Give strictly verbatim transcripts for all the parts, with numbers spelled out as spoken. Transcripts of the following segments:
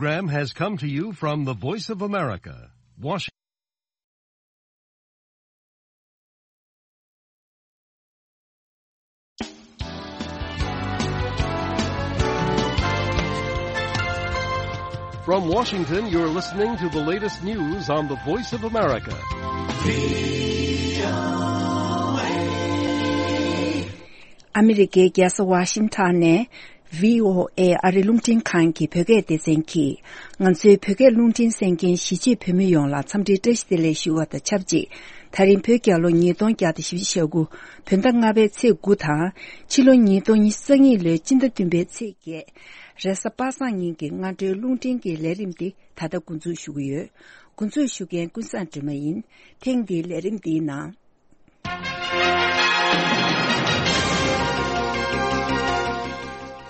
Program has come to you from the Voice of America, Washington. From Washington, you're listening to the latest news on the Voice of America. ཨ་མི་རི་ཀའི་རྒྱལ་ས་ཝ་ཤིང་ཊོན་ནས་བྷི་ཨོ་ཨེ་ཨ་རི་རླུང་འཕྲིན་ཁང་གི་བོད་སྐད་སྡེ་ཚན་གྱིས། ང་ཚོའི་བོད་སྐད་རླུང་འཕྲིན་གསན་མཁན་གཞིས་བྱེས་བོད་མི་ཡོངས་ལ་འཚམས་འདྲིའི་བཀྲ་ཤིས་བདེ་ལེགས་ཞུ་བ་དང་ཆབས་ཅིག་དེ་རིང་བོད་རྒྱལ་ལོ་ཉིས་སྟོང་བརྒྱ་དང་བཞི་བཅུ་ཞེ་དགུ་བོད་ཟླ་ལྔ་པའི་ཚེས་དགུ་དང་ཕྱི་ལོ་ཉིས་སྟོང་ཉི་ཤུ་རྩ་གཉིས་ལོའི་སྤྱི་ཟླ་བདུན་པའི་ཚེས་བརྒྱད། རེས་གཟའ་པ་སངས་ཉིན་གྱི་སྔ་དྲོའི་རླུང་འཕྲིན་གྱི་ལས་རིམ་འདི་ད་ལྟ་འགོ་འཛུགས་ཞུ་གི་ཡོད། འགོ་འཛུགས་ཞུ་མཁན་ཀུན་བཟང་སྒྲོལ་མ་ཡིན། ཐེངས་འདིའི་ལས་རིམ་འདིའི་ནང་།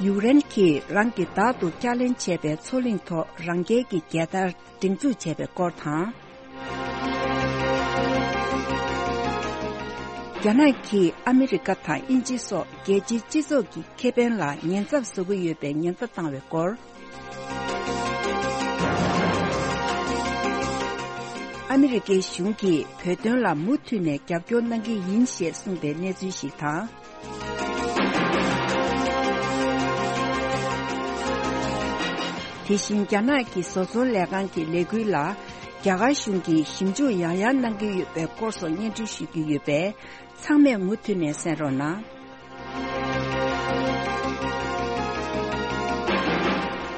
ཡུཀ་རེན་གྱིས་རང་གིས་བདག་ཏུ་བསྐྱར་ལེན་བྱས་པའི་མཚོ་གླིང་ཐོག་རང་རྒྱལ་གྱི་རྒྱལ་དར་སྒྲེང་འཛུགས་བྱས་པའི་སྐོར་དང་། རྒྱ་ནག་གིས་ཨ་མི་རི་ཀ་དང་དབྱིན་ཇི་སོགས་རྒྱལ་སྤྱིའི་སྤྱི་ཚོགས་ཀྱི་ཁེ་ཕན་ལ་ཉེན་ཚབས་བཟོ་གི་ཡོད་པའི་ཉེན་བརྡ་བཏང་བའི་སྐོར། ཨ་མི་རི་ཀའི་གཞུང་གིས་བོད་དོན་ལ་མུ་མཐུད་ནས་རྒྱབ་སྐྱོར་གནང་གི་ཡིན་ཞེས་གསུངས་པའི་གནས་ཚུལ་ཞིག་དང་། དེ་བཞིན་རྒྱ་ནག་གི་བཟོ་ཚོང་ལས་ཁང་གི་ལས་འགུལ་ལ་རྒྱ་གར་གཞུང་གིས་ཞིབ་འཇུག་ཡང་ཡང་གནང་གི་ཡོད་པའི་སྐོར་སོགས་སྙན་སྒྲོན་ཞུ་རྒྱུ་ཡོད་པས། ཚང་མས་མུ་མཐུད་ནས་གསན་རོགས་གནང་།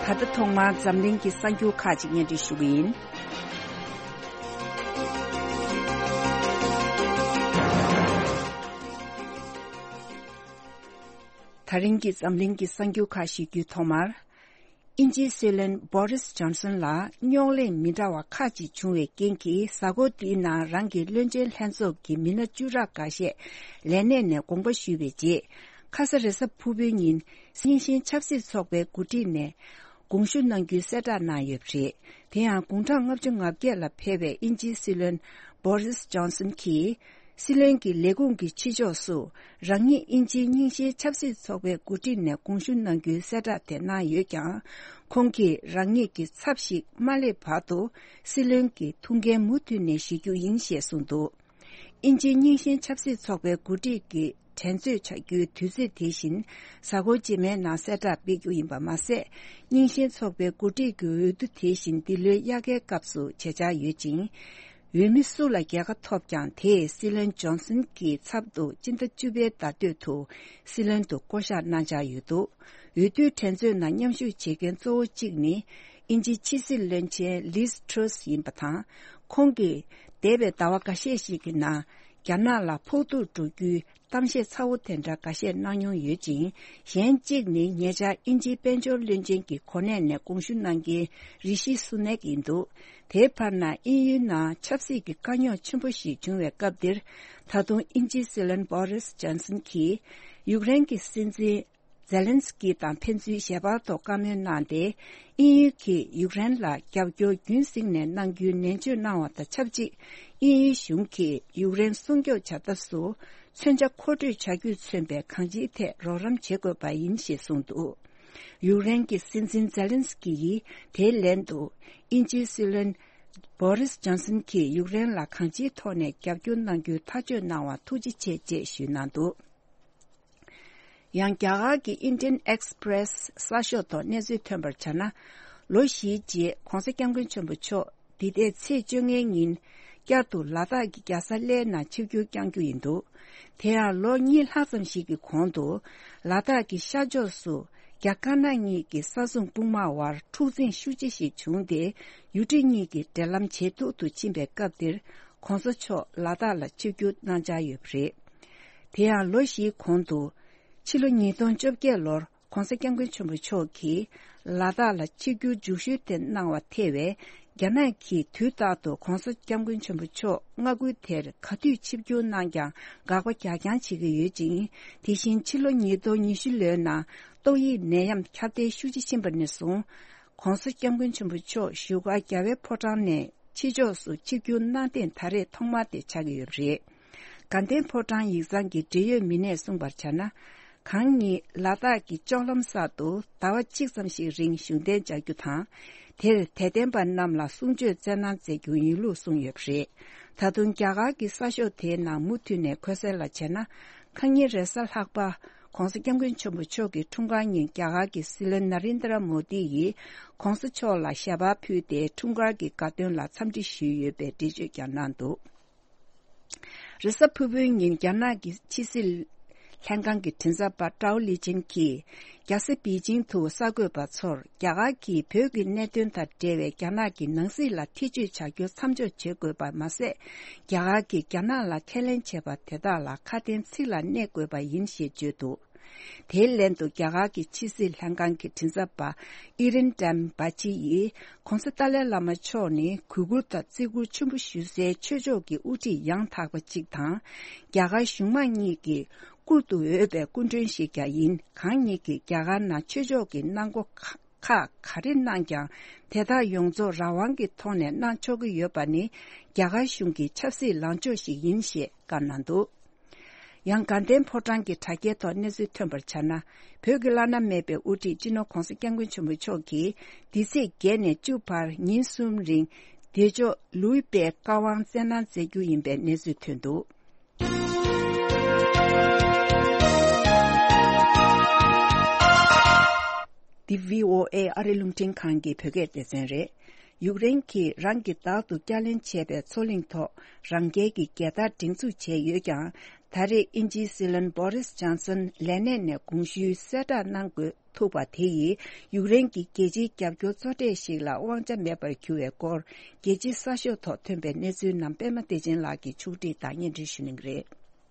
ད་ལྟ་ཐོག་མར་འཛམ་གླིང་གི་གསར་འགྱུར་ཁག་ཅིག་སྙན་སྒྲོན་ཞུ་གི་ཡིན། ད་རིང་གི་འཛམ་གླིང་གི་གསར་འགྱུར་ཁག་ཞུ་རྒྱུའི་ཐོག་མར། དབྱིན་ཇིའི་སྲིད་བློན་བོ་རིས་ཇོན་སན་ལ་རྙོག་གླེང་མི་འདྲ་བ་ཁག་ཅིག་བྱུང་བའི་རྐྱེན་གྱིས། གཟའ་འཁོར་འདིའི་ནང་རང་གི་བློན་ཆེན་ལྷན་ཚོགས་ཀྱི་མི་སྣ་བཅུ་ཕྲག་འགའ་ཤས་ལས་གནས་ནས་དགོངས་པ་ཞུས་པའི་རྗེས། ཁ་ས་རེས་གཟའ་ཕུར་བུའི་ཉིན་རྙིང་ཞེན་ཆབ་སྲིད་ཚོགས་པའི་འགོ་ཁྲིད་ནས་དགོངས་ཞུ་གནང་རྒྱུའི་གསལ་བསྒྲགས་གནང་ཡོད་པ་རེད། དེ་ཡང་དགུང་གྲངས་ལྔ་བཅུ་ང་བརྒྱད་ལ་ཕེབས་པའི་དབྱིན་ཇིའི་སྲིད་བློན་བོ་རིས་ཇོན་སན་གྱིས། སྲིད་བློན་གྱི་ལས་ཁུངས་ཀྱི་ཕྱི་ཕྱོགས་སུ་རང་ཉིད་དབྱིན་ཇིའི་རྙིང་ཞེན་ཆབ་སྲིད་ཚོགས་པའི་འགོ་ཁྲིད་ནས་དགོངས་ཞུ་གནང་རྒྱུའི་གསལ་བསྒྲགས་དེ་གནང་ཡོད་ཀྱང་། ཁོང་གིས་རང་ཉིད་ཀྱི་ཚབ་ཞིག་མ་སླེབས་བར་དུ་སྲིད་བློན་གྱི་ཐུགས་འགན་མུ་མཐུད་ནས་བཞེས་རྒྱུ་ཡིན་ཞེས་གསུངས་འདུག་དབྱིན་ཇིའི་རྙིང་ཞེན་ཆབ་སྲིད་ཚོགས་པའི་འགོ་ཁྲིད་ཀྱི་འགྲན་རྩོད་བྱ་རྒྱུའི་དུས་ཚོད་དེ་བཞིན་གཟའ་འཁོར་རྗེས་མའི་ནང་གསལ་བསྒྲགས་སྤེལ་རྒྱུ་ཡིན་པ་མ་ཟད། རྙིང་ཞེན་ཚོགས་པའི་འགོ་ཁྲིད་ཀྱི་འོས་བསྡུ་དེ་བཞིན་འདི་ལོའི་དབྱར་ཁའི་སྐབས་སུ་བྱེད་འཆར་ཡོད་ཅིང་། འོས་མི་སུ་ལ་རྒྱལ་ཁ་ཐོབ་ཀྱང་། དེས་སྲིད་བློན་ཇོན་སན་གྱི་ཚབ་ཏུ་སྤྱི་ཟླ་བཅུ་པའི་ཟླ་སྟོད་དུ་སྲིད་བློན་དུ་བསྐོ་གཞག་གནང་འཆར་ཡོད་འདུག་འོས་བསྡུའི་འགྲན་རྩོད་ནང་མཉམ་ཞུགས་བྱེད་མཁན་གཙོ་བོ་གཅིག་ནི། དབྱིན་ཇིའི་ཕྱི་སྲིད་བློན་ཆེན་ལིས་ཊྲོས་ཡིན་པ་དང་། ཁོང་གིས་འདས་པའི་ཟླ་བ་འགའ་ཤས་ཤིག་གི་ནང་རྒྱ་ནག་ལ་ཕོག་ཐུག་འགྲོ་རྒྱུའི་གཏམ་བཤད་ཚ་བོ་དེ་འདྲ་འགའ་ཤས་གནང་མྱོང་ཡོད་ཅིང་། གཞན་གཅིག་ནི་ཉེ་ཆར་དབྱིན་ཇིའི་དཔལ་འབྱོར་བློན་ཆེན་གྱི་གོ་གནས་ནས་དགོངས་ཞུ་གནང་མཁན་རི་ཤི་སུ་ནེག་ཡིན་འདུག་དེའི་བར་ན་དབྱིན་ཡུལ་ནང་ཆབ་སྲིད་ཀྱི་དཀའ་རྙོག་ཆེན་པོ་ཞིག་བྱུང་བའི་སྐབས་འདིར། ད་དུང་དབྱིན་ཇིའི་སྲིད་བློན་བོ་རིས་ཇོན་སན་གྱིས་ཡུཀ་རེན་གྱི་སྲིད་འཛིན་ཛེ་ལན་སི་ཀི་དང་ཕན་ཚུན་ཞལ་པར་ཐོག་བཀའ་མོལ་གནང་སྟེ། དབྱིན་ཡུལ་གྱིས་ཡུཀ་རེན་ལ་རྒྱབ་སྐྱོར་རྒྱུན་བསྲིངས་ནས་གནང་རྒྱུའི་ནན་བརྗོད་གནང་བ་དང་ཆབས་ཅིག་དབྱིན་ཡུལ་གཞུང་གིས་ཡུཀ་རེན་སྲུང་སྐྱོབ་བྱ་ཐབས་སུ་མཚོན་ཆ་མཁོ་སྤྲོད་བྱ་རྒྱུས་མཚོན་པའི་གང་ཅིའི་ཐད་རོགས་རམ་བྱེད་དགོས་པ་ཡིན་ཞེས་གསུངས་འདུག་ཡུཀ་རེན་གྱི་སྲིད་འཛིན་ཛེ་ལན་སི་ཀི་ཡིས་དེའི་ལན་དུ། དབྱིན་ཇིའི་སྲིད་བློན་བོ་རིས་ཇོན་སན་གྱིས་ཡུཀ་རེན་ལ་གང་ཅིའི་ཐོག་ནས་རྒྱབ་སྐྱོར་གནང་རྒྱུའི་ཐག་གཅོད་གནང་བར་ཐུགས་རྗེ་ཆེ་ཞེས་ཞུས་གནང་འདུག་ཡང་རྒྱ་གར་གྱི་Indian Express་གསར་ཤོག་ཐོག་གནས་ཚུལ་ཐོན་པར་བྱས་ན། ལོ་བཞིའི་རྗེས་༧གོང་ས་༧སྐྱབས་མགོན་ཆེན་པོ་མཆོག་འདི་ཟླའི་ཚེས་བཅོ་ལྔའི་ཉིན་བསྐྱར་དུ་ལ་དྭགས་ཀྱི་རྒྱལ་ས་གླེ་ནང་ཆིབས་བསྒྱུར་བསྐྱང་རྒྱུ་ཡིན་འདུག་དེ་ཡང་ལོ་གཉིས་ལྷག་ཙམ་ཞིག་གི་གོང་དུ། ལ་དྭགས་ཀྱི་ཤར་ཕྱོགས་སུ་རྒྱ་དཀར་ནག་གཉིས་ཀྱི་ས་མཚམས་དཔུང་དམག་དབར་འཁྲུག་འཛིང་ཤུགས་ཆེ་ཞིག་བྱུང་སྟེ། ཡུལ་གྲུ་གཉིས་ཀྱི་འབྲེལ་ལམ་ཇེ་སྡུག་ཏུ་ཕྱིན་པའི་སྐབས་འདིར། ྋགོང་ས་མཆོག་ལ་དྭགས་ལ་ཆིབས་བསྒྱུར་གནང་འཆར་ཡོད་པ་རེད། དེ་ཡང་ལོ་བཞིའི་གོང་དུ། ཕྱི་ལོ་ཉིས་སྟོང་བཅོ་བརྒྱད་ལོར་༧གོང་ས་༧སྐྱབས་མགོན་ཆེན་པོ་མཆོག་གིས་ལ་དྭགས་ལ་ཆིབས་བསྒྱུར་མཇུག་ཞུ་དེ་གནང་བ་ཐེ་བའི་རྒྱ་ནག་གིས་དུས་རྟག་ཏུ་༧གོང་ས་༧སྐྱབས་མགོན་ཆེན་པོ་མཆོག་མངའ་ཁུལ་དེར་ག་དུས་ཆིབས་བསྒྱུར་གནང་ཀྱང་དགག་པ་རྒྱག་རྐྱང་བྱེད་ཀྱི་ཡོད་ཅིང་། དེ་བཞིན་ཕྱི་ལོ་ཉིས་སྟོང་ཉི་ཤུ་ལོའི་ནང་ཏོག་དབྱིབས་ནད་ཡམས་ཁྱབ་གདལ་ཤུགས་ཆེ་ཕྱིན་པ་ནས་བཟུང་། ྋགོང་ས་༧སྐྱབས་མགོན་ཆེན་པོ་མཆོག་བཞུགས་སྒར་རྒྱལ་བའི་ཕོ་བྲང་ནས་ཕྱི་ཕྱོགས་སུ་ཆིབས་བསྒྱུར་གནང་ཐེངས་ད་རེས་ཐོག་མ་དེ་ཆགས་ཀྱི་ཡོད་པ་རེད། དགའ་ལྡན་ཕོ་བྲང་ཡིག་ཚང་གི་འབྲེལ་ཡོད་མི་སྣས་གསུངས་པར་བྱས་ན། གང་ཉིད་ལ་དྭགས་ཀྱི་ལྕོག་ལམ་གསར་དུ་ཟླ་བ་གཅིག་ཙམ་ཞིག་རིང་བཞུགས་གདན་འཇགས་རྒྱུ་དང་། དེར་དད་ལྡན་པ་རྣམས་ལ་གསུང་ཆོས་སྩལ་གནང་མཛད་རྒྱུ་ཡིན་ལུགས་གསུངས་ཡོད་པ་རེད། ད་དུང་རྒྱ་གར་གྱི་གསར་ཤོག་དེའི་ནང་མུ་མཐུད་ནས་འཁོད་གསལ་ལ་བྱས་ན། ཁ་ཉིན་རེས་གཟའ་ལྷག་པ། ྋགོང་ས་ྋསྐྱབས་མགོན་ཆེན་པོ་མཆོག་གི་འཁྲུངས་སྐར་ཉིན་རྒྱ་གར་གྱི་སྲིད་བློན་ན་རིན་དྲ་མོ་དི་ཡིས་ྋགོང་ས་མཆོག་ལ་ཞལ་པར་ཕུལ་ཏེ་འཁྲུངས་སྐར་གྱི་དགའ་སྟོན་ལ་འཚམས་འདྲི་ཞུས་ཡོད་པའི་འགྲེལ་བརྗོད་ཀྱང་གནང་འདུག་རེས་གཟའ་ཕུར་བུའི་ཉིན་རྒྱ་ནག་གི་ཕྱི་སྲིད་ལྷན་ཁང་གི་མགྲིན་ཚབ་པ་ཀྲའོ་ལི་ཅན་གྱིས། རྒྱལ་ས་པེ་ཅིང་དུ་གསར་འགོད་པ་ཚོར་རྒྱ་གར་གྱིས་བོད་ཀྱི་གནད་དོན་དང་འབྲེལ་བའི་རྒྱ་ནག་གི་ནང་སྲིད་ལ་ཐེ་བྱུས་བྱ་རྒྱུ་མཚམས་འཇོག་བྱེད་དགོས་པ་མ་ཟད། རྒྱ་གར་གྱིས་རྒྱ་ནག་ལ་ཁས་ལེན་བྱས་པ་དེ་དག་ལ་ཁ་དན་ཚིག་ལ་གནས་དགོས་པ་ཡིན་ཞེས་བརྗོད་འདུག་དེའི་ལན་དུ་རྒྱ་གར་གྱི་ཕྱི་སྲིད་ལྷན་ཁང་གི་མགྲིན་ཚབ་པ་ཨི་རིན་ཀྲམ་བྷ་ཅི་ཡིས་༧གོང་ས་ཏཱ་ལའི་བླ་མ་མཆོག་ནི་གུས་བཀུར་དང་བརྩི་བཀུར་ཆེན་པོ་ཞུ་སའི་ཆོས་ཕྱོགས་ཀྱི་དབུ་ཁྲིད་ཡང་དག་པ་གཅིག་དང་། རྒྱ་གར་གཞུང་མང་གཉིས་ཀྱི་བཀུར་དུ་འོས་པའི་སྐུ་མགྲོན་ཞིག་ཀྱང་ཡིན། གང་ཉིད་ཀྱིས་རྒྱ་གར་ནང་ཆོས་ཕྱོགས་ཀྱི་གནང་སྒོ་ཁག་ག་རེ་གནང་ཀྱང་། དེ་དག་ཡོངས་རྫོགས་རང་དབང་གི་ཐོག་ནས་གནང་ཆོག་གི་ཡོད་པ་ནི་རྒྱ་གར་གཞུང་གི་ཆབ་སྲིད་ལངས་ཕྱོགས་ཤིག་ཡིན་ཞེས་བཀའ་གནང་འདུག་ཡང་དགའ་ལྡན་ཕོ་བྲང་གི་དྲ་རྒྱའི་ཐོག་གནས་ཚུལ་ཐོན་པར་བྱས་ན། བོད་ཀྱི་བླ་ན་མེད་པའི་དབུ་ཁྲིད་སྤྱི་ནོར་༧གོང་ས་༧སྐྱབས་མགོན་ཆེན་པོ་མཆོག་གིས་འདི་ཚེས་བརྒྱད་ནས་བཅུ་བར་ཉིན་གསུམ་རིང་བདེ་མཆོག་ལུས་པའི་བཀའ་དབང་སྩལ་གནང་མཛད་རྒྱུ་ཡིན་པའི་གནས་ཚུལ་ཐོན་འདུག་འདི་བྷི་ཨོ་ཨེ་ཨ་རི་རླུང་འཕྲིན་ཁང་གི་བོད་སྐད་སྡེ་ཚན་རེད། ཡུཀ་རེན་གྱིས་རང་གིས་བདག་ཏུ་བསྐྱར་ལེན་བྱས་པའི་མཚོ་གླིང་ཐོག་རང་རྒྱལ་གྱི་རྒྱལ་དར་སྒྲེང་འཛུགས་བྱས་ཡོད་ཀྱང་། ད་རེས་དབྱིན་ཇིའི་སྲིད་བློན་བོ་རིས་ཇོན་སན་ལས་གནས་ནས་དགོངས་ཞུའི་གསལ་བསྒྲགས་གནང་དགོས་ཐུག་པ་དེ་ཡིས་ཡུཀ་རེན་གྱི་རྒྱལ་སྤྱིའི་རྒྱབ་སྐྱོར་གཙོ་གྲས་ཤིག་ལ་དབང་ཆ་མེད་པར་གྱུར་བའི་སྐོར། རྒྱལ་སྤྱིའི་གསར་ཤོག་ཐོག་ཐོན་པའི་གནས་ཚུལ་རྣམས་པད་མ་བདེ་ཆེན་ལགས་ཀྱིས་ཕྱོགས་སྒྲིག་དང་སྙན་སྒྲོན་ཞུ་གནང་གི་རེད།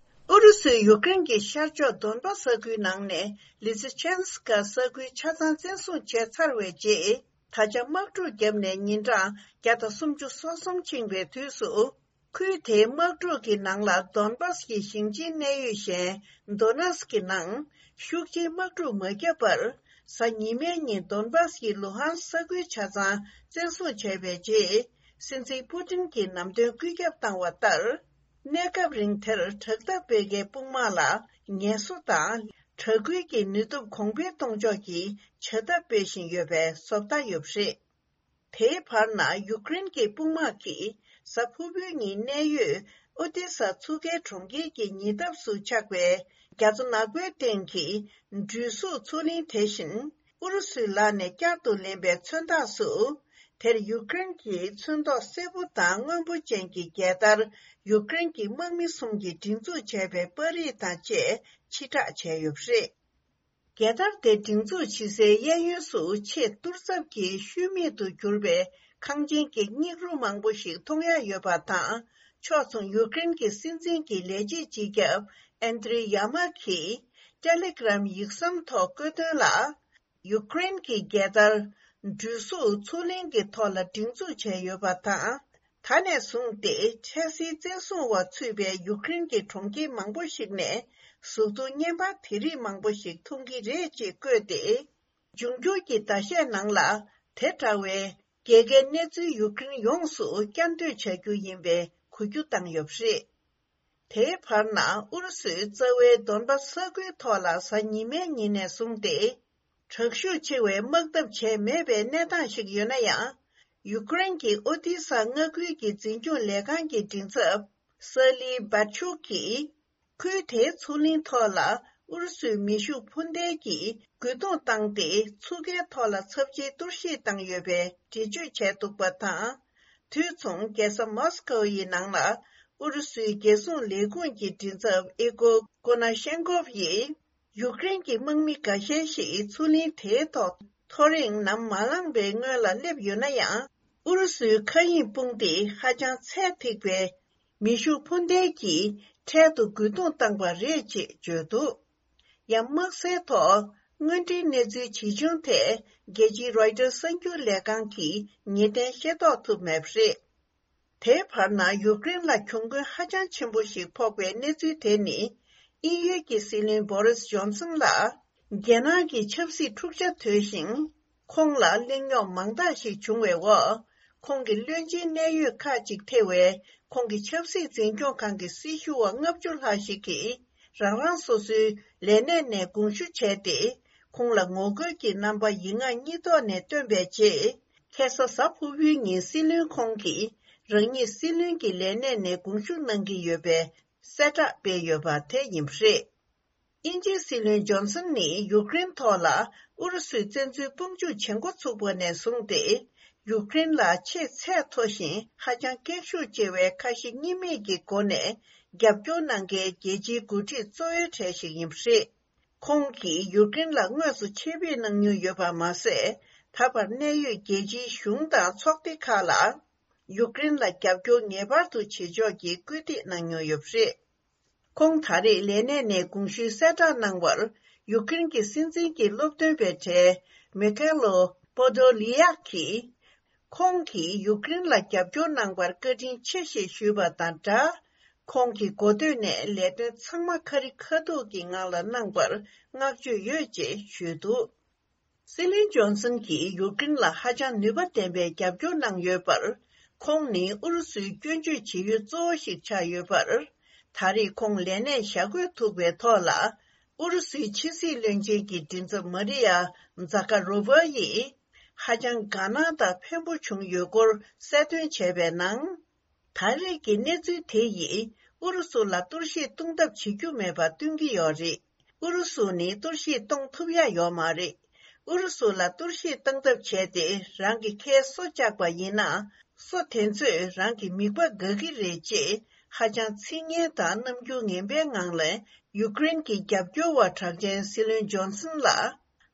ཨུ་རུ་སུས་ཡུཀ་རེན་གྱི་ཤར་ཕྱོགས་དོན་པ་ས་ཁུལ་ནང་ནས་ལི་སི་ཆན་སི་ཀ་ས་ཁུལ་ཆ་ཚང་བཙན་བཟུང་བྱས་ཚར་བའི་རྗེས། ད་ཆ་དམག་འཁྲུག་བརྒྱབ་ནས་ཉིན་གྲངས་བརྒྱ་དང་སུམ་ཅུ་སོ་གསུམ་ཕྱིན་པའི་དུས་སུ། ཁུལ་དེའི་དམག་འཁྲུག་གི་ནང་ལ་དོན་པཱས་ཀྱི་ཞིང་ཆེན་གནད་ཡོད་གཞན་དོ་ནེ་སི་ཀི་ནང་ཤུགས་ཆེའི་དམག་འཁྲུག་མ་བརྒྱབ་པར། གཟའ་ཉི་མའི་ཉིན་དོན་པཱས་ཀྱི་ལུ་ཧན་ས་ཁུལ་ཆ་ཚང་བཙན་བཟུང་བྱས་པའི་རྗེས། སྲིད་འཛིན་པུ་ཏིན་གྱིས་ལམ་སྟོན་བཀོད་ཁྱབ་བཏང་བ་ལྟར། གནས་སྐབས་རིང་དེར་དྲག་འཐབ་སྤེལ་མཁན་དཔུང་དམག་ལ་ངལ་གསོ་དང་། དྲག་སྐུལ་གྱི་ནུས་སྟོབས་གོང་འཕེལ་གཏོང་ཕྱོགས་ཀྱི་བྱ་ཐབས་སྤེལ་བཞིན་ཡོད་པའི་བཟོ་ལྟ་ཡོད་པ་རེད། དེའི་བར་ན་ཡུཀ་རེན་གྱི་དཔུང་དམག་གིས་གཟའ་ཕུར་བུའི་ཉིན་གནད་ཡོད་ཨོ་ཏི་ས་མཚོ་ཁའི་གྲོང་ཁྱེར་གྱི་ཉེ་འདབས་སུ་ཆགས་པའི་རྒྱ་མཚོ་ནག་པོའི་སྟེང་གི་འགྲུལ་བཞུད་མཚོ་གླིང་། དེ་བཞིན་ཨུ་རུ་སུའི་ལག་ནས་བསྐྱར་དུ་ལེན་པའི་མཚོན་རྟགས་སུ། དེར་ཡུཀ་རེན་གྱི་ཚོན་མདོག་སེར་པོ་དང་སྔོན་པོ་ཅན་གྱི་རྒྱལ་དར། ཡུཀ་རེན་གྱི་དམག་མི་གསུམ་གྱིས་སྒྲེང་འཛུགས་བྱས་པའི་པར་རིས་དང་བཅས་ཕྱིར་བསྒྲགས་བྱས་ཡོད་པ་རེད། རྒྱལ་དར་དེ་སྒྲེང་འཛུགས་བྱེད་སའི་གཡས་གཡོན་སུ་ཆེས་གཏོར་ཚབ་ཀྱི་ཤུལ་མེད་དུ་གྱུར་པའི་ཁང་ཆེན་གྱི་སྙིགས་རོ་མང་པོ་ཞིག་མཐོང་ཡ་ཡོད་པ་དང་། ཕྱོགས་མཚུངས་ཡུཀ་རེན་གྱི་སྲིད་འཛིན་གྱི་ལས་བྱེད་སྤྱི་ཁྱབ་ཨན་དྲི་ཡ་མག་གིས་ཏེ་ལེ་གྷི་རམ་ཡིག་ཟམ་ཐོག་བཀོད་དོན་ལ། ཡུཀ་རེན་གྱི་རྒྱལ་དར། འགྲུལ་བཞུད་མཚོ་གླིང་གི་ཐོག་ལ་སྒྲེང་འཛུགས་བྱས་ཡོད་པ་དང་། ད་ནས་བཟུང་སྟེ་འཕྲལ་སེལ་བཙན་བཟུང་བ་ཚུད་པའི་ཡུཀ་རེན་གྱི་གྲོང་ཁྱེར་མང་པོ་ཞིག་ནས་གཟུགས་མཐོང་བརྙན་པར་དེ་རིགས་མང་པོ་ཞིག་མཐོང་གི་རེད་ཅེས་བཀོད་དེ། འབྱུང་འགྱུར་གྱི་ཟླ་ཤས་ནང་ལ་དེ་འདྲ་བའི་རྒྱལ་ཁའི་གནས་ཚུལ་ཡུཀ་རེན་ཡོངས་སུ་བསྐྱར་ཟློས་བྱ་རྒྱུ་ཡིན་པའི་གོ་རྒྱུ་བཏང་ཡོད་པ་རེད། དེའི་བར་ན་ཨུ་རུ་སུའི་རྩ་བའི་དོན་པ་ས་ཁུལ་ཐོག་ལ་གཟའ་ཉི་མའི་ཉིན་ནས་བཟུང་སྟེ། དྲག་ཤུགས་ཆེ་བའི་དམག་འཐབ་བྱས་མེད་པའི་གནས་སྟངས་ཤིག་ཡོད་ན་ཡང་། ཡུཀ་རེན་གྱི་ཨོ་ཏི་ས་མངའ་ཁུལ་གྱི་འཛིན་སྐྱོང་ལས་ཁང་གི་མགྲིན་ཚབ་སཱ་ལི་བྷ་ཆུག་གིས། ཁུལ་དེའི་མཚོ་གླིང་ཐོག་ལ་ཨུ་རུ་སུའི་མེ་ཤུགས་འཕུར་མདེལ་གྱིས་རྒོལ་རྡུང་བཏང་སྟེ། མཚོ་ཁའི་ཐོག་ལ་ཚབས་ཆེའི་གཏོར་བཤིག་བཏང་ཡོད་པའི་འགྲེལ་བརྗོད་བྱས་འདུག་པ་དང་། དུས་མཚུངས་རྒྱལ་ས་མོ་སི་ཀོ་ཡི་ནང་ལ་ཨུ་རུ་སུའི་རྒྱལ་སྲུང་ལས་ཁུངས་ཀྱི་མགྲིན་ཚབ་ཨི་གོ་ཀོ་ན་ཤན་ཀོབ་ཡིས། ཡུཀ་རེན་གྱི་དམག་མི་འགའ་ཤས་ཤིག་མཚོ་གླིང་དེའི་ཐོག་ཐོ་རེངས་ནམ་མ་ལངས་པའི་སྔོན་ལ་སླེབས་ཡོད་ན་ཡང་། ཨུ་རུ་སུའི་མཁའ་དབྱིངས་དཔུང་སྡེས་ཧ་ཅང་ཚད་ཐིག་པའི་མེ་ཤུགས་འཕུར་མདེལ་གྱིས་འཕྲལ་དུ་རྒོལ་རྡུང་བཏང་པ་རེད་ཅེས་བརྗོད་འདུག་ཡང་དམག་སའི་ཐོག་དངོས་འབྲེལ་གནས་ཚུལ་ཇི་བྱུང་ཐད་རྒྱལ་སྤྱིའི་རོའི་ཊར་གསར་འགྱུར་ལས་ཁང་གིས་ངེས་གཏན་ཤེས་རྟོགས་ཐུབ་མེད་པ་རེད། དེའི་བར་ན་ཡུཀ་རེན་ལ་གྱོང་གུན་ཧ་ཅང་ཆེན་པོ་ཞིག་ཕོག་པའི་གནས་ཚུལ་དེ་ནི། དབྱིན་ཡུལ་གྱི་སྲིད་བློན་བོ་རིས་ཇོན་སན་ལ། རྒྱལ་ནང་གི་ཆབ་སྲིད་འཁྲུག་ཆ་དོད་ཞིང་། ཁོང་ལ་གླེང་རྙོག་མང་དག་ཞིག་བྱུང་བའི་འོག་ཁོང་གི་བློན་ཆེན་གནད་ཡོད་ཁག་ཅིག་ཐེ་བའི་ཁོང་གི་ཆབ་སྲིད་འཛིན་སྐྱོང་ཁང་གི་སྲི་ཞུ་བ་ལྔ་བཅུ་ལྷག་ཞིག་གིས། རང་རང་སོ་སོའི་ལས་གནས་ནས་དགོངས་ཞུ་བྱས་ཏེ། ཁོང་ལ་ངོ་རྒོལ་གྱི་རྣམ་པ་ཡིག་ངག་གཉིས་ཐོག་ནས་བཏོན་པའི་རྗེས། ཁ་སང་གཟའ་ཕུར་བུའི་ཉིན་སྲིད་བློན་ཁོང་གིས་རང་ཉིད་སྲིད་བློན་གྱི་ལས་གནས་ནས་དགོངས་ཞུ་གནང་གི་ཡོད་པའི་གསལ་བསྒྲགས་སྤེལ་ཡོད་པ་དེ་ཡིན་པ་རེད། དབྱིན་ཇིའི་སྲིད་བློན་ཇོན་སན་ནི་ཡུཀ་རེན་ཐོག་ལ་ཨུ་རུ་སུའི་བཙན་འཛུལ་དཔུང་འཇུག་བྱེད་འགོ་ཚུགས་པ་ནས་བཟུང་སྟེ། ཡུཀ་རེན་ལ་ཆེས་ཚད་མཐོ་ཞིང་ཧ་ཅང་སྐད་ཤུགས་ཆེ་བའི་ཁ་ཞེ་གཉིས་མེད་ཀྱི་སྒོ་ནས་རྒྱབ་སྐྱོར་གནང་མཁན་རྒྱལ་སྤྱིའི་འགོ་ཁྲིད་གཙོ་བོའི་གྲས་ཤིག་ཡིན་པ་རེད། ཁོང་གིས་ཡུཀ་རེན་ལ་དངོས་སུ་ཆེད་ཕེབས་གནང་མྱོང་ཡོད་པ་མ་ཟད། ད་བར་གནད་ཡོད་རྒྱལ་སྤྱིའི་གཞུང་དང་ཚོགས་སྡེ་ཁག་ལ་ཡུཀ་རེན་ལ་རྒྱབ་སྐྱོར་ངེས་པར་དུ་བྱེད་ཕྱོགས་ཀྱི་སྐུལ་འདེད་གནང་མྱོང་ཡོད་པ་རེད། ཁོང་ད་རེས་ལས་གནས་ནས་དགོངས་ཞུའི་གསལ་བསྒྲགས་གནང་བར། ཡུཀ་རེན་གྱི་སྲིད་འཛིན་གྱི་སློབ་སྟོན་པའི་གྲས་མི་ཁེ་ལོ་པོ་དོ་ལི་ཡག་གིས། ཁོང་གིས་ཡུཀ་རེན་ལ་རྒྱབ་སྐྱོར་གནང་བར་བཀའ་དྲིན་ཆེ་ཞེས་ཞུས་པ་དང་སྦྲགས། ཁོང་གི་འགོ་སྟོད་ནས་ལས་དོན་ཚང་མ་ཁ་རི་ཁ་ཐུག་གི་ངང་ལ་གནང་བར་བསྔགས་བརྗོད་ཡོད་ཅེས་ཞུས་འདུག། སྲིད་བློན་ཇོན་སན་གྱིས་ཡུཀ་རེན་ལ་ཧ་ཅང་ནུས་པ་ལྡན་པའི་རྒྱབ་སྐྱོར་གནང་ཡོད་པར། ཁོང་ནི་ཨུ་རུ་སུའི་སྐྱོན་བརྗོད་བྱེད་ཡུལ་གཙོ་བོ་ཞིག་ཆགས་ཡོད་པར། ད་རེས་ཁོང་ལས་གནས་བཞག་དགོས་ཐུག་པའི་ཐོག་ལ། ཨུ་རུ་སུའི་ཕྱི་སྲིད་བློན་ཆེན་གྱི་མགྲིན་ཚབ་མ་རི་ཡ་ཛ་ཀ་རོ་བྷ་ཡིས། ཧ་ཅང་དགའ་སྣང་དང་ཕན་པོ་བྱུང་ཡོད་སྐོར་གསལ་སྟོན་བྱས་པའི་ནང་། ད་རེས་ཀྱི་གནས་ཚུལ་དེ་ཡིས་ཨུ་རུ་སུ་ལ་གཏོར་བཤིག་གཏོང་ཐབས་བྱེད་རྒྱུ་མེད་པ་སྟོན་གྱི་ཡོད་རེད། ཨུ་རུ་སུ་ནི་གཏོར་བཤིག་གཏོང་ཐུབ་ཡ་ཡོད་མ་རེད། ཨུ་རུ་སུ་ལ་གཏོར་བཤིག་གཏོང་ཐབས་བྱས་ཏེ་རང་གི་ཁའི་སོ་བཅག་པ་ཡིན་ན། སོ་དེ་ཚོས་རང་གི་མིད་པ་འགག་གི་རེད་ཅེས་ཧ་ཅང་ཚིག་ངན་དང་རྣམ་འགྱུར་ངན་པའི་ངང་ལས་ཡུཀ་རེན་གྱི་རྒྱབ་སྐྱོར་བ་གྲགས་ཅན་སྲིད་བློན་ཇོན་སན་ལ་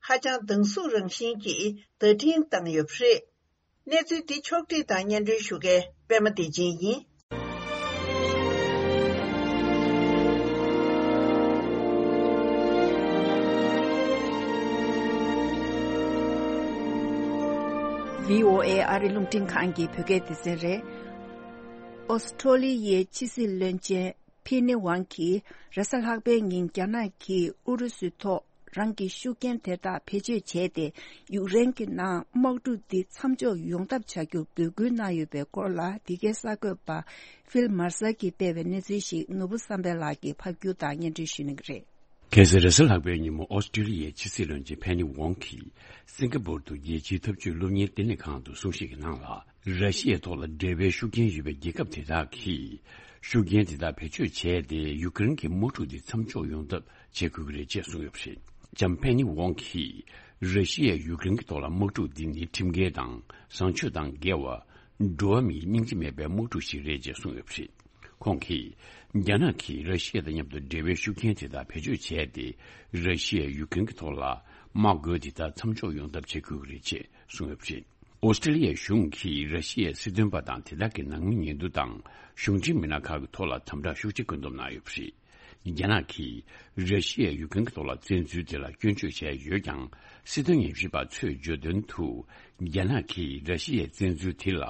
ཧ་ཅང་སྡང་ཟུག་རང་བཞིན་གྱིས་བརྡ་འཕྲིན་བཏང་ཡོད་པ་རེད། གནས་ཚུལ་འདི་ཕྱོགས་བསྒྲིགས་དང་སྙན་སྒྲོན་ཞུ་མཁན་པད་མ་བདེ་ཆེན་ཡིན། བྷི་ཨོ་ཨེ་ཨ་རི་རླུང་འཕྲིན་ཁང་གི་བོད་སྐད་སྡེ་ཚན་རེད། ཨོ་སི་ཁྲོ་ལི་ཡའི་ཕྱི་སྲིད་བློན་ཆེན་ཕེ་ནི་ཝང་གིས་རེས་གཟའ་ལྷག་པའི་ཉིན་རྒྱ་ནག་གིས་ཨུ་རུ་སུའི་ཐོག་རང་གི་ཤུགས་རྐྱེན་དེ་དག་བེད་སྤྱོད་བྱས་ཏེ། ཡུཀ་རེན་གྱི་ནང་དམག་འཁྲུག་འདི་མཚམས་འཇོག་ཡོང་ཐབས་བྱ་རྒྱུར་འབོད་སྐུལ་གནང་ཡོད་པའི་སྐོར་ལ། འདི་གའི་གསར་འགོད་པ་ཕིལ་མར་སལ་གྱིས་སྤེལ་བའི་གནས་ཚུལ་ཞིག་ནོར་བུ་བསམ་འཕེལ་ལགས་ཀྱིས་ཕབ་སྒྱུར་དང་སྙན་སྒྲོན་ཞུ་གནང་གི་རེད། གལ་སྲིད་རེས་གཟའ་ལྷག་པའི་ཉིན་མོ་ཨོ་སི་ཀྲི་ལི་ཡའི་ཕྱི་སྲིད་བློན་ཆེན་ཕེ་ནི་ཝོང་གིས་སིང་ག་པོར་དུ་རྒྱལ་སྤྱིའི་འཐབ་ཇུས་སློབ་གཉེར་ལྟེ་གནས་ཁང་དུ་གསུང་བཤད་ཀྱི་ནང་ལ། ར་ཤི་ཡའི་ཐོག་ལ་འབྲེལ་བའི་ཤུགས་རྐྱེན་ཡོད་པའི་རྒྱལ་ཁབ་དེ་དག་གིས་ཤུགས་རྐྱེན་དེ་དག་བེད་སྤྱོད་བྱས་ཏེ། ཡུཀ་རེན་གྱི་དམག་འཁྲུག་འདི་མཚམས་འཇོག་ཡོང་ཐབས་བྱེད་དགོས་ཀྱི་རེད་ཅེས་གསུངས་ཡོད་པ་རེད། ལྕམ་ཕེ་ནི་ཝོང་གིས་ར་ཤི་ཡས་ཡུཀ་རེན་གྱི་ཐོག་ལ་དམག་འཁྲུག་འདི་ནི་ཁྲིམས་འགལ་དང་བཟང་སྤྱོད་དང་འགལ་བ། འགྲོ་བ་མིའི་སྙིང་རྗེ་མེད་པའི་དམག་འཁྲུག་ཞིག་རེད་ཅེས་གསུངས་ཡོད་པ་རེད། ཁོང་གིས། རྒྱ་ནག་གིས་ར་ཤི་ཡ་དང་མཉམ་དུ་འབྲེལ་བའི་ཤུགས་རྐྱེན་དེ་དག་བེད་སྤྱོད་བྱས་ཏེ། ར་ཤི་ཡས་ཡུཀ་རེན་གྱི་ཐོག་ལ་དམག་རྒོལ་དེ་དག་མཚམས་འཇོག་ཡོང་ཐབས་བྱེད་དགོས་ཀྱི་རེད་ཅེས་གསུངས་ཡོད་པ་རེད། ཨོ་སི་ཀྲི་ལི་ཡའི་གཞུང་གིས་ར་ཤི་ཡའི་སྲིད་དོན་པ་དང་དེ་དག་གི་ནང་མི་ཉེན་རྟོག་དང་གཞུང་འབྲེལ་མི་སྣ་ཁག་གི་ཐོག་ལ་དམ་དྲག་ཤུགས་ཆེ་བཀོད་འདོམས་གནང་ཡོད་པ་རེད། རྒྱ་ནག་གིས་ར་ཤི་ཡའི་ཡུཀ་རེན་གྱི་ཐོག་ལ་བཙན་འཛུལ་དེ་ལ་སྐྱོན་བརྗོད་བྱས་ཡོད་ཀྱང་། སྲིད་དོན་ཉམས་ཞིབ་པ་ཚོས་བརྗོད་དོན་དུ། རྒྱ་ནག་གིས་ར་ཤི་ཡའི་བཙན་འཛུལ་དེ་ལ་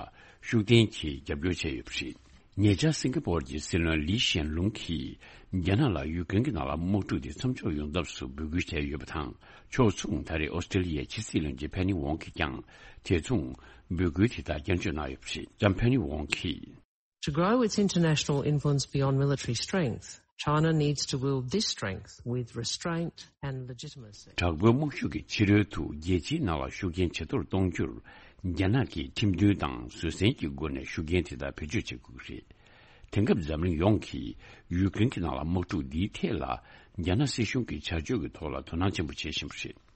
ཤུགས་ལྡན་གྱིས་རྒྱབ་སྐྱོར་བྱས་ཡོད་པ་རེད། ཉེ་ཆར་སིང་ག་པོར་གྱི་སྲིད་བློན་ལི་ཤན་ལུང་གིས། རྒྱ་ནག་ལ་ཡུཀ་རེན་གྱི་ནང་ལ་དམག་འཁྲུག་དེ་མཚམས་འཇོག་ཡོང་ཐབས་སུ་འབོད་སྐུལ་བྱས་ཡོད་པ་དང་། ཕྱོགས་མཚུངས་ད་རེས་ཨོ་སི་ཀྲི་ལི་ཡའི་ཕྱི་སྲིད་བློན་ཆེན་ཕེ་ནི་ཝོང་གིས་ཀྱང་དེ་མཚུངས་འབོད་སྐུལ་དེ་དག་བསྐྱར་བརྗོད་གནང་ཡོད་པ་རེད། ལྕམ་ཕེ་ནི་ཝོང་གིས། To grow its international influence beyond military strength, China needs to wield this strength with restraint and legitimacy. དྲག་པོའི་དམག་ཤུགས་ཀྱི་ཕྱི་རོལ་དུ་རྒྱལ་སྤྱིའི་ནང་ལ་ཤུགས་རྐྱེན་ཇེ་མཐོར་གཏོང་རྒྱུར། རྒྱ་ནག་གིས་ཁྲིམས་མཐུན་དང་བཟོད་བསྲན་གྱི་སྒོ་ནས་ཤུགས་རྐྱེན་དེ་དག་བེད་སྤྱོད་བྱེད་དགོས་ཀྱི་རེད། དེང་སྐབས་འཛམ་གླིང་ཡོངས་ཀྱིས་ཡུཀ་རེན་གྱི་ནང་ལ་དམག་འཁྲུག་འདིའི་ཐད་ལ་རྒྱ་ནག་སྲིད་གཞུང་གི་བྱ་སྤྱོད་ཀྱི་ཐོག་ལ་དོ་སྣང་ཆེན་པོ་བྱེད་བཞིན་པ་རེད།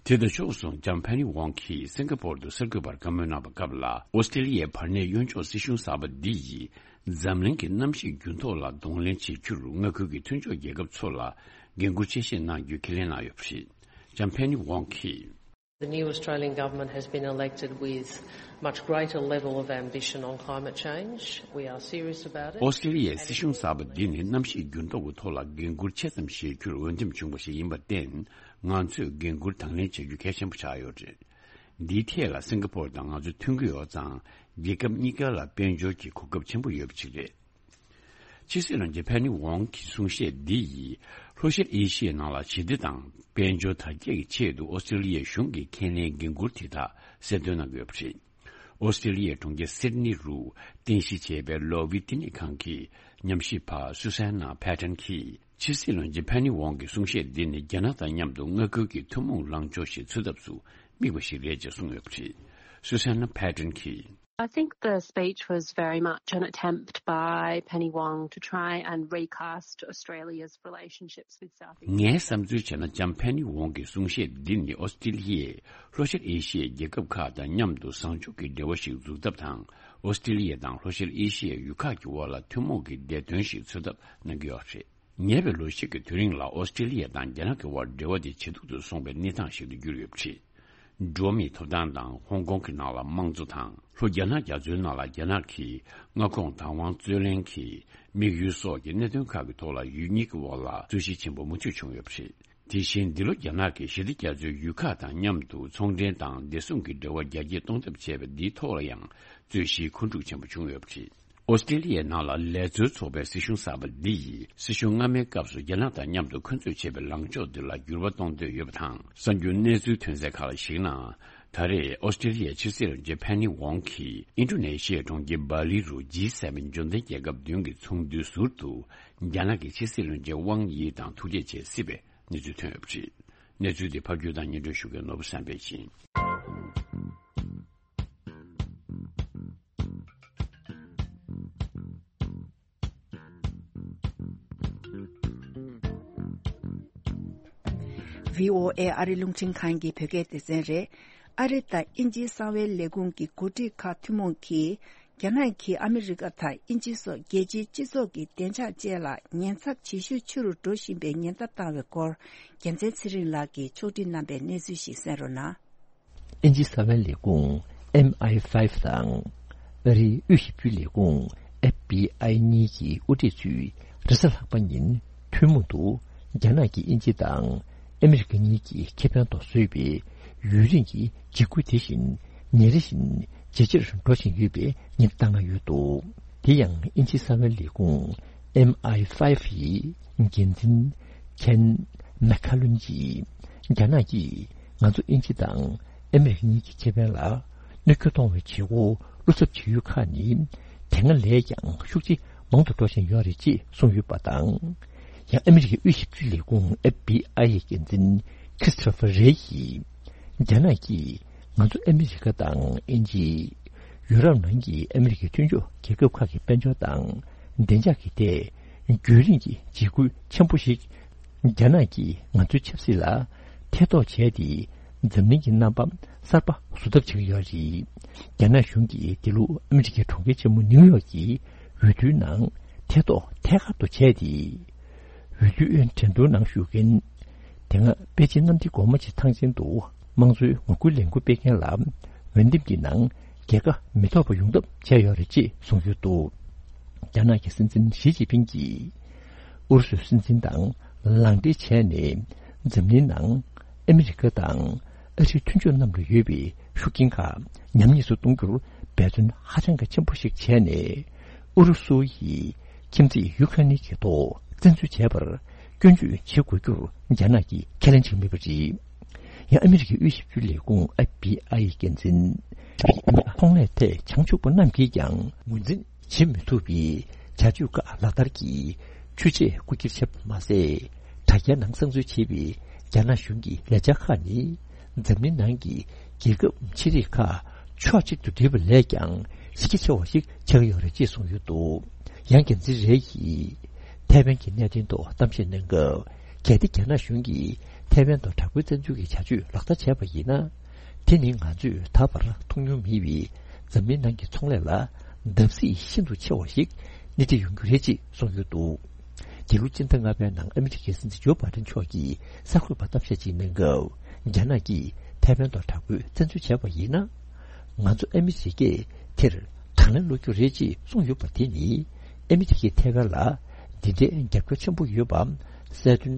དེ་དང་ཕྱོགས་མཚུངས་ལྕམ་ཕེ་ནི་ཝོང་གིས་སིང་ག་པོར་དུ་གསར་འགོད་པར་བཀའ་མོལ་གནང་བའི་སྐབས་ལ། ཨོ་སི་ཀྲི་ལི་ཡའི་བར་གནས་གཡོན་ཕྱོགས་སྲིད་གཞུང་གསར་པ་འདི་ཡིས་འཛམ་གླིང་གི་གནམ་གཤིས་འགྱུར་ལྡོག་ལ་གདོང་ལེན་བྱེད་རྒྱུར་མངའ་ཁུལ་གྱི་མཐུན་ཕྱོགས་རྒྱལ་ཁབ་ཚོ་ལ་འགན་འཁུར་ཆེ་བཞེས་གནང་རྒྱུའི་ཁས་ལེན་གནང་ཡོད་པ་རེད། ལྕམ་ཕེ་ནི་ཝོང་གིས། The new Australian government has been elected with much greater level of ambition on climate change. We are serious about it. ཨོ་སི་ཀྲི་ལི་ཡའི་སྲིད་གཞུང་གསར་པ་འདི་ནི་གནམ་གཤིས་འགྱུར་ལྡོག་གི་ཐོག་ལ་འགན་འཁུར་ཆེ་ཙམ་བཞེས་རྒྱུར་འོས་འདེམས་བྱུང་བ་ཞིག་ཡིན་པར་བརྟེན། ང་ཚོས་འགན་འཁུར་དང་ལེན་བྱ་རྒྱུ་གལ་ཆེན་པོ་ཆགས་ཡོད་རེད། འདིའི་ཐད་ལ་སིང་ག་པོར་དང་ང་ཚོ་མཐུན་གྱི་ཡོད་ཙང་། རྒྱལ་ཁབ་གཉིས་ཀ་ལ་དཔལ་འབྱོར་གྱི་གོ་སྐབས་ཆེན་པོ་ཡོད་པ་ཞིག་རེད། ཕྱི་སྲིད་བློན་ཆེན་ཕེ་ནི་ཝོང་གི་གསུང་བཤད་འདི་ཡིས་ལྷོ་ཤར་ཨེ་ཤི་ཡའི་ནང་ལ་ཞི་བདེ་དང་དཔལ་འབྱོར་དར་རྒྱས་ཀྱི་ཆེད་དུ་ཨོ་སི་ཀྲི་ལི་ཡའི་གཞུང་གི་ཁས་ལེན་འགན་འཁུར་དེ་དག་གསལ་སྟོན་གནང་གི་ཡོད་པ་རེད། ཨོ་སི་ཀྲི་ལི་ཡའི་གྲོང་ཁྱེར་སིད་ནི་རུ་རྟེན་གཞི་བྱས་པའི་ལོ་ཝི་བསྟི་གནས་ཁང་གི་ཉམས་ཞིབ་པ་སུ་སན་ན་ཕེ་ཏན་གྱིས། ཕྱི་སྲིད་བློན་ཆེན་ཕེ་ནི་ཝང་གི་གསུང་བཤད་འདི་ནི་རྒྱ་ནག་དང་མཉམ་དུ་མངའ་ཁུལ་གྱི་ཐུན་མོང་ལངས་ཕྱོགས་ཤིག་འཚོལ་ཐབས་སུ་དམིགས་པ་ཞིག་རེད་ཅེས་གསུངས་ཡོད་པ་རེད། Susanna Patton གྱིས། I think the speech was very much an attempt by Penny Wong to try and recast Australia's relationships with Southeast Asia. ངའི་བསམ་ཚུལ་བྱས་ན་ལྕམ་ཕེ་ནི་ཝོང་གི་གསུང་བཤད་འདི་ནི་ཨོ་སི་ཀྲི་ལི་ཡས་ལྷོ་ཤར་ཨེ་ཤི་ཡའི་རྒྱལ་ཁབ་ཁག་དང་མཉམ་དུ་བཟང་ཕྱོགས་ཀྱི་འབྲེལ་བ་ཞིག་འཛུགས་ཐབས་དང་། ཨོ་སི་ཀྲི་ལི་ཡ་དང་ལྷོ་ཤར་ཨེ་ཤི་ཡའི་ཡུལ་ཁག་གི་དབར་ལ་ཐུན་མོང་གི་བདེ་དོན་ཞིག་འཚོལ་ཐབས་གནང་གི་ཡོད་རེད། ཉེ་བའི་ལོ་ཤས་ཀྱི་དུས་རིང་ལ་ཨོ་སི་ཀྲི་ལི་ཡ་དང་རྒྱ་ནག་གི་དབར་འབྲེལ་བ་དེ་ཇེ་སྡུག་ཏུ་སོང་བའི་གནས་སྟངས་ཤིག་ཏུ་གྱུར་ཡོད་པ་རེད། འགྲོ་བ་མིའི་ཐོབ་ཐང་དང་ཧོང་ཀོང་གི་ནང་ལ་དམངས་གཙོ་དང་། ལྷོ་རྒྱ་ནག་རྒྱ་མཚོའི་ནང་ལ་རྒྱ་ནག་གི་མངའ་ཁོངས་བདག་དབང་རྩོད་ལེན་གྱི་དམིགས་ཡུལ་སོགས་ཀྱི་གནད་དོན་ཁག་གི་ཐོག་ལ་ཡུལ་གཉིས་ཀྱི་དབར་ལ་རྩོད་གཞི་ཆེན་པོ་མུ་མཐུད་བྱུང་ཡོད་པ་རེད། དེ་བཞིན་འདི་ལོ་རྒྱ་ནག་གིས་ཞི་བདེ་རྒྱ་མཚོའི་ཡུལ་ཁག་དང་མཉམ་དུ་ཚོང་འབྲེལ་དང་བདེ་སྲུང་གི་འབྲེལ་བ་རྒྱ་སྐྱེད་གཏོང་ཐབས་བྱས་པ་འདིའི་ཐོག་ལ་ཡང་རྩོད་གཞིའི་འཁོན་འཁྲུག་ཆེན་པོ་བྱུང་ཡོད་པ་རེད། ཨོ་སི་ཀྲི་ལི་ཡའི་ནང་ལ་ལས་བཟོའི་ཚོགས་པའི་སྲིད་གཞུང་གསར་པ་འདི་ཡིས་སྲིད་གཞུང་སྔ་མའི་སྐབས་སུ་རྒྱ་ནག་དང་མཉམ་དུ་འཁོན་རྩོད་བྱས་པའི་ལངས་ཕྱོགས་འདི་ལ་འགྱུར་བ་གཏོང་འདོད་ཡོད་པ་དང་། གསར་འགྱུར་གནས་ཚུལ་ཐོན་གསལ་ཁག་ལ་གཞིགས་ན། ད་རེས་ཨོ་སི་ཀྲི་ལི་ཡའི་ཕྱི་སྲིད་བློན་ཆེན་ཕེ་ནི་ཝོང་གིས་ཨིན་ཌོ་ནེ་ཤི་ཡའི་གྲོང་ཁྱེར་བ་ལི་རུ་ཇི་སེ་བེན་འབྱོར་ལྡན་རྒྱལ་ཁབ་བདུན་གྱི་ཚོགས་འདུའི་ཟུར་དུ་རྒྱ་ནག་གི་ཕྱི་སྲིད་བློན་ཆེན་ཝང་དབྱི་དང་ཐུག་འཕྲད་བྱས་སྲིད་པའི་གནས་ཚུལ་ཐོན་ཡོད་པ་རེད། གནས་ཚུལ་འདི་ཕབ་སྒྱུར་དང་སྙན་སྒྲོན་ཞུ་མཁན་ནོར་བུ་བསམ་འཕེལ་ཡིན། བྷི་ཨོ་ཨེ་ཨ་རི་རླུང་འཕྲིན་ཁང་གི་བོད་སྐད་སྡེ་ཚན་རེད། ཨ་རི་དང་དབྱིན་ཇིའི་གསང་བའི་ལས་ཁུངས་ཀྱི་འགོ་ཁྲིད་ཁག་ཐུན་མོང་གིས། རྒྱ་ནག་གིས་ཨ་མི་རི་ཀ་དང་དབྱིན་ཇི་སོགས་རྒྱལ་སྤྱིའི་སྤྱི་ཚོགས་ཀྱི་བདེ་འཇགས་ཅན་ལ་ཉེན་ཚབས་ཇེ་ཤུགས་ཆེ་རུ་འགྲོ་བཞིན་པའི་ཉེན་བརྡ་བཏང་བའི་སྐོར། རྒྱལ་མཚན་ཚེ་རིང་ལགས་ཀྱིས་ཕྱོགས་སྒྲིག་གནང་པའི་གནས་ཚུལ་ཞིག་གསན་རོགས་གནང་། དབྱིན་ཇིའི་གསང་བའི་ལས་ཁུངས་ཨེམ་ཨའི་ཕའི་ཝི་དང་། ཨ་རིའི་དབུས་ཞིབ་འཇུག་ལས་ཁུངས་ཨེཕ་བྷི་ཨའི་གཉིས་ཀྱི་དབུ་ཁྲིད་ཚོས་རེས་གཟའ་ལྷག་པ་ཉིན་ཐུན་མོང་དུ་རྒྱ་ནག་གིས་དབྱིན་ཇི་དང་ཨ་མི་རི་ཀ་གཉིས་ཀྱི་ཁེ་ཕན་ཐོག་བཟོས་པའི་ཡུན་རིང་གི་འཇིགས་སྐུལ་དེ་བཞིན་ཉིན་རེ་བཞིན་ཇེ་ཆེར་འགྲོ་བཞིན་ཡོད་པའི་ཉེན་བརྡ་བཏང་གནང་ཡོད་འདུག་དེ་ཡང་དབྱིན་ཇིའི་གསང་བའི་ལས་ཁུངས་ཨེམ་ཨའི་ཕའི་ཝི་ཡི་འགན་འཛིན་ཁེན་མེ་ཁ་ལུན་གྱིས། རྒྱ་ནག་གིས་ང་ཚོ་དབྱིན་ཇི་དང་ཨ་མི་རི་ཀ་གཉིས་ཀྱི་ཁེ་ཕན་ལ་གནོད་སྐྱོན་གཏོང་བའི་བྱེད་སྒོ་བློ་འཚབ་བྱེད་ཡུལ་ཁག་ནི་དེ་སྔ་ལས་ཀྱང་ཤུགས་ཆེ་མང་དུ་འགྲོ་བཞིན་ཡོད་རེད་ཅེས་གསུངས་ཡོད་པ་དང་། ཡང་ཨ་མི་རི་ཀའི་དབུས་ཞིབ་འཇུག་ལས་ཁུངས་ཨེཕ་བྷི་ཨའི་ཡི་འགན་འཛིན་ཁྲིས་ཊོ་ཕར་རེ་ཡིས། རྒྱ་ནག་གིས་ང་ཚོ་ཨ་མི་རི་ཀ་དང་དབྱིན་ཇི། ཡུ་རོབ་ནང་གི་ཨ་མི་རི་ཀའི་མཐུན་ཕྱོགས་རྒྱལ་ཁབ་ཁག་གི་དཔལ་འབྱོར་དང་བདེ་འཇགས་ཀྱི་ཐད་རྒྱུན་རིང་གི་འཇིགས་སྐུལ་ཆེན་པོ་ཞིག་རྒྱ་ནག་གིས་ང་ཚོའི་ཆབ་སྲིད་ལ་ཐེ་གཏོགས་བྱས་ཏེ། འཛམ་གླིང་གི་རྣམ་པ་གསར་པ་བཟོ་ཐབས་བྱེད་ཀྱི་ཡོད་རེད། རྒྱ་ནག་གཞུང་གིས་འདི་ལོ་ཨ་མི་རི་ཀའི་གྲོང་ཁྱེར་ཆེན་མོ་ནིའུ་ཡོག་གི་འོས་བསྡུའི་ནང་ཐེ་གཏོགས་ཐད་ཀར་དུ་བྱས་ཏེ། འོས་བསྡུའི་འགྲན་བསྡུར་ནང་ཞུགས་མཁན། དེ་སྔ་པེ་ཅིན་གནམ་བདེ་སྒོ་མོ་ཆེ་ཐང་ཆེན་དུ་དམངས་གཙོའི་ངོ་རྒོལ་ལས་འགུལ་སྤེལ་མཁན་ལ་འོས་འདེམས་ཀྱི་ནང་རྒྱལ་ཁ་མི་ཐོབ་པ་ཡོང་ཐབས་བྱས་ཡོད་རེད་ཅེས་གསུངས་ཡོད་འདུག་རྒྱ་ནག་གི་སྲིད་འཛིན་ཞི་ཅིན་ཕིང་གིས་ཨུ་རུ་སུའི་སྲིད་འཛིན་དང་ལག་འབྲེལ་བྱས་ནས། འཛམ་གླིང་ནང་ཨ་མི་རི་ཀ་དང་ཨ་རིའི་མཐུན་ཕྱོགས་རྣམས་ལ་ཡོད་པའི་ཤུགས་རྐྱེན་ཁག་ཉམས་ཉེས་སུ་གཏོང་རྒྱུར་འབད་བརྩོན་ཧ་ཅང་གི་ཆེན་པོ་ཞིག་བྱས་ནས། ཨུ་རུ་སུ་ཡིས་ཁྱིམ་མཚེས་ཡུ་ཁ་རེན་གྱི་ཐོག་བཙན་འཛུལ་བྱས་པར་སྐྱོན་བརྗོད་བྱེད་དགོས་རྒྱུར་རྒྱ་ནག་གིས་ཁས་ལེན་བྱེད་མེད་པ་རེད། ཡང་ཨ་མི་རི་ཀའི་དབུས་ཞིབ་འཇུག་ལས་ཁུངས་ཨེཕ་བྷི་ཨའི་འགན་འཛིན་ཚོང་ལས་ཐད་བྱང་ཆུབ་པ་རྣམས་ཀྱིས་ཀྱང་ངོས་འཛིན་བྱེད་མི་ཐུབ་པའི་བྱ་སྤྱོད་ཁག་ལག་བསྟར་གྱིས་ཆུ་ཚད་རྐུ་འཁྱེར་བྱས་པ་མ་ཟད། དྲ་རྒྱའི་ནང་གསང་འཛུལ་བྱས་པའི་རྒྱ་ནག་གཞུང་གི་ལས་འཆར་ཁག་ནི་འཛམ་གླིང་ནང་གི་རྒྱལ་ཁབ་ཆེ་རིགས་ཁག་ཕྱོགས་གཅིག་ཏུ་བསྡུས་པ་ལས་ཀྱང་གཞི་རྒྱ་ཆེ་བ་ཞིག་ཆགས་ཡོད་རེད་ཅེས་གསུངས་ཡོད་འདུག་ཡང་འགན་འཛིན་རེ་ཡིས་ཐའེ་ཝན་གྱི་གནད་དོན་ཐོག་གཏམ་བཤད་གནང་སྐབས། གལ་ཏེ་རྒྱ་ནག་གཞུང་གིས་ཐའེ་ཝན་དུ་དྲག་པོའི་བཙན་འཛུལ་གྱི་བྱ་སྤྱོད་ལག་བསྟར་བྱས་པ་ཡིན་ན། དེ་ནི་ང་ཚོས་ད་བར་མཐོང་མྱོང་མེད་པའི་འཛམ་གླིང་ནང་གི་ཚོང་ལས་ལ་བརྡབ་གསིག་ཤིན་ཏུ་ཆེ་བ་ཞིག་སྣེ་ཁྲིད་ཡོང་རྒྱུ་རེད་ཅེས་གསུངས་ཡོད་འདུག་འདི་ལོ་སྤྱི་ཟླ་ལྔ་པའི་ནང་ཨ་མི་རི་ཀའི་སྲིད་འཛིན་ཇོ་བྷའི་ཏན་མཆོག་གིས་གསར་འགོད་པར་གཏམ་བཤད་ཅིག་གནང་སྐབས། རྒྱ་ནག་གིས་ཐའེ་ཝན་དུ་དྲག་པོའི་བཙན་འཛུལ་བྱས་པ་ཡིན་ན། ང་ཚོ་ཨ་མི་རི་ཀས་དེར་དང་ལེན་སློག་རྒྱུ་རེད་ཅེས་གསུངས་ཡོད་པ་དེ་ནི། ཨ་མི་རི་ཀས་ཐའེ་ཝན་ལ་འདི་འདྲའི་རྒྱབ་སྐྱོར་ཆེན་པོ་ཡོད་པ་གསལ་སྟོན་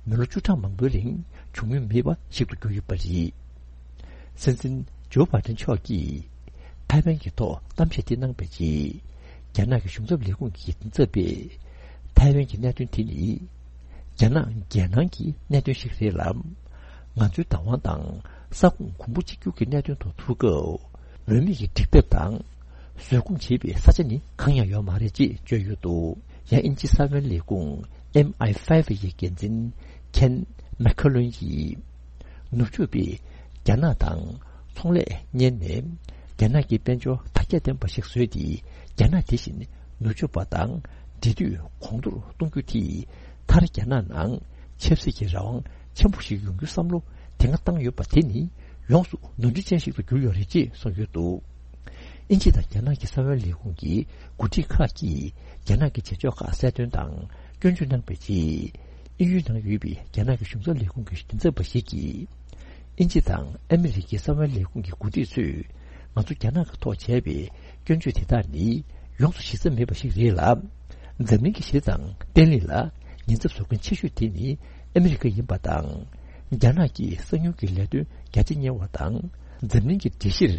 མི་ལོ་བཅུ་གྲངས་མང་པོའི་རིང་བྱུང་མྱོང་མེད་པ་ཞིག་ཏུ་གྱུར་ཡོད་པ་རེད། སྲིད་འཛིན་ཇོ་བྷའི་ཏན་མཆོག་གིས་ཐའེ་ཝན་གྱི་ཐོག་གཏམ་བཤད་དེ་གནང་པའི་རྗེས། རྒྱ་ནག་གི་གཞུང་ཚབ་ལས་ཁུངས་ཀྱི་འགན་འཛིན་ཚབ་པས། ཐའེ་ཝན་གྱི་གནད་དོན་དེ་ནི་རྒྱ་ནག་རྒྱལ་ནང་གི་གནད་དོན་ཞིག་རེད་ལ། ང་ཚོའི་བདག་དབང་དང་ས་ཁོངས་གོང་བུ་གཅིག་གྱུར་གྱི་གནད་དོན་ཐོག་ཐུག་སྐབས། མོས་མིག་གི་འགྲིག་ཕེབས་དང་བཟོད་སྒོམ་བྱེད་པའི་ས་ཆ་ནི་གང་ཡང་ཡོད་མ་རེད་ཅེས་བརྗོད་ཡོད་འདུག་ཡང་དབྱིན་ཇིའི་གསར་པའི་ལས་ཁུངས་ ཨེམ་ཨའི་ཕའི་བྷི་ཡི་འགན་འཛིན་ཁེན་མེ་ཁ་ལོན་གྱིས། ནུབ་ཕྱོགས་པས་རྒྱ་ནག་དང་ཚོང་ལས་གཉེར་ནས། རྒྱ་ནག་གི་དཔལ་འབྱོར་དར་ཁྱབ་ལྡན་པ་ཞིག་བཟོས་ཏེ། རྒྱ་ནག་དེ་བཞིན་ནུབ་ཕྱོགས་པ་དང་འབྲེལ་མཐུད་གོང་མཐོར་གཏོང་རྒྱུ་དེས། མཐར་རྒྱ་ནག་ནང་ཆབ་སྲིད་ཀྱི་རང་དབང་ཆེན་པོ་ཞིག་ཡོང་རྒྱུའི་བསམ་བློ་དེ་སྔ་བཏང་ཡོད་པ་དེ་ནི་ཡོངས་སུ་ནོར་འཁྲུལ་ཅན་ཞིག་ཏུ་གྱུར་ཡོད་རེད་ཅེས་གསུངས་ཡོད་འདུག་ཨིན་ཇི་དང་རྒྱ་ནག་གི་གསང་བའི་ལས་ཁུངས་ཀྱི་འགོ་ཁྲིད་ཁག་གིས་རྒྱ་ནག་གི་བྱེད་ཕྱོགས་ཁག་གསལ་སྟོན་དང་སྐྱོན་བརྗོད་གནང་བའི་རྗེས། དབྱིན་ཡུལ་ནང་ཡོད་པའི་རྒྱ་ནག་གི་གཞུང་ཚབ་ལས་ཁུངས་ཀྱི་མགྲིན་ཚབ་པ་ཞིག་གིས། ཨིན་ཇི་དང་ཨ་མི་རི་ཀའི་གསང་བའི་ལས་ཁུངས་ཀྱི་འགོ་ཁྲིད་ཚོས་ང་ཚོ་རྒྱ་ནག་གི་ཐོག་བྱས་པའི་སྐྱོན་བརྗོད་དེ་དག་ནི་ཡོངས་སུ་གཞི་རྩ་མེད་པ་ཞིག་རེད་ལ། འཛམ་གླིང་གི་གཞི་རྩའི་བརྟན་ལྷིང་ལ་ཉེན་ཚབས་བཟོ་མཁན་ཆེ་ཤོས་དེ་ནི་ཨ་མི་རི་ཀ་ཡིན་པ་དང་། རྒྱ་ནག་གིས་གསང་ཉུལ་གྱི་ལས་དོན་རྒྱ་ཆེ་གཉེར་བ་དང་། འཛམ་གླིང་གི་སྒྲིག་གཞིར་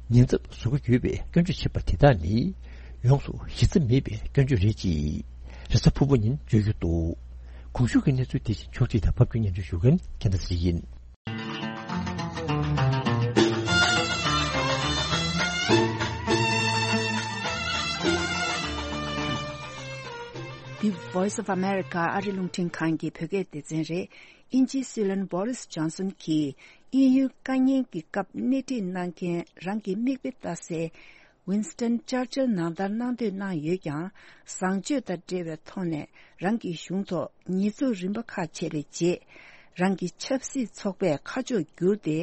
ཉེན་ཚབས་བཟོ་གི་ཡོད་པའི་སྐྱོན་བརྗོད་བྱེད་པ་དེ་དག་ནི་ཡོངས་སུ་གཞི་རྩ་མེད་པའི་སྐྱོན་བརྗོད་རེད་ཅེས་རེས་གཟའ་ཕུར་བུ་ཉིན་བརྗོད་ཀྱི་འདུག་གོང་ཞུས་ཀྱི་གནས་ཚུལ་དེ་བཞིན་ཕྱོགས་སྒྲིག་དང་ཕབ་སྒྱུར་སྙན་སྒྲོན་ཞུ་མཁན་རྒྱལ་མཚན་ཚེ་རིང་ཡིན། འདི་Voice of America ཨ་རི་རླུང་འཕྲིན་ཁང་གི་བོད་སྐད་སྡེ་ཚན་རེད། དབྱིན་ཇིའི་སྲིད་བློན་བྷོ་རིས་ཇོན་སོན་གྱིས་དབྱིན་ཡུལ་དཀའ་ཉེན་གྱི་སྐབས་སྣེ་ཁྲིད་གནང་མཁན་རང་གི་མིག་དཔེ་ལྟ་སའི་ཝིན་སི་ཊོན་ཅར་ཅིལ་ནང་ལྟར་གནང་འདོད་གནང་ཡོད་ཀྱང་། བཟང་སྤྱོད་དང་འབྲེལ་བའི་ཐོག་ནས་རང་གི་གཞུང་ཐོག་ཉེས་འཛུགས་རིམ་པ་ཁག་བྱས་པའི་རྗེས། རང་གི་ཆབ་སྲིད་ཚོགས་པས་ཁ་ཕྱོགས་བསྒྱུར་ཏེ།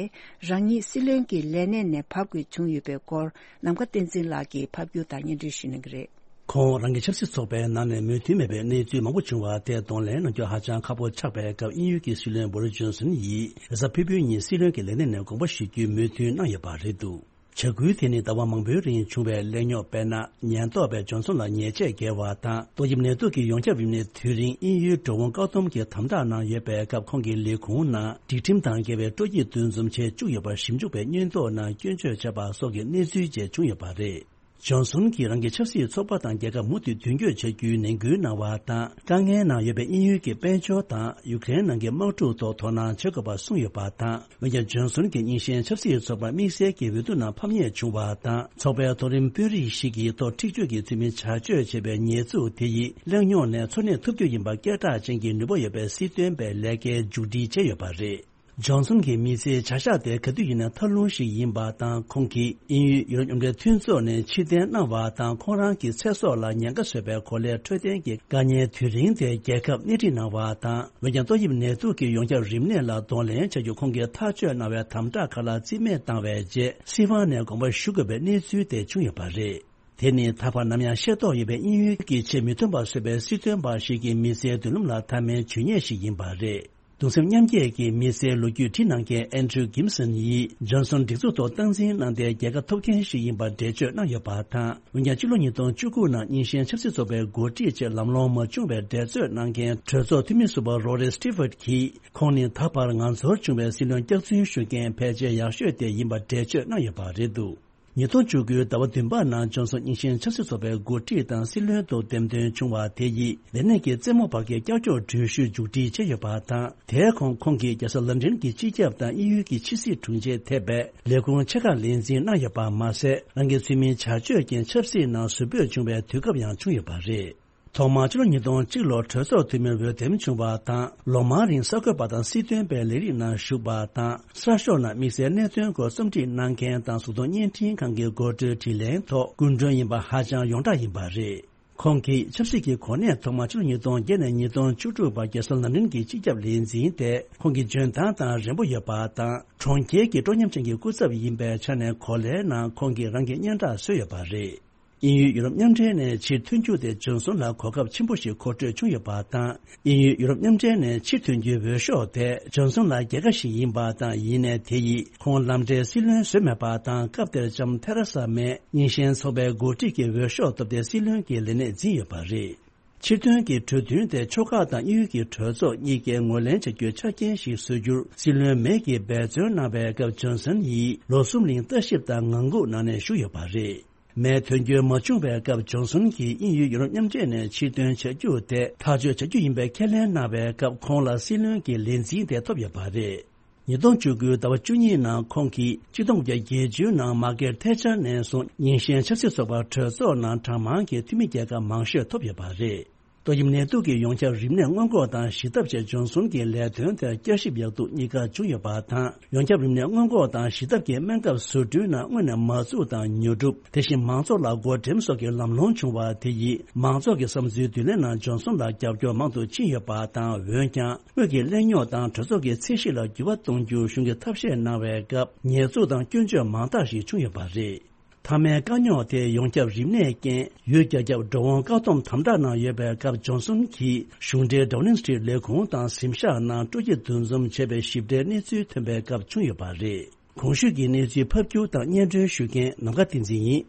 རང་ཉིད་སྲིད་བློན་གྱི་ལས་གནས་ནས་བབས་དགོས་བྱུང་ཡོད་པའི་སྐོར། ནམ་མཁའ་བསྟན་འཛིན་ལགས་ཀྱིས་ཕབ་སྒྱུར་དང་སྙན་སྒྲོན་ཞུ་གནང་གི་རེད། ཁོང་རང་གི་ཆབ་སྲིད་ཚོགས་པའི་ནང་ནས་མོས་མཐུན་མེད་པའི་གནས་ཚུལ་མང་པོ་བྱུང་བ་དེ་གདོང་ལེན་གནང་རྒྱུ་ཧ་ཅང་ཁག་པོ་ཆགས་པའི་སྐབས། དབྱིན་ཡུལ་གྱི་སྲིད་བློན་བྷོ་རིས་ཇོན་སོན་ཡིས་རེས་གཟའ་ཕུར་བུའི་ཉིན་སྲིད་བློན་གྱི་ལས་གནས་ནས་དགོངས་པ་ཞུ་རྒྱུའི་མོས་མཐུན་གནང་ཡོད་པ་རེད་འདུག་བྱ་འགུལ་དེ་ནི་ཟླ་བ་མང་པོའི་རིང་བྱུང་བའི་གླེང་རྙོག། དཔེར་ན། ཉེན་རྟོག་པས་ཇོན་སོན་ལ་ཉེས་ཆད་བཀལ་བ་དང་། ཏོག་དབྱིབས་ནད་དུག་གི་ཡོངས་ཁྱབ་རིམས་ནད་དུས་རིང་དབྱིན་ཡུལ་འགྲོ་འོང་བཀག་སྡོམ་གྱི་དམ་དྲག་གནང་ཡོད་པའི་སྐབས། ཁོང་གི་ལས་ཁུངས་ནང་སྒྲིག་ཁྲིམས་དང་འགལ་བའི་སྤྲོ་སྐྱིད་འདུ་འཛོམས་བྱེད་བཅུག་ཡོད་པར་ཞིབ་འཇུག་པས་སྔོན་ཐོག་ནང་སྐྱོན་བརྗོད་བྱས་པ་སོགས་ཀྱི་གནས་ཚུལ་བཅས་བྱུང་ཡོད་པ་རེད། ཇོན་སོན་གྱིས་རང་གི་ཆབ་སྲིད་ཚོགས་པ་དང་རྒྱལ་ཁབ་མུ་མཐུད་མདུན་སྐྱོད་བྱ་རྒྱུའི་ནན་སྐུལ་གནང་བ་དང་། དཀའ་ངལ་ནང་ཡོད་པའི་དབྱིན་ཡུལ་གྱི་དཔལ་འབྱོར་དང་ཡུ་ཀེ་རེན་ནང་གི་དམག་འཁྲུག་ཐོག་དོ་སྣང་བྱེད་དགོས་པ་གསུངས་ཡོད་པ་དང་། འོན་ཀྱང་། ཇོན་སོན་གྱིས་རྙིང་ཞེན་ཆབ་སྲིད་ཚོགས་པར་དམིགས་བསལ་གྱི་འོས་བསྡུ་ནང་ཕམ་ཉེས་བྱུང་བ་དང་། ཚོགས་པའི་མཐོ་རིམ་དཔོན་རིགས་ཤིག་གི་ཐོག་འཁྲིག་སྤྱོད་ཀྱི་ཚུལ་མིན་བྱ་སྤྱོད་བྱས་པའི་ཉེས་འཛུགས་དེ་ཡིས་གླེང་རྙོག་ནས་འཚོ་གནས་ཐུབ་རྒྱུ་ཡིན་པ་སྐད་གྲགས་ཅན་གྱི་ནུས་པ་ཡོད་པའི་སྲིད་དོན་པའི་ལས་ཀའི་མཇུག་སྒྲིལ་བྱས་ཡོད་པ་རེད། ཇོན་སོན་གྱི་མི་ཚེའི་བྱ་གཞག་དེ་ག་དུས་ཡིན་ན་ཐབས་ལུང་ཞིག་ཡིན་པ་དང་། ཁོང་གིས་དབྱིན་ཡུལ་ཡུ་རོབ་མཉམ་འབྲེལ་མཐུན་ཚོགས་ནས་ཕྱིར་འཐེན་གནང་བ་དང་། ཁོང་རང་གི་ཚེ་སྲོག་ལ་ཉེན་ཁ་བཟོས་པའི་གོ་ལའི་འཕྲོད་བསྟེན་གྱི་དཀའ་ཉེན་དུས་རིང་དེ་རྒྱལ་ཁབ་སྣེ་ཁྲིད་གནང་བ་དང་། འོན་ཀྱང་། ཏོག་དབྱིབས་ནད་དུག་གི་ཡོངས་ཁྱབ་རིམས་ནད་ལ་གདོང་ལེན་བྱ་རྒྱུ་ཁོང་གིས་ཐག་གཅོད་གནང་བའི་དམ་དྲག་ཁག་ལ་རྩིས་མེད་བཏང་བའི་རྗེས། སྲིད་དབང་ནས་དགོངས་པ་ཞུ་དགོས་པའི་གནས་ཚུལ་དེ་བྱུང་ཡོད་པ་རེད། དེ་ནི་ད་བར་ནམ་ཡང་ཤེས་རྟོགས་ཡོད་པའི་དབྱིན་ཡུལ་གྱི་ཆེས་མི་མཐུན་པ་བཟོས་པའི་སྲིད་དོན་པ་ཞིག་གི་མི་ཚེའི་མདུན་ལམ་ལ་མཐའ་མའི་ཇུས་ཉེས་ཤིག་ཡིན་པ་རེད། གདུང་སེམས་མཉམ་སྐྱེད་ཀྱི་མི་ཚེའི་ལོ་རྒྱུས་བྲིས་གནང་མཁན་ཨན་ཌྲུ་གིམ་སན་ཡིས་ཇོན་སོན་སྒྲིག་འཛུགས་ཐོག་སྟངས་འཛིན་གནང་སྟེ། རྒྱལ་ཁ་ཐོབ་མཁན་ཞིག་ཡིན་པར་འགྲེལ་བརྗོད་གནང་ཡོད་པ་དང་། འོན་ཀྱང་། ཕྱི་ལོ་ཉིས་སྟོང་བཅུ་དགུ་ནང་རྙིང་ཞེན་ཆབ་སྲིད་ཚོགས་པའི་འགོ་ཁྲིད་ཅེས་ལམ་ལྷོང་མ་བྱུང་བའི་འགྲེལ་བརྗོད་གནང་མཁན་གྲོས་ཚོགས་འཐུས་མི་ཟུར་པ་རོ་རི་སི་ཊི་ཕོར་ཌི་གིས། ཁོང་ནི་ད་བར་ང་ཚོར་བྱུང་བའི་སྲིད་བློན་སྐྱག་རྫུན་ཤོད་མཁན་ཕལ་ཆེར་ཡག་ཤོས་དེ་ཡིན་པར་འགྲེལ་བརྗོད་གནང་ཡོད་པ་རེད་འདུག་ཉིས་སྟོང་བཅུ་དགུའི་ཟླ་བ་བདུན་པ་ནང་ཇོན་སོན་རྙིང་ཞེན་ཆབ་སྲིད་ཚོགས་པའི་འགོ་ཁྲིད་དང་སྲིད་བློན་དུ་འདེམས་ཐོན་བྱུང་བ་དེ་ཡིས། ལས་གནས་ཀྱི་རྩེད་མོ་བར་གྱི་ཀྱག་ཀྱོག་འགྲུལ་བཞུད་མཇུག་སྒྲིལ་བྱས་ཡོད་པ་དང་། དེའི་གོང་ཁོང་གིས་རྒྱལ་ས་ལན་ཀྲན་གྱི་སྤྱི་ཁྱབ་དང་དབྱིན་ཡུལ་གྱི་ཕྱི་སྲིད་དྲུང་ཆེ་ཐེ་བའི་ལས་ཁུངས་ཆེ་ཁག་ལས་འཛིན་གནང་ཡོད་པ་མ་ཟད། རང་གི་ཚུལ་མིན་བྱ་སྤྱོད་ཀྱིས་ཆབ་སྲིད་ནང་ཟུར་ཕུད་བྱུང་བའི་དུས་སྐབས་ཡང་བྱུང་ཡོད་པ་རེད། ཐོག་མར་ཕྱི་ལོ་ཉིས་སྟོང་གཅིག་ལོར་གྲོས་ཚོགས་འཐུས་མིར་འོས་འདེམས་བྱུང་བ་དང་། ལོ་མང་རིང་གསར་འགོད་པ་དང་སྲིད་དོན་པའི་ལས་རིགས་ནང་ཞུགས་པ་དང་། གསར་ཤོག་ནང་དམིགས་བསལ་གནད་དོན་སྐོར་རྩོམ་སྒྲིག་གནང་མཁན་དང་། གཟུགས་མཐོང་བརྙན་འཕྲིན་ཁང་གི་འགོ་ཁྲིད་དྲིན་ལན་ཐོག་སྐུ་མགྲོན་ཡིན་པ་ཧ་ཅང་ཡོངས་གྲགས་ཡིན་པ་རེད། ཁོང་གིས་ཆབ་སྲིད་ཀྱི་གོ་གནས་ཐོག་མ་ཕྱི་ལོ་ཉིས་སྟོང་བརྒྱད་ནས་ཉིས་སྟོང་བཅུ་དྲུག་བར་རྒྱལ་ས་ལན་ཀྲན་གྱི་སྤྱི་ཁྱབ་ལས་འཛིན་ཏེ། ཁོང་གི་འཇོན་ཐང་དང་རན་པོ་ཡོད་པ་དང་། གྲོང་ཁྱེར་གྱི་སྤྲོ་ཉམས་ཅན་གྱི་སྐུ་ཚབ་ཡིན་པའི་ཆ་ནས་གོ་ལའི་ནང་ཁོང་གིས་རང་གི་སྙན་གྲགས་བཟོས་ཡོད་པ་རེད། དབྱིན་ཡུལ་ཡུ་རོབ་མཉམ་འབྲེལ་ནས་ཕྱིར་ཐོན་རྒྱུ་དེ་ཇོན་སོན་ལ་གོ་སྐབས་ཆེན་པོ་ཞིག་མཁོ་སྤྲོད་བྱུང་ཡོད་པ་དང་། དབྱིན་ཡུལ་ཡུ་རོབ་མཉམ་འབྲེལ་ནས་ཕྱིར་ཐོན་རྒྱུའི་འོས་ཤོག་དེ་ཇོན་སོན་ལ་རྒྱལ་ཁ་ཞིག་ཡིན་པ་དང་། ཡིན་ནའི་དེ་ཡིས་ཁོང་ལམ་འབྲས་སྲིད་བློན་བཟོས་མེད་པ་དང་། སྐབས་དེར་ལྕམ་ཐེ་རེ་ས་མེ་རྙིང་ཞེན་ཚོགས་པའི་འགོ་ཁྲིད་ཀྱི་འོས་ཤོག་ཐོབ་སྟེ་སྲིད་བློན་གྱི་ལས་གནས་འཛིན་ཡོད་པ་རེད། ཕྱིར་ཐོན་གྱི་གྲོས་མཐུན་དེ་ཕྱོགས་ཁག་དང་དབྱིན་ཡུལ་གྱི་གྲོས་ཚོགས་གཉིས་ཀས་ངོས་ལེན་བྱ་རྒྱུའི་ཆ་རྐྱེན་ཞིག་བཟོ་རྒྱུར་སྲིད་བློན་མེ་གིས་འབད་བརྩོན་གནང་བའི་སྐབས། ཇོན་སོན་ཡིས་ལོ་གསུམ་རིང་ལྟ་ཞིབ་དང་ངང་སྒུག་གནང་ནས་བཞུགས་ཡོད་པ་རེད། མེ་ཐོན་རྒྱུ་མ་བྱུང་བའི་སྐབས། ཇོན་སོན་གྱིས་དབྱིན་ཡུལ་ཡུ་རོབ་མཉམ་འབྲེལ་ནས་ཕྱིར་ཐོན་བྱ་རྒྱུ་དེ་ཐག་གཅོད་བྱ་རྒྱུ་ཡིན་པའི་ཁས་ལེན་གནང་བའི་སྐབས། ཁོང་ལ་སྲིད་བློན་གྱི་ལས་འཛིན་དེ་ཐོབ་ཡོད་པ་རེད། ཉིས་སྟོང་བཅུ་དགུའི་ཟླ་བ་བཅུ་གཉིས་ནང་ཁོང་གིས་ཆིག་སྟོང་དགུ་བརྒྱ་བརྒྱད་ཅུ་ནང་མར་ཀེཊ་ཐེ་ཆར་ནས་བཟུང་རྙིང་ཞེན་ཆབ་སྲིད་ཚོགས་པ་གྲོས་ཚོགས་ནང་གྲངས་མང་གི་འཐུས་མི་རྒྱལ་ཁ་མང་ཤོས་ཐོབ་ཡོད་པ་རེད། ཏོག་དབྱིབས་ནད་དུག་གི་ཡོངས་ཁྱབ་རིམས་ནད་སྔོན་འགོག་དང་ཞི་ཐབས་ཆེད་འབྱོར་གསུམ་གྱི་ལས་དོན་དེར་བསྐྱར་ཞིབ་ཡག་སྡུག་གཉིས་ཀ་བྱུང་ཡོད་པ་དང་། ཡོངས་ཁྱབ་རིམས་ནད་སྔོན་འགོག་དང་ཞི་ཐབས་ཀྱི་སྨན་ཁབ་བཟོ་སྐྲུན་ནང་དངོས་གནས་མ་འཛུགས་དང་ཉོ་སྒྲུབ། དེ་བཞིན་མང་ཚོགས་ལ་བགོ་འགྲེམས་སོགས་ཀྱི་ལམ་ལྷོང་བྱུང་བ་དེ་ཡིས་མང་ཚོགས་ཀྱི་བསམ་ཚུལ་བསྡུ་ལེན་ནང་འབྱོར་གསུམ་ལ་རྒྱབ་སྐྱོར་མང་དུ་ཕྱིན་ཡོད་པ་དང་། འོན་ཀྱང་། དངུལ་གྱི་གླེང་རྙོག་དང་གྲོས་ཚོགས་ཀྱི་ཚད་གཞི་ལ་འགྱུར་བ་གཏོང་རྒྱུ་གཞུང་གིས་ཐབས་ཤེས་གནང་བའི་སྐབས། ཉེས་འཛུགས་དང་སྐྱོན་བརྗོད་མང་དག་ཞིག་བྱུང་ཡོད་པ་རེད། མཐའ་མའི་དཀའ་རྙོག་དེ་ཡོངས་ཁྱབ་རིམས་ནད་རྐྱེན་ཡུལ་རྒྱ་ཁྱབ་འགྲོ་འོང་བཀག་སྡོམ་དམ་དྲག་ནང་ཡོད་པའི་སྐབས། འབྱོར་གསུམ་གྱིས་གཞུང་འབྲེལ་ཌའོ་ནིང་སི་ཊི་རིཊ་ལས་ཁུངས་དང་གཟིམ་ཤག་ནང་སྤྲོ་སྐྱིད་འདུ་འཛོམས་བྱས་པའི་ཞིབ་ཕྲའི་གནས་ཚུལ་ཐོན་པའི་སྐབས་བྱུང་ཡོད་པ་རེད། གོང་ཞུས་ཀྱི་གནས་ཚུལ་ཕབ་སྒྱུར་དང་སྙན་སྒྲོན་ཞུ་མཁན་ནམ་མཁའ་བསྟན་འཛིན་ཡིན།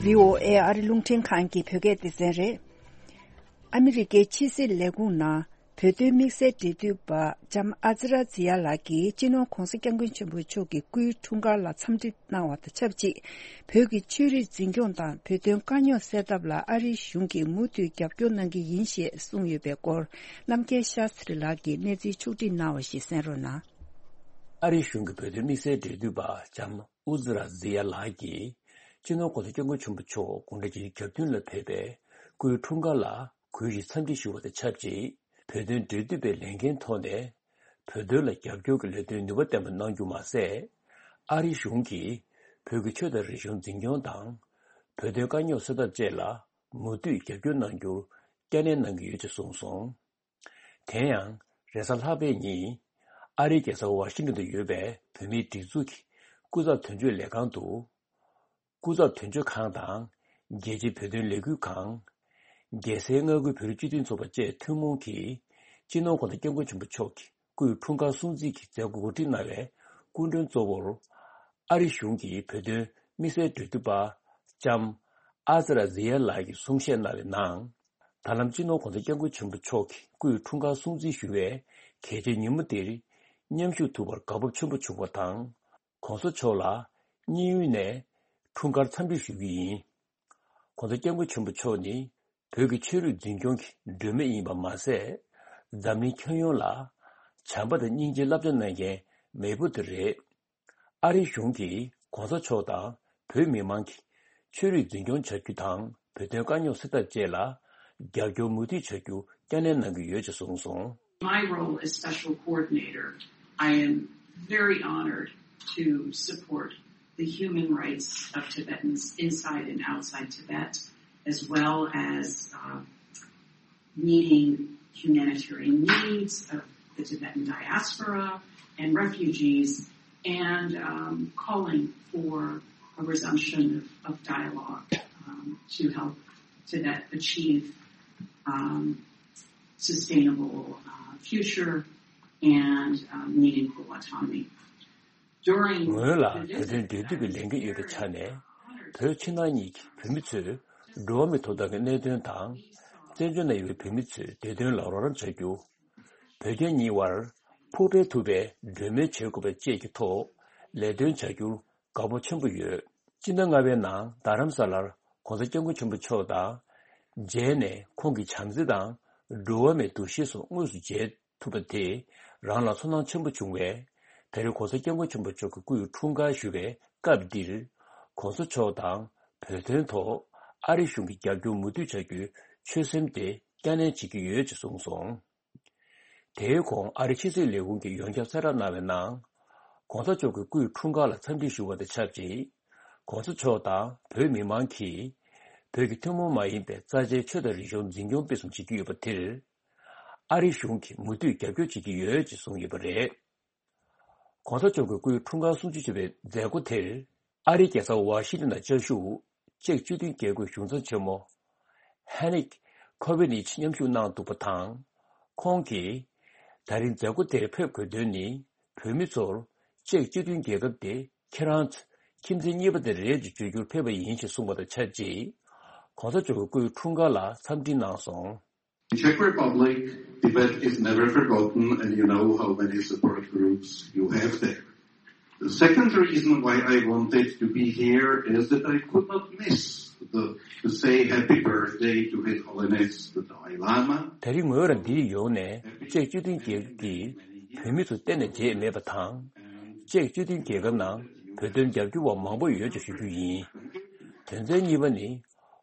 བྷི་ཨོ་ཨེ་ཨ་རི་རླུང་འཕྲིན་ཁང་གི་བོད་སྐད་སྡེ་ཚན་རེད། ཨ་མི་རི་ཀའི་ཕྱི་སྲིད་ལས་ཁུངས་ནང་བོད་དོན་དམིགས་བསལ་འབྲེལ་མཐུད་པ་ལྕམ་ཨ་ཛི་ར་ཛི་ཡ་ལགས་ཀྱིས་སྤྱི་ནོར་༧གོང་ས་༧སྐྱབས་མགོན་ཆེན་པོ་མཆོག་གི་སྐུའི་འཁྲུངས་སྐར་ལ་འཚམས་འདྲི་གནང་བ་དང་ཆབས་ཅིག་བོད་ཀྱི་ཆོས་རིག་འཛིན་སྐྱོང་དང་བོད་དོན་དཀའ་རྙོག་སེལ་ཐབས་ལ་ཨ་རིའི་གཞུང་གིས་མུ་མཐུད་རྒྱབ་སྐྱོར་གནང་གི་ཡིན་ཞེས་གསུངས་ཡོད་པའི་སྐོར། རྣམ་རྒྱལ་ཤཱ་སྟྲི་ལགས་ཀྱིས་གནས་ཚུལ་ཕྱོགས་བསྒྲིགས་གནང་བ་ཞིག་གསན་རོགས་གནང་། ཨ་རིའི་གཞུང་གི་བོད་དོན་དམིགས་བསལ་འབྲེལ་མཐུད་པ་ལྕམ་ཨུ་ཛི་ར་ཛི་ཡ་ལགས་ཀྱིས་སྤྱི་ནོར་༧གོང་ས་༧སྐྱབས་མགོན་ཆེན་པོ་མཆོག་དགུང་གྲངས་བརྒྱད་ཅུ་གྱ་བདུན་ལ་ཕེབས་པའི་སྐུའི་འཁྲུངས་སྐར་ལ་གུས་བཞིན་འཚམས་འདྲི་ཞུ་བ་དང་ཆབས་ཅིག་བོད་དོན་འབྲེལ་མཐུད་པའི་ལས་འགན་ཐོག་ནས་བོད་དོན་ལ་རྒྱབ་སྐྱོར་གྱི་ལས་དོན་ནུས་པ་ལྡན་པ་གནང་རྒྱུ་མ་ཟད། ཨ་རིའི་གཞུང་གིས་བོད་ཀྱི་ཆོས་དང་རིག་གཞུང་འཛིན་སྐྱོང་དང་། བོད་དོན་དཀའ་རྙོག་སེལ་ཐབས་བཅས་ལ་མུ་མཐུད་རྒྱབ་སྐྱོར་གནང་རྒྱུར་བསྐྱར་ནན་གནང་གི་ཡོད་ཅེས་གསུངས་སོང་། དེ་ཡང་རེས་གཟའ་ལྷག་པའི་ཉིན་ཨ་རིའི་རྒྱལ་ས་ཝ་ཤིང་ཏོན་དུ་ཡོད་པའི་བོད་མིའི་སྒྲིག་འཛུགས་ཀྱི་སྐུ་ཚབ་དོན་གཅོད་ལས་ཁང་དུ། སྐུ་ཚབ་དོན་གཅོད་ཁང་དང་རྒྱལ་སྤྱིའི་བོད་དོན་ལས་འགུལ་ཁང་། རྒྱལ་སའི་མངའ་ཁུལ་བོད་རིགས་སྤྱི་མཐུན་ཚོགས་པ་བཅས་ཐུན་མོང་གིས་སྤྱི་ནོར་༧གོང་ས་༧སྐྱབས་མགོན་ཆེན་པོ་མཆོག་གི་སྐུའི་འཁྲུངས་སྐར་སྲུང་བརྩི་གི་མཛད་སྒོ་གོ་སྒྲིག་གནང་བའི་སྐུ་མགྲོན་གཙོ་བོར་ཨ་རི་གཞུང་གི་བོད་དོན་དམིགས་བསལ་འབྲེལ་མཐུད་པ་ལྕམ་ཨ་ཛི་ར་ཛི་ཡ་ལགས་ཀྱིས་གསུང་བཤད་གནང་བའི་ནང་། ད་ལམ་སྤྱི་ནོར་༧གོང་ས་༧སྐྱབས་མགོན་ཆེན་པོ་མཆོག་གི་སྐུའི་འཁྲུངས་སྐར་སྲུང་བརྩི་ཞུ་བའི་གལ་ཆེའི་ཉིན་མོ་འདིར་མཉམ་ཞུགས་ཐུབ་པར་དགའ་སྤོབས་ཆེན་པོ་བྱུང་བ་དང་། ༧གོང་ས་མཆོག་ལ་སྙིང་དབུས་ནས་འཁྲུངས་སྐར་འཚམས་འདྲི་ཞུ་རྒྱུ་ཡིན། ༧གོང་ས་༧སྐྱབས་མགོན་ཆེན་པོ་མཆོག་ནི་བོད་ཀྱི་ཆོས་རིག་འཛིན་སྐྱོང་གི་སྒྲོན་མེ་ཡིན་པ་མ་ཟད། འཛམ་གླིང་ཁྱོན་ཡོངས་ལ་བྱམས་པ་དང་སྙིང་རྗེའི་བསླབ་བྱ་གནང་མཁན་མེས་པོ་དེ་རེད། ཨ་རིའི་གཞུང་གིས་༧གོང་ས་མཆོག་དང་བོད་མི་མང་གི་ཆོས་རིག་འཛིན་སྐྱོང་བྱ་རྒྱུ་དང་བོད་དོན་དཀའ་རྙོག་སེལ་ཐབས་བཅས་ལ་རྒྱབ་སྐྱོར་མུ་མཐུད་བྱ་རྒྱུ་བསྐྱར་ནན་གནང་གི་ཡོད་ཅེས་གསུངས་སོང་། My role as special coordinator, I am very honored to support the human rights of Tibetans inside and outside Tibet, as well as uh, meeting humanitarian needs of the Tibetan diaspora and refugees, and um, calling for a resumption of, of dialogue um, to help Tibet achieve um, sustainable uh, future and uh, meaningful autonomy. སྔོན་ལ་བོད་དོན་འབྲེལ་མཐུད་ཀྱི་ལས་འགན་ཡོད་པའི་ཆ་ནས། བོད་ཕྱི་ནང་གཉིས་ཀྱི་བོད་མི་ཚོས་འགྲོ་བ་མིའི་ཐོབ་ཐང་གི་གནད་དོན་དང་། བཙན་བྱོལ་ནང་ཡོད་པའི་བོད་མི་ཚོའི་བདེ་དོན་ལ་རོགས་རམ་བྱ་རྒྱུ། བོད་རྒྱ་གཉིས་དབར་ཕུགས་འཕེར་ཐུབ་པའི་གྲོས་མོལ་བྱེད་དགོས་པ་བཅས་ཀྱི་ཐོག་ལས་དོན་བྱ་རྒྱུར་དགའ་སྤོབས་ཆེན་པོ་ཡོད། སྤྱི་ཟླ་ལྔ་པའི་ནང་རྡ་རམ་ས་ལར་༧གོང་ས་༧སྐྱབས་མགོན་ཆེན་པོ་མཆོག་དང་མཇལ་ནས། ཁོང་གི་བྱམས་བརྩེ་དང་འགྲོ་བ་མིའི་འདུ་ཤེས་སོགས་དངོས་སུ་མཇལ་ཐུབ་པ་དེས་རང་ལ་ཚོར་སྣང་ཆེན་པོ་བྱུང་བས། ད་རེས་༧གོང་ས་༧སྐྱབས་མགོན་ཆེན་པོ་མཆོག་གི་སྐུའི་འཁྲུངས་སྐར་ཞུ་བའི་སྐབས་འདིར། ༧གོང་ས་མཆོག་དང་བོད་དོན་ཐོག་ཨ་རི་གཞུང་གིས་རྒྱབ་སྐྱོར་མུ་མཐུད་བྱ་རྒྱུའི་ཆོད་སེམས་དེ་བསྐྱར་ནན་བྱེད་ཀྱི་ཡོད་ཅེས་གསུངས་སོང་། དེའི་གོང་ཨ་རི་ཕྱི་སྲིད་ལས་ཁུངས་ཀྱིས་ཡོངས་ཁྱབ་གསལ་བསྒྲགས་གནང་བའི་ནང་། ༧གོང་ས་མཆོག་གི་སྐུའི་འཁྲུངས་སྐར་ལ་འཚམས་འདྲི་ཞུ་བ་དང་ཆབས་ཅིག ༧གོང་ས་མཆོག་དང་བོད་མི་མང་གིས་བོད་ཀྱི་ཐུན་མོང་མ་ཡིན་པའི་རྩ་ཆེའི་ཆོས་དང་རིག་གཞུང་འཛིན་སྐྱོང་སྤེལ་གསུམ་བྱེད་ཀྱི་ཡོད་པ་དེར། ཨ་རིའི་གཞུང་གིས་མུ་མཐུད་རྒྱབ་སྐྱོར་བྱེད་ཀྱི་ཡོད་ཅེས་གསུངས་ཡོད་པ་རེད། ༧གོང་ས་མཆོག་གི་སྐུའི་འཁྲུངས་སྐར་སྲུང་བརྩི་ཞུ་བའི་མཛད་སྒོ་དེར། ཨ་རིའི་རྒྱལ་ས་ཝ་ཤིང་ཏོན་ནང་བཅའ་བཞུགས་ཅེཀ་སྤྱི་མཐུན་རྒྱལ་ཁབ་གཞུང་ཚབ་ཆེན་མོ་ཧན་ནིག་ཁོ་བེ་ནིཆ་མཉམ་ཞུགས་གནང་འདུག་པ་དང་། ཁོང་གིས། ད་རིང་མཛད་སྒོ་དེར་ཕེབས་དགོས་དོན་ནི། བོད་མི་ཚོར་ཅེཀ་སྤྱི་མཐུན་རྒྱལ་ཁབ་དེ་ཁྱེད་རང་ཚོའི་ཁྱིམ་མཚེས་གཉིས་པ་དེ་རེད་ཅེས་བརྗོད་རྒྱུར་ཕེབས་པ་ཡིན་ཞེས་གསུངས་པ་དང་ཆབས་ཅིག ༧གོང་ས་མཆོག་གི་སྐུའི་འཁྲུངས་སྐར་ལ་འཚམས་འདྲི་གནང་སོང་། In Czech Republic, Tibet is never forgotten, and you know how many support groups you have there. The second reason why I wanted to be here is that I could not miss the, to say happy birthday to His Holiness the Dalai Lama. ད་རིང་ངོས་རང་འདིར་ཡོང་ནས་ཅེཀ་སྤྱི་མཐུན་རྒྱལ་ཁབ་ཀྱི་བོད་མི་ཚོ་གཏན་ནས་བརྗེད་མེད་པ་དང་། ཅེཀ་སྤྱི་མཐུན་རྒྱལ་ཁབ་ནང་ བོད་དོན་རྒྱབ་སྐྱོར་བ་མང་པོ་ཡོད་ཅེས་ཞུ་རྒྱུ་ཡིན། དོན་ཚན་གཉིས་པ་ནི།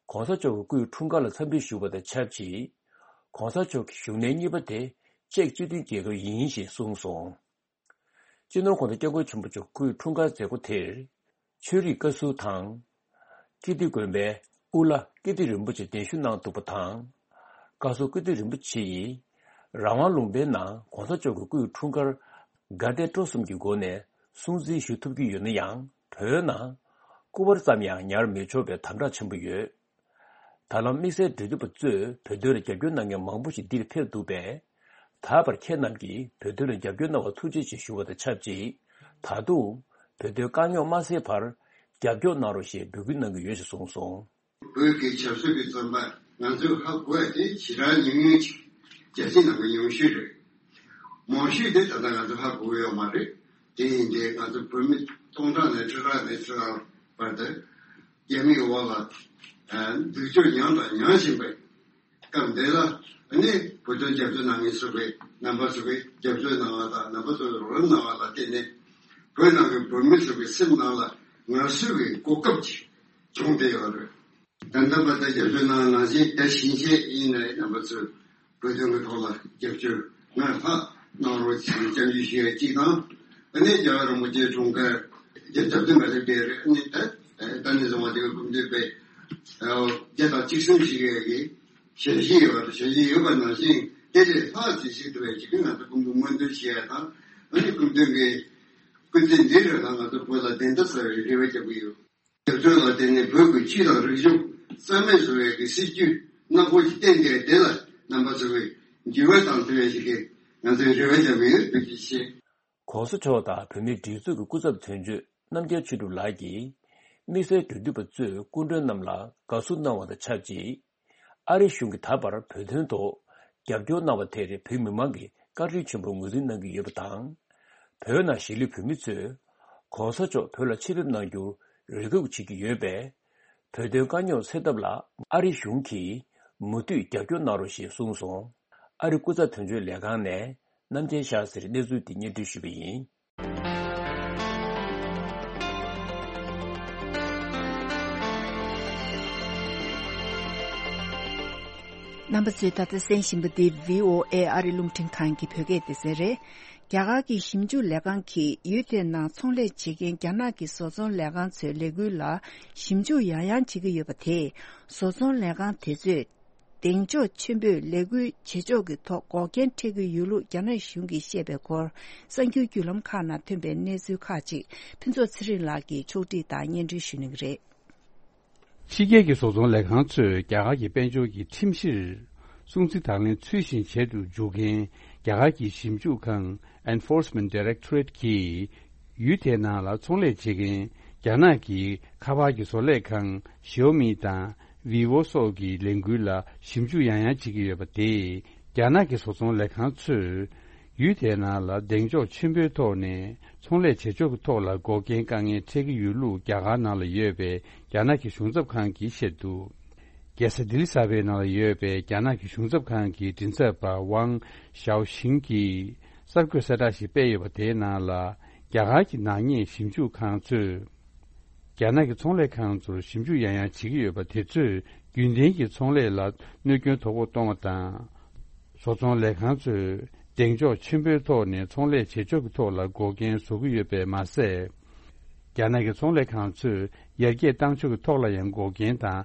གོང་ས་མཆོག་གི་སྐུའི་འཁྲུངས་སྐར་ལ་འཚམས་འདྲི་ཞུ་བ་དང་ཆབས་ཅིག་གོང་ས་མཆོག་གི་བཞུགས་གནས་གཉིས་པ་དེ་ཅེཀ་སྤྱི་མཐུན་རྒྱལ་ཁབ་ཡིན་ཞེས་གསུངས་སོང་། སྤྱི་ནོར་༧གོང་ས་༧སྐྱབས་མགོན་ཆེན་པོ་མཆོག་སྐུའི་འཁྲུངས་སྐར་མཛད་སྒོ་དེར། ཆོས་རིག་བཀའ་ཟུར་དང་། ཀིརྟི་དགོན་པའི་དབུ་བླ་ཀིརྟི་རིན་པོ་ཆེ་གདན་ཞུ་གནང་འདུག་པ་དང་། བཀའ་ཟུར་ཀིརྟི་རིན་པོ་ཆེ་ཡིས། རང་དབང་ལུང་པའི་ནང་གོང་ས་མཆོག་གི་སྐུའི་འཁྲུངས་སྐར་དགའ་དད་སྤྲོ་གསུམ་གྱི་སྒོ་ནས་སྲུང་བརྩི་ཞུ་ཐུབ་ཀྱི་ཡོད་ན་ཡང་། བོད་ནང་སྐུ་པར་ཙམ་ཡང་ཉར་མི་ཆོག་པའི་དམ་དྲག་ཆེན་པོ་ཡོད། ད་ལམ་དམིགས་བསལ་འབྲེལ་མཐུད་པ་ཚོས་བོད་དོན་ལ་རྒྱབ་སྐྱོར་གནང་མཁན་མང་པོ་ཞིག་འདིར་ཕེབས་འདུག་པས། ད་བར་ཁྱེད་རྣམས་ཀྱིས་བོད་དོན་ལ་རྒྱབ་སྐྱོར་གནང་བར་ཐུགས་རྗེ་ཆེ་ཞུ་བ་དང་ཆབས་ཅིག་ད་དུང་བོད་དོན་དཀའ་རྙོག་མ་སེལ་བར་རྒྱབ་སྐྱོར་གནང་རོགས་ཞེས་འབོད་སྐུལ་གནང་གི་ཡོད་ཅེས་གསུངས་སོང་། བོད་ཀྱི་ཆབ་སྲིད་ཀྱི་བཙོན་པ་ང་ཚོས་ཧ་གོ་ཡ་དེ་ཞེ་དྲག་ཉུང་ཉུང་ཅིག་རྒྱལ་སྤྱི་ནང་གི་ཉུང་ཤོས་རེད། མང་ཤོས་དེ་ད་ལྟ་ང་ཚོ་ཧ་གོ་ཡོད་མ་རེད། དེ་ཡིན་དུས་ང་ཚོ་བོད་མི་སྟོང་ཕྲག་ནས་ཁྲི་ཕྲག་ནས་ཁྲི་ཕྲག་བར་དུ་རྒྱ་མིའི་འོག་ལ་སྡུག་སྦྱོང་མྱངས་དང་མྱང་བཞིན་པའི་སྐབས་འདི་ལ་ནི་བོད་དོན་རྒྱབ་སྐྱོར་གནང་མཁན་ཚོ་གི་རྣམ་པ་ཚོ་གི་རྒྱབ་སྐྱོར་གནང་བ་དང་རྣམ་པ་ཚོ་གི་རོགས་རམ་གནང་བ་ལ་བརྟེན་ནས་བོད་ནང་གི་བོད་མི་ཚོ་གི་སེམས་ནང་ལ་ངལ་གསོ་གི་གོ་སྐབས་ཅིག་བྱུང་བསྡད་ཡོད་རེད། ད་ལྟ་བར་དུ་རྒྱབ་སྐྱོར་གནང་ནང་བཞིན་ད་ཕྱིན་ཆད་ཡིན་ན་རྣམ་པ་ཚོས་བོད་དོན་གྱི་ཐོག་ལ་རྒྱབ་སྐྱོར་སྔར་ལྷག་གནང་རོགས་ཞེས་སྐྱབས་འཇུག་ཞུ་ཡ་གཅིག་དང་། ཨ་ནི་རྒྱལ་བ་རིན་པོ་ཆེ་འཁྲུངས་སྐར་བརྒྱད་ཅུ་གྱ་བདུན་པ་ལ་བསྡད་རེད། ཨ་ནི་ད་ད་ནས་བཟུང་བ་དེ་གི་སྐུ་མདུན་པས་བརྒྱ་དང་གཅིག་གསུམ་ཞིག་ཡོད་ཀྱི་ཞལ་བཞེས་ཡོད་པ་དང་ཞལ་བཞེས་ཡོད་པ་ནང་བཞིན་དེ་ལས་ལྷག་ཅིག་ཞིག་ཐུབ་པའི་ཞིག་ང་ཚོ་སྐུ་མདུན་སྨོན་འདུན་ཞུ་ཡ་དང་། ཨ་ནི་སྐུ་མདུན་གྱི་སྐུ་ཚེ་འདིའི་རིང་ལ་ང་ཚོ་བོད་ལ་བདེན་མཐའ་གསལ་བའི་རེ་བ་རྒྱག་གི་ཡོད། རྒྱབ་སྐྱོར་ལ་བརྟེན་ནས་བོད་ཀྱི་ཆོས་དང་རིག་གཞུང་རྩ་མེད་བཟོ་བའི་གི་སྲིད་ཇུས་ནག་པོ་ཞིག་བསྟན་ཏེ་དེ་ལ་རྣམ་པ་ཚོ་གིས་འགྱུར་བ་བཏང་ཐུབ་ཡ་ཞིག་གི་ང་ཚོས་རེ་བ་བྱ་གི་ཡོད། ཐུགས་རྗེ་ཆེ། གོང་ས་མཆོག་དང་བོད་མིའི་སྒྲིག་འཛུགས་ཀྱི་སྐུ་ཚབ་དོན་གཅོད་རྣམ་རྒྱལ་ཆོས་གྲུབ་ལགས་ཀྱིས་དམིགས་བསལ་འབྲེལ་མཐུད་པ་ཚོས་སྐུ་མགྲོན་རྣམས་ལ་དགའ་བསུ་གནང་བ་དང་ཆབས་ཅིག་ཨ་རི་གཞུང་གིས་ད་བར་བོད་དོན་ཐོག་རྒྱབ་སྐྱོར་གནང་བ་དེར་བོད་མི་མང་གིས་བཀའ་དྲིན་ཆེན་པོ་ངོས་འཛིན་གནང་གི་ཡོད་པ་དང་། བོད་ནང་གཞིས་ལུས་བོད་མི་ཚོས་གོང་ས་མཆོག་བོད་ལ་ཆེད་ཕེབས་གནང་རྒྱུར་རེ་སྒུག་བྱེད་ཀྱི་ཡོད་པས། བོད་དོན་དཀའ་རྙོག་སེལ་ཐབས་ལ་ཨ་རི་གཞུང་གིས་མུ་མཐུད་རྒྱབ་སྐྱོར་གནང་རོགས་ཞེས་གསུངས་སོང་། ཨ་རི་སྐུ་ཚབ་དོན་གཅོད་ལས་ཁང་ནས་རྣམ་རྒྱལ་ཤཱ་ཟེར་གནས་ཚུལ་འདི་སྙན་སྒྲོན་ཞུས་པ་ཡིན། རྣམ་པ་ཚོས་ད་ལྟ་གསན་བཞིན་པ་འདི་བྷི་ཨོ་ཨེ་ཨ་རི་རླུང་འཕྲིན་ཁང་གི་བོད་སྐད་སྡེ་ཚན་རེད། རྒྱ་གར་གྱི་ཞིབ་འཇུག་ལས་ཁང་གིས་ཡུལ་དེའི་ནང་ཚོང་ལས་བྱེད་མཁན་རྒྱ་ནག་གི་བཟོ་ཚོང་ལས་ཁང་ཚོའི་ལས་འགུལ་ལ་ཞིབ་འཇུག་ཡང་ཡང་བྱེད་ཀྱི་ཡོད་པ་དེས་བཟོ་ཚོང་ལས་ཁང་དེ་ཚོས་གདེང་འཇོག་ཆེན་པོས་ལས་འགུལ་བྱེད་ཕྱོགས་ཀྱི་ཐོག་འགོག་རྐྱེན་འཕྲད་ཀྱི་ཡོད་ལུགས་རྒྱ་ནག་གཞུང་གིས་བཤད་པའི་སྐོར། གསར་འགྱུར་བརྒྱུད་ལམ་ཁག་ནང་ཐོན་པའི་གནས་ཚུལ་ཁག་ཅིག་ཕུན་ཚོགས་ཚེ་རིང་ལགས་ཀྱིས་ཕྱོགས་སྒྲིག་དང་སྙན་སྒྲོན་ཞུ་གནང་གི་རེད། ཕྱི་རྒྱལ་གྱི་བཟོ་ཚོང་ལས་ཁང་ཚོས་རྒྱ་གར་གྱི་དཔལ་འབྱོར་གྱི་ཁྲིམས་གཞིར་སྲུང་བརྩི་དང་ལེན་ཚུལ་བཞིན་བྱེད་དུ་འཇུག་མཁན་རྒྱ་གར་གྱི་ཞིབ་འཇུག་ཁང་Enforcement Directorate གྱིས་ཡུལ་དེའི་ནང་ལ་ཚོང་ལས་བྱེད་མཁན་རྒྱ་ནག་གི་ཁ་པར་གྱི་བཟོ་ལས་ཁང་Xiaomi དང་Vivo་སོགས་ཀྱི་ལས་འགུལ་ལ་ཞིབ་འཇུག་ཡང་ཡང་བྱེད་ཀྱི་ཡོད་པ་དེས་རྒྱ་ནག་གི་བཟོ་ཚོང་ལས་ཁང་ཚོས་ཡུལ་དེའི་ནང་ལ་གདེང་འཇོག་ཆེན་པོའི་ཐོག་ནས་ཚོང་ལས་བྱེད་ཕྱོགས་ཀྱི་ཐོག་ལ་འགོག་རྐྱེན་དཀའ་ངལ་འཕྲད་ཀྱི་ཡོད་ལུགས་རྒྱ་གར་ནང་ལ་ཡོད་པའི་རྒྱ་ནག་གི་གཞུང་ཚབ་ཁང་གིས་བཤད་འདུག་རྒྱལ་ས་ལྡི་ལི་གསར་པའི་ནང་ལ་ཡོད་པའི་རྒྱ་ནག་གི་གཞུང་ཚབ་ཁང་གི་མགྲིན་ཚབ་པ་ཝང་ཞའོ་ཤིང་གིས་གསར་འགོད་གསལ་བསྒྲགས་ཤིག་སྤེལ་ཡོད་པ་དེའི་ནང་ལ། རྒྱ་གར་གྱི་ནག་ཉེས་ཞིབ་འཇུག་ཁང་ཚོས། རྒྱ་ནག་གི་ཚོང་ལས་ཁང་ཚོར་ཞིབ་འཇུག་ཡང་ཡང་བྱེད་ཀྱི་ཡོད་པ་དེ་ཚོས་རྒྱུན་ལྡན་གྱི་ཚོང་ལས་ལ་གནོད་སྐྱོན་དོ་ཕོག་གཏོང་བ་དང་། བཟོ་ཚོང་ལས་ཁང་ཚོས་གདེང་འཇོག་ཆེན་པོའི་ཐོག་ནས་ཚོང་ལས་བྱེད་ཕྱོགས་ཀྱི་ཐོག་ལ་འགོག་རྐྱེན་བཟོ་གི་ཡོད་པས་མ་ཟད། རྒྱ་ནག་གི་ཚོང་ལས་ཁང་ཚོས་ཡར་རྒྱས་བཏང་ཕྱོགས་ཀྱི་ཐོག་ལ་ཡང་འགོག་རྐྱེན་དང་།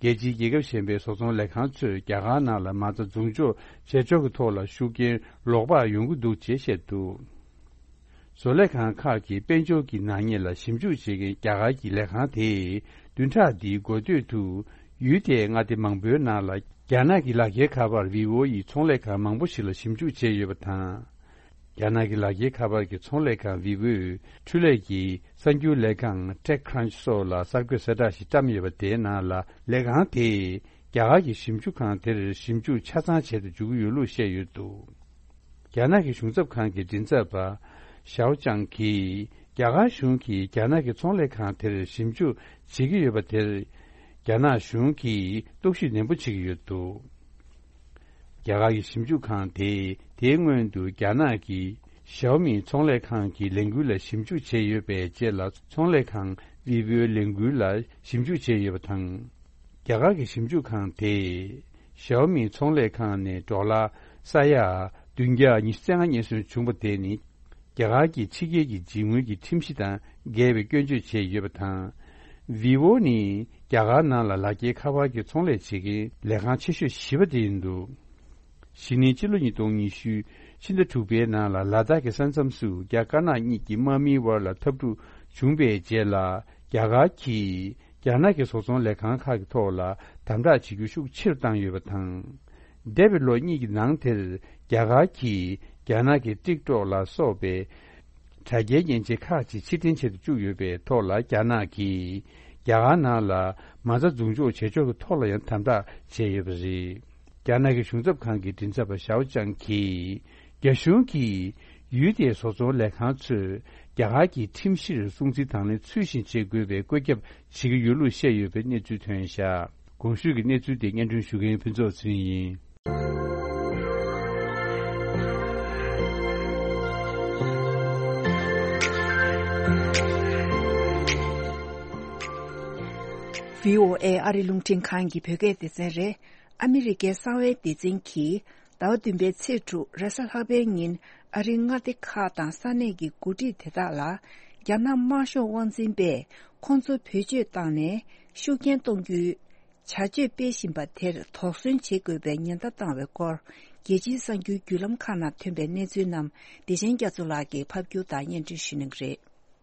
རྒྱལ་སྤྱིའི་རྒྱལ་ཁབ་གཞན་པའི་བཟོ་ཚོང་ལས་ཁང་ཚོས་རྒྱ་གར་ནང་ལ་མ་རྩ་འཛུགས་འཇོག་བྱེད་ཕྱོགས་ཀྱི་ཐོག་ལ་ཤུགས་རྐྱེན་ལོག་པར་ཡོང་གི་འདུག་ཅེས་བཤད་འདུག་བཟོ་ལས་ཁང་ཁག་གིས་དཔལ་འབྱོར་གྱི་ནག་ཉེས་ལ་ཞིབ་འཇུག་བྱེད་མཁན་རྒྱ་གར་གྱི་ལས་ཁང་དེས་བདུན་ཕྲག་འདིའི་འགོ་སྟོད་དུ་ཡུལ་དེའི་མངའ་སྡེ་མང་པོའི་ནང་ལ་རྒྱ་ནག་གི་ལག་འཁྱེར་ཁ་པར་Vivo་ཡི་ཚོང་ལས་ཁང་མང་པོ་ཞིག་ལ་ཞིབ་འཇུག་བྱས་ཡོད་པ་དང་། རྒྱ་ནག་གི་ལག་འཁྱེར་ཁ་པར་གྱི་ཚོང་ལས་ཁང་Vivo་འཕྲུལ་ལས་ཀྱི་གསར་འགྱུར་ལས་ཁང་TechCrunch་སོགས་ལ་གསར་འགོད་གསལ་བསྒྲགས་ཤིག་བཀྲམ་ཡོད་པ་དེའི་ནང་ལ་ལས་ཁང་དེས་རྒྱ་གར་གྱི་ཞིབ་འཇུག་ཁང་དེར་ཞིབ་འཇུག་ཆ་ཚང་བྱེད་དུ་འཇུག་གི་ཡོད་ལུགས་བཤད་ཡོད་འདུག་རྒྱ་ནག་གི་གཞུང་ཚབ་ཁང་གི་མགྲིན་ཚབ་པ་ཞའོ་ཅང་གིས་རྒྱ་གར་གཞུང་གིས་རྒྱ་ནག་གི་ཚོང་ལས་ཁང་དེར་ཞིབ་འཇུག་བྱེད་ཀྱི་ཡོད་པ་དེར་རྒྱ་ནག་གཞུང་གིས་རྟོག་ཞིབ་ནན་པོ་བྱེད་ཀྱི་ཡོད་འདུག་རྒྱ་གར་གྱི་ཞིབ་འཇུག་ཁང་དེས་དེའི་སྔོན་དུ་རྒྱ་ནག་གི་ ཞའོ་མིའི་ཚོང་ལས་ཁང་གི་ལས་འགུལ་ལ་ཞིབ་འཇུག་བྱས་ཡོད་པའི་རྗེས་ལ། ཚོང་ལས་ཁང་ཝི་བོའི་ལས་འགུལ་ལ་ཞིབ་འཇུག་བྱས་ཡོད་པ་དང་། རྒྱ་གར་གྱི་ཞིབ་འཇུག་ཁང་དེས་ཞའོ་མིའི་ཚོང་ལས་ཁང་ནས་ཌོ་ལར་ས་ཡ་བདུན་བརྒྱ་ཉི་ཤུ་རྩ་ལྔ་རྙེད་སོན་བྱུང་བ་དེ་ནི། རྒྱ་གར་གྱི་ཕྱི་རྒྱལ་གྱི་འཇིགས་སྔོན་གྱི་ཁྲིམས་གཞི་དང་འགལ་བའི་སྐྱོན་བརྗོད་བྱས་ཡོད་པ་དང་། ཝི་བོ་ནི་རྒྱ་གར་ནང་ལ་ལག་འཁྱེར་ཁ་པར་གྱི་ཚོང་ལས་བྱེད་མཁན་ལས་ཁང་ཆེ་ཤོས་བཞི་པ་དེ་ཡིན་འདུག། གཞེས་ནིང་ཕྱི་ལོ་ཉིས་སྟོང་ཉི་ཤུ་ཕྱི་ཟླ་དྲུག་པའི་ནང་ལ་ལ་དྭགས་ཀྱི་ས་མཚམས་སུ་རྒྱ་དཀར་ནག་གཉིས་ཀྱི་དམག་མིའི་དབར་ལ་འཐབ་འཁྲུག་བྱུང་བའི་རྗེས་ལ། རྒྱ་གར་གྱིས་རྒྱ་ནག་གི་བཟོ་ཚོང་ལས་ཁང་ཁག་གི་ཐོག་ལ་དམ་དྲག་བྱེད་རྒྱུ་ཤུགས་ཆེ་རུ་བཏང་ཡོད་པ་དང་། འདས་པའི་ལོ་གཉིས་ཀྱི་ནང་དེར་རྒྱ་གར་གྱིས་རྒྱ་ནག་གི་ཊིག་ཊོག་ལ་སོགས་པའི་དྲ་རྒྱའི་མཉེན་ཆས་ཁག་ཅིག་ཕྱིར་འཐེན་བྱེད་དུ་བཅུག་ཡོད་པའི་ཐོག་ལ། རྒྱ་ནག་གིས་རྒྱ་གར་ནང་ལ་མ་རྩ་འཛུགས་འཇོག་བྱེད་ཕྱོགས་ཀྱི་ཐོག་ལ་ཡང་དམ་དྲག་བྱས་ཡོད་པ་རེད། རྒྱ་ནག་གི་གཞུང་ཚབ་ཁང་གི་མགྲིན་ཚབ་པ་ཞའོ་ཅང་གིས། རྒྱ་གཞུང་གིས་ཡུལ་དེའི་བཟོ་ཚོང་ལས་ཁང་ཚོས་རྒྱ་གར་གྱི་ཁྲིམས་གཞིར་སྲུང་བརྩི་དང་ལེན་ཚུལ་བཞིན་བྱེད་དགོས་པའི་བཀོད་ཁྱབ་བྱེད་ཀྱི་ཡོད་ལུགས་བཤད་ཡོད་པའི་གནས་ཚུལ་ཐོན་བཞག། གོང་ཞུས་ཀྱི་གནས་ཚུལ་དེ་སྙན་སྒྲོན་ཞུ་མཁན་ཕུན་ཚོགས་ཚེ་རིང་ཡིན། བྷི་ཨོ་ཨེ་ཨ་རི་རླུང་འཕྲིན་ཁང་གི་བོད་སྐད་སྡེ་ཚན་རེད། ཨ་མི་རི་ཀའི་གསང་བའི་སྡེ་ཚན་གྱིས་ཟླ་བ་བདུན་པའི་ཚེས་དྲུག་རེས་གཟའ་ལྷག་པའི་ཉིན་ཨ་རིའི་མངའ་སྡེ་ཁག་དང་ས་གནས་ཀྱི་འགོ་ཁྲིད་དེ་དག་ལ་རྒྱ་ནག་དམར་ཤོག་དབང་འཛིན་པས་ཁོང་ཚོ་བེད་སྤྱོད་བཏང་ནས་ཤུགས་རྐྱེན་གཏོང་རྒྱུའི་བྱ་སྤྱོད་སྤེལ་བཞིན་པ་དེར་དོགས་ཟོན་བྱེད་དགོས་པའི་ཉེན་བརྡ་བཏང་བའི་སྐོར། རྒྱལ་སྤྱིའི་གསར་འགྱུར་བརྒྱུད་ལམ་ཁག་ནང་ཐོན་པའི་གནས་ཚུལ་རྣམས་བདེ་ཆེན་རྒྱ་མཚོ་ལགས་ཀྱིས་ཕབ་སྒྱུར་དང་སྙན་སྒྲོན་ཞུ་གནང་གི་རེད།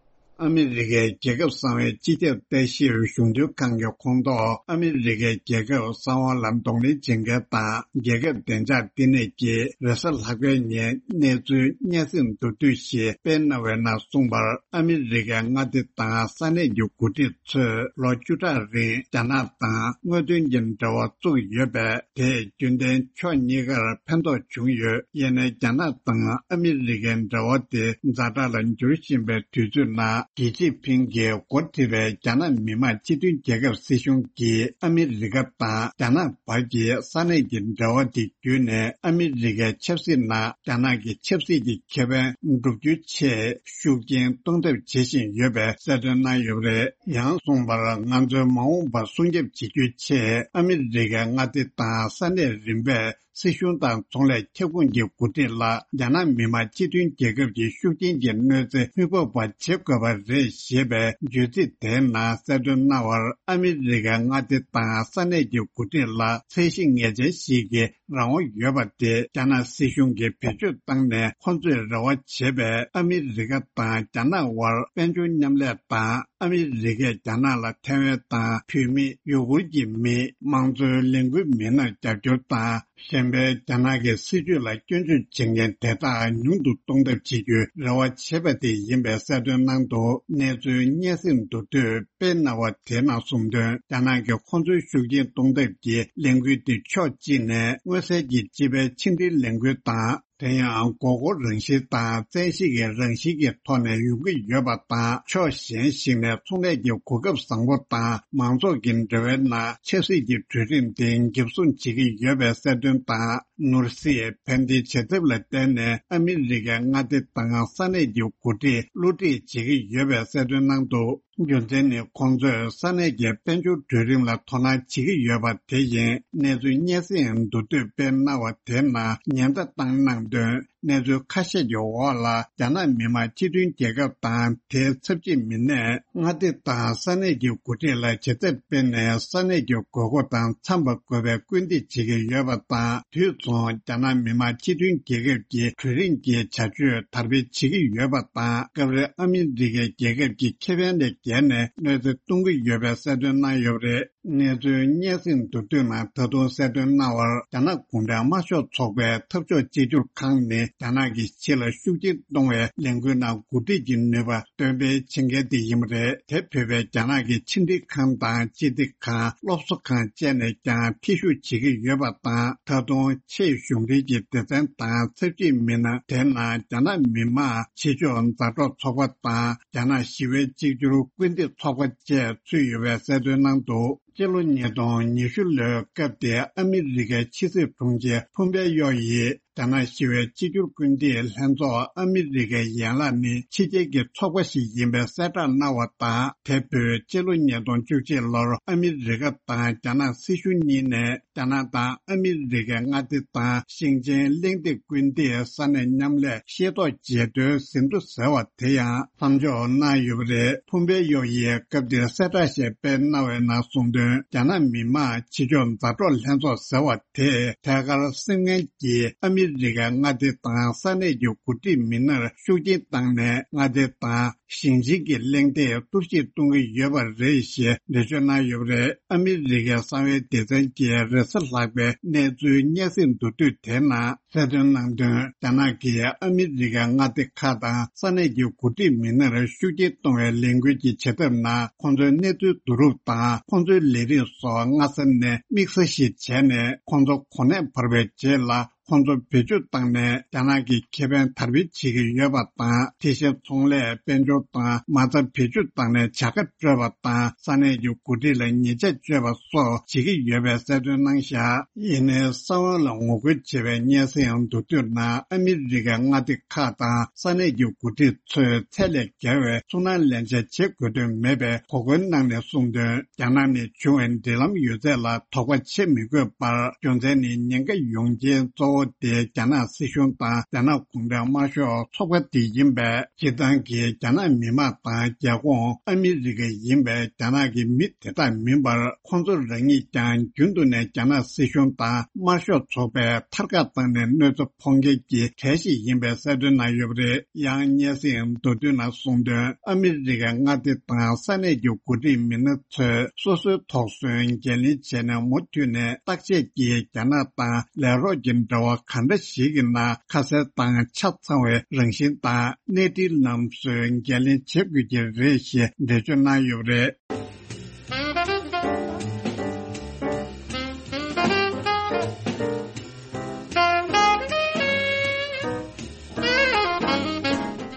ཨ་མི་རི་ཀའི་རྒྱལ་ཁབ་གསང་བའི་སྤྱི་ཁྱབ་ལྟ་ཞིབ་གཞུང་འབྲེལ་ཁང་གི་ཁོངས་གཏོགས་ཨ་མི་རི་ཀའི་རྒྱལ་ཁབ་གསང་བ་ལ་གདོང་ལེན་བྱེད་མཁན་དང་རྒྱལ་ཁབ་བདེ་འཇགས་བསྟི་གནས་ཀྱིས་རེས་གཟའ་ལྷག་པའི་ཉིན་གནས་ཚུལ་སྙན་སེང་མདོར་བསྡུས་ཤིག་སྤེལ་གནང་བའི་ནང་གསུངས་པར། ཨ་མི་རི་ཀའི་མངའ་སྡེ་དང་ས་གནས་ཀྱི་འགོ་ཁྲིད་ཚོས་ལོ་བཅུ་ཕྲག་རིང་རྒྱ་ནག་དང་དངོས་དོན་གྱི་འབྲེལ་བ་བཙུགས་ཡོད་པས། དེས་རྒྱུན་ལྡན་ཕྱོགས་གཉིས་ཀར་ཕན་ཐོགས་བྱུང་ཡོད། ཡིན་ནའི་རྒྱ་ནག་དང་ཨ་མི་རི་ཀའི་འབྲེལ་བ་དེ་ཛ་དྲག་ལ་འགྱུར་བཞིན་པའི་དུས་ཚོད་ནང་། ཞི་ཅིན་ཕིང་གིས་འགོ་ཁྲིད་པའི་རྒྱ་ནག་མི་དམངས་སྤྱི་མཐུན་རྒྱལ་ཁབ་སྲིད་གཞུང་གིས་ཨ་མི་རི་ཀ་དང་རྒྱ་ནག་བར་གྱི་ས་གནས་ཀྱི་འབྲེལ་བ་དེ་བརྒྱུད་ནས་ཨ་མི་རི་ཀའི་ཆབ་སྲིད་ནང་རྒྱ་ནག་གི་ཆབ་སྲིད་ཀྱི་ཁེ་ཕན་བསྒྲུབ་རྒྱུའི་ཆེད་ཤུགས་རྐྱེན་གཏོང་ཐབས་བྱེད་བཞིན་ཡོད་པའི་གསལ་སྟོན་གནང་ཡོད་པ་རེད། ཡང་གསུངས་པར། ང་ཚོའི་མ་འོངས་པ་སྲུང་སྐྱོབ་བྱེད་རྒྱུའི་ཆེད་ཨ་མི་རི་ཀའི་མངའ་སྡེ་དང་ས་གནས་རིམ་པས་སྲིད་གཞུང་དང་ཚོང་ལས་ཁྱབ་ཁོངས་ཀྱི་འགོ་ཁྲིད་ལ་རྒྱ་ནག་མི་དམངས་སྤྱི་མཐུན་རྒྱལ་ཁབ་ཀྱི་ཤུགས་རྐྱེན་གྱི་གནོད་འཚེ་མི་ཕོག་པ་བྱེད་དགོས་པ་རེད་ཞེས་པའི་བརྗོད་ཚིག་དེའི་ནང་གསལ་སྟོན་གནང་བར། ཨ་མི་རི་ཀའི་མངའ་སྡེ་དང་ས་གནས་ཀྱི་འགོ་ཁྲིད་ལ་ཚད་གཞི་ངེས་ཅན་ཞིག་གི་རང་དབང་ཡོད་པ་དེ་རྒྱ་ནག་སྲིད་གཞུང་གིས་བེད་སྤྱོད་བཏང་ནས་ཁོ་ཚོས་རེ་བ་བྱེད་པའི་ཨ་མི་རི་ཀ་དང་རྒྱ་ནག་དབར་དཔལ་འབྱོར་མཉམ་ལས་དང་། ཨ་མི་རི་ཀས་རྒྱ་ནག་ལ་ཐའེ་ཝན་དང་བོད་མི། ཡུ་གུར་གྱི་མི། དམངས་གཙོའི་ལས་འགུལ་མི་སྣར་རྒྱབ་སྐྱོར་དང་། གཞན་ཕན་རྒྱ་ནག་གི་སྲིད་ཇུས་ལ་སྐྱོན་བརྗོད་བྱེད་མཁན་དེ་དག་ཉུང་དུ་གཏོང་ཐབས་བྱེད་རྒྱུའི་རེ་བ་བྱེད་པ་དེ་ཡིན་པའི་གསལ་སྟོན་གནང་འདུག། གནས་ཚུལ་སྙན་སེང་མདོར་བསྡུས་སྤེལ་གནང་བ་དེའི་ནང་གསུངས་དོན། རྒྱ་ནག་གིས་ཁོ་ཚོའི་ཤུགས་རྐྱེན་གཏོང་ཐབས་ཀྱི་ལས་འགུལ་དེ་ཕྱོགས་གཅིག་ནས་མངོན་གསལ་གྱི་སྤྱི་པའི་ཕྱི་འབྲེལ་ལས་འགུལ་དང་། དེ་ཡང་དགོས་མཁོ་རང་བཞིན་དང་བཙན་ཤེད་ཀྱི་རང་བཞིན་གྱི་ཐོག་ནས་ཡོང་གི་ཡོད་པ་དང་། ཕྱོགས་གཞན་ཞིག་ནས་ཚོང་ལས་ཀྱི་གོ་སྐབས་བཟང་པོ་དང་མང་ཚོགས་ཀྱི་འབྲེལ་བའི་ནང་ཆབ་སྲིད་ཀྱི་གྲོས་རིམ་དེ་འགེབས་སྲུང་བྱེད་ཀྱི་ཡོད་པའི་གསལ་སྟོན་དང་། ནོར་སྲིད་ཕན་བདེའི་བྱ་ཐབས་ལ་བརྟེན་ནས་ཨ་མི་རི་ཀའི་མངའ་སྡེ་དང་ས་གནས་ཀྱི་འགོ་ཁྲིད་བསླུ་བྲིད་བྱེད་ཀྱི་ཡོད་པའི་གསལ་སྟོན་གནང་འདུག། རྒྱུ་མཚན་ནི་ཁོང་ཚོས་ས་གནས་ཀྱི་དཔལ་འབྱོར་གྲོས་རིམ་ལ་དོ་སྣང་བྱེད་ཀྱི་ཡོད་པ་དེ་ཡིན། གནས་ཚུལ་སྙན་སེང་མདོར་བསྡུས་སྤེལ་གནང་བ་དེའི་ནང་ཉེན་བརྡ་བཏང་གནང་དོན། གནས་ཚུལ་ཁ་ཤས་ཀྱི་འོག་ལ་རྒྱ་ནག་མི་དམངས་སྤྱི་མཐུན་རྒྱལ་ཁབ་དང་དེའི་ཚབ་ཆེ་མི་སྣས་མངའ་སྡེ་དང་ས་གནས་ཀྱི་འགོ་ཁྲིད་ལ་བྱ་ཐབས་སྤེལ་ནས་ས་གནས་ཀྱི་དགོས་མཁོ་དང་འཚམས་པ་དགོས་པའི་སྐུལ་འདེད་བྱེད་ཀྱི་ཡོད་པ་དང་། དུས་མཚུངས་རྒྱ་ནག་མི་དམངས་སྤྱི་མཐུན་རྒྱལ་ཁབ་ཀྱི་གྲོས་རིམ་གྱི་བྱ་སྤྱོད་དར་སྤེལ་བྱེད་ཀྱི་ཡོད་པ་དང་། སྐབས་རེ་ཨ་མི་རི་ཀའི་རྒྱལ་ཁབ་ཀྱི་ཁེ་ཕན་ལས་བརྒལ་ནས་གནོད་འཚེ་གཏོང་གི་ཡོད་པའི་གསལ་སྟོན་གནང་ཡོད་པ་རེད། གནས་ཚུལ་སྙན་སེང་མདོར་བསྡུས་ནང་ད་དུང་གསལ་སྟོན་གནང་བར། རྒྱ་ནག་གུང་ཁྲན་དམར་ཤོག་ཚོགས་པའི་འཐབ་ཕྱོགས་གཅིག་གྱུར་ཁང་ནི་རྒྱ་ནག་གི་ཕྱི་ལ་ཤུགས་རྐྱེན་གཏོང་བའི་ལས་འགུལ་ནང་འགོ་ཁྲིད་ཀྱི་ནུས་པ་འདོན་སྤེལ་བྱེད་མཁན་དེ་ཡིན་པ་རེད། དེ་བོད་པའི་རྒྱ་ནག་གི་ཕྱི་འབྲེལ་ཁང་དང་སྤྱི་བདེ་ཁང་། སློབ་གསོ་ཁང་བཅས་ནས་ཀྱང་ཐེ་ཞུགས་བྱེད་ཀྱི་ཡོད་པ་དང་། ད་དུང་ཆེས་གཞུང་འབྲེལ་གྱི་སྡེ་ཚན་དང་ཚབ་ཆེའི་མི་སྣ། དེ་ནང་རྒྱ་ནག་མི་དམངས་ཕྱི་ཕྱོགས་མཛའ་གྲོགས་ཚོགས་པ་དང་། རྒྱ་ནག་ཞི་བའི་གཅིག་གྱུར་སྐུལ་འདེད་ཚོགས་པ་བཅས་ཚུད་ཡོད་པའི་གསལ་སྟོན་གནང་འདུག། སྤྱི་ལོ་ཉིས་སྟོང་ཉི་ཤུ་ལོའི་སྐབས་དེའི་ཨ་མི་རི་ཀའི་ཕྱི་སྲིད་དྲུང་ཆེ་ཕུམ་པེ་ཡོ་ཡིས་ རྒྱ་ནག་ཞི་བའི་གཅིག་གྱུར་སྐུལ་འདེད་ལྷན་ཚོགས་ཨ་མི་རི་ཀའི་ཡན་ལག་ནི་ཕྱི་རྒྱལ་གྱི་ཚོགས་པ་ཞིག་ཡིན་པའི་གསལ་བསྒྲགས་གནང་བ་དང་། དེ་བོད་སྤྱི་ལོ་ཉིས་སྟོང་བཅུ་གཅིག་ལོར་ཨ་མི་རི་ཀ་དང་རྒྱ་ནག་སྲིད་གཞུང་གཉིས་ནས་རྒྱ་ནག་དང་ཨ་མི་རི་ཀའི་མངའ་སྡེ་དང་ཞིང་ཆེན་གླེང་སྟེགས་སྐུལ་འདེད་ས་གནས་མཉམ་ལས་ཤེས་རྟོགས་བརྗེ་མཐུན་ཟིན་ཐོ་ཟེར་བ་དེ་ཡང་མཚམས་འཇོག་གནང་ཡོད་པ་རེད། ཕུམ་པེ་ཡོ་ཡིས་སྐབས་དེར་གསལ་བསྒྲགས་ཤིག་སྤེལ་གནང་བའི་ནང་གསུངས་དོན། རྒྱ་ནག་མི་དམངས་བྱེས་འཇོག་མཛའ་གྲོགས་ལྷན་ཚོགས་ཟེར་བ་དེས་ཐད་ཀར་སེམས་ངལ་གྱིས་ཨ་མི་རི་ཀའི་མངའ་སྡེ་དང་ས་གནས་ཀྱི་འགོ་ཁྲིད་མི་སྣར་ཤུགས་རྐྱེན་བཏང་ནས། མངའ་སྡེ་དང་ཞིང་ཆེན་གྱི་གླེང་སྟེགས་གཏོར་བཤིག་གཏོང་གི་ཡོད་པ་རེད་ཞེས་འགྲེལ་བརྗོད་གནང་ཡོད་པ་རེད། ཨ་མི་རི་ཀའི་གསང་བའི་སྡེ་ཚན་གྱིས་རེས་གཟའ་ལྷག་པའི་གནས་ཚུལ་སྙན་སེང་མདོར་བསྡུས་དེའི་ནང་གསལ་སྟོན་གནང་དོན། རྒྱ་ནག་གིས་ཨ་མི་རི་ཀའི་མངའ་སྡེ་ཁག་དང་ས་གནས་ཀྱི་འགོ་ཁྲིད་མི་སྣར་ཤུགས་རྐྱེན་གཏོང་བའི་ལས་འགུལ་གྱི་བྱེད་ཐབས་ནང་། ཁོང་ཚོའི་གནས་ཚུལ་བསྡུ་རུབ་དང་ཁོང་ཚོའི་ལས་རིགས་སོགས་སྔ་ས་ནས་དམིགས་བསལ་ཞིག་བྱས་ནས། ཁོང་ཚོ་གོ་གནས་འཕར་བའི་རྗེས་ལ། ཁོང་ཚོ་བེད་སྤྱོད་བཏང་ནས་རྒྱ་ནག་གི་ཁེ་ཕན་དར་སྤེལ་བྱེད་ཀྱི་ཡོད་པ་དང་། དེ་བཞིན་ཚོང་ལས། དཔལ་འབྱོར་དང་མ་རྩ་བེད་སྤྱོད་བཏང་ནས་བྱ་དགའ་སྤྲོད་པ་དང་། ས་གནས་ཀྱི་འགོ་ཁྲིད་ལ་ཉེས་ཆད་གཅོད་པ་སོགས་བྱེད་ཀྱི་ཡོད་པའི་གསལ་སྟོན་གནང་བཞག་ཡིན་ནའི་གསང་བ་ལ་ངོ་རྒོལ་བྱེད་པའི་སྙན་སེང་མདོར་བསྡུས་ནང་། ཨ་མི་རི་ཀའི་མངའ་སྡེ་ཁག་དང་ས་གནས་ཀྱི་འགོ་ཁྲིད་ཚོས་ཚད་ལས་བརྒལ་བའི་ཚུར་སྣང་ལེན་བྱ་བྱེད་དགོས་དོན་མེད་པའི་གོ་སྐོན་གནང་ནས་གསུངས་དོན། རྒྱ་ནག་ནས་བྱུང་བའི་འབྲེལ་ལམ་ཡོད་ཚད་ལ་དོགས་པ་བྱེད་མི་དགོས་པར། རྒྱུ་མཚན་ནི་ཉེན་ཁ་ཡོང་རྐྱེན་གཙོ་བོ་དེ་རྒྱ་ནག་སྲིད་གཞུང་དང་རྒྱ་ནག་གུང་ཁྲན་དམར་ཤོག་ཚོགས་པ་དེ་ཡིན་པས། སྤྱིར་བཏང་གི་རྒྱ་ནག་མི་དམངས་དང་རྒྱལ་ཁོངས་ཨ་མི་རི་ཀ་ཡིན་པའི་རྒྱ་ནག་གི་མི་དེ་དག་མིན་པར། ཁོང་ཚོ་རང་ཉིད་ཀྱང་རྒྱུན་དུ་ནས་རྒྱ་ནག་སྲིད་གཞུང་དང་དམར་ཤོག་ཚོགས་པའི་ཐར་ཀ་བཏང་ནས་གནོད་འཚེ་ཕོག་མཁན་གྱི་གྲས་ཤིག་ཡིན་པའི་གསལ་སྟོན་གནང་ཡོད་པ་རེད། ཡང་སྙན་སེང་མདོར་བསྡུས་ནང་གསུངས་དོན། ཨ་མི་རི་ཀའི་མངའ་སྡེ་དང་ས་གནས་ཀྱི་འགོ་ཁྲིད་མི་སྣ་ཚོས་སོ་སོའི་དོགས་ཟོན་འགན་ལེན་བྱས་ནས། མུ་མཐུད་ནས་བརྟག་དཔྱད་ཀྱིས་རྒྱ་ནག་དང་ལས་རོགས་ཀྱི་འབྲེལ་བ་ག་འདྲ་ཞིག་གི་ནང་ཁ་གསལ་དང་ཆ་ཚང་བའི་རང་བཞིན་དང་གནས་འདྲིའི་ལམ་སྲོལ་འགན་ལེན་བྱེད་དགོས་ཀྱི་རེད་ཅེས་འགྲེལ་བརྗོད་གནང་ཡོད་པ་རེད།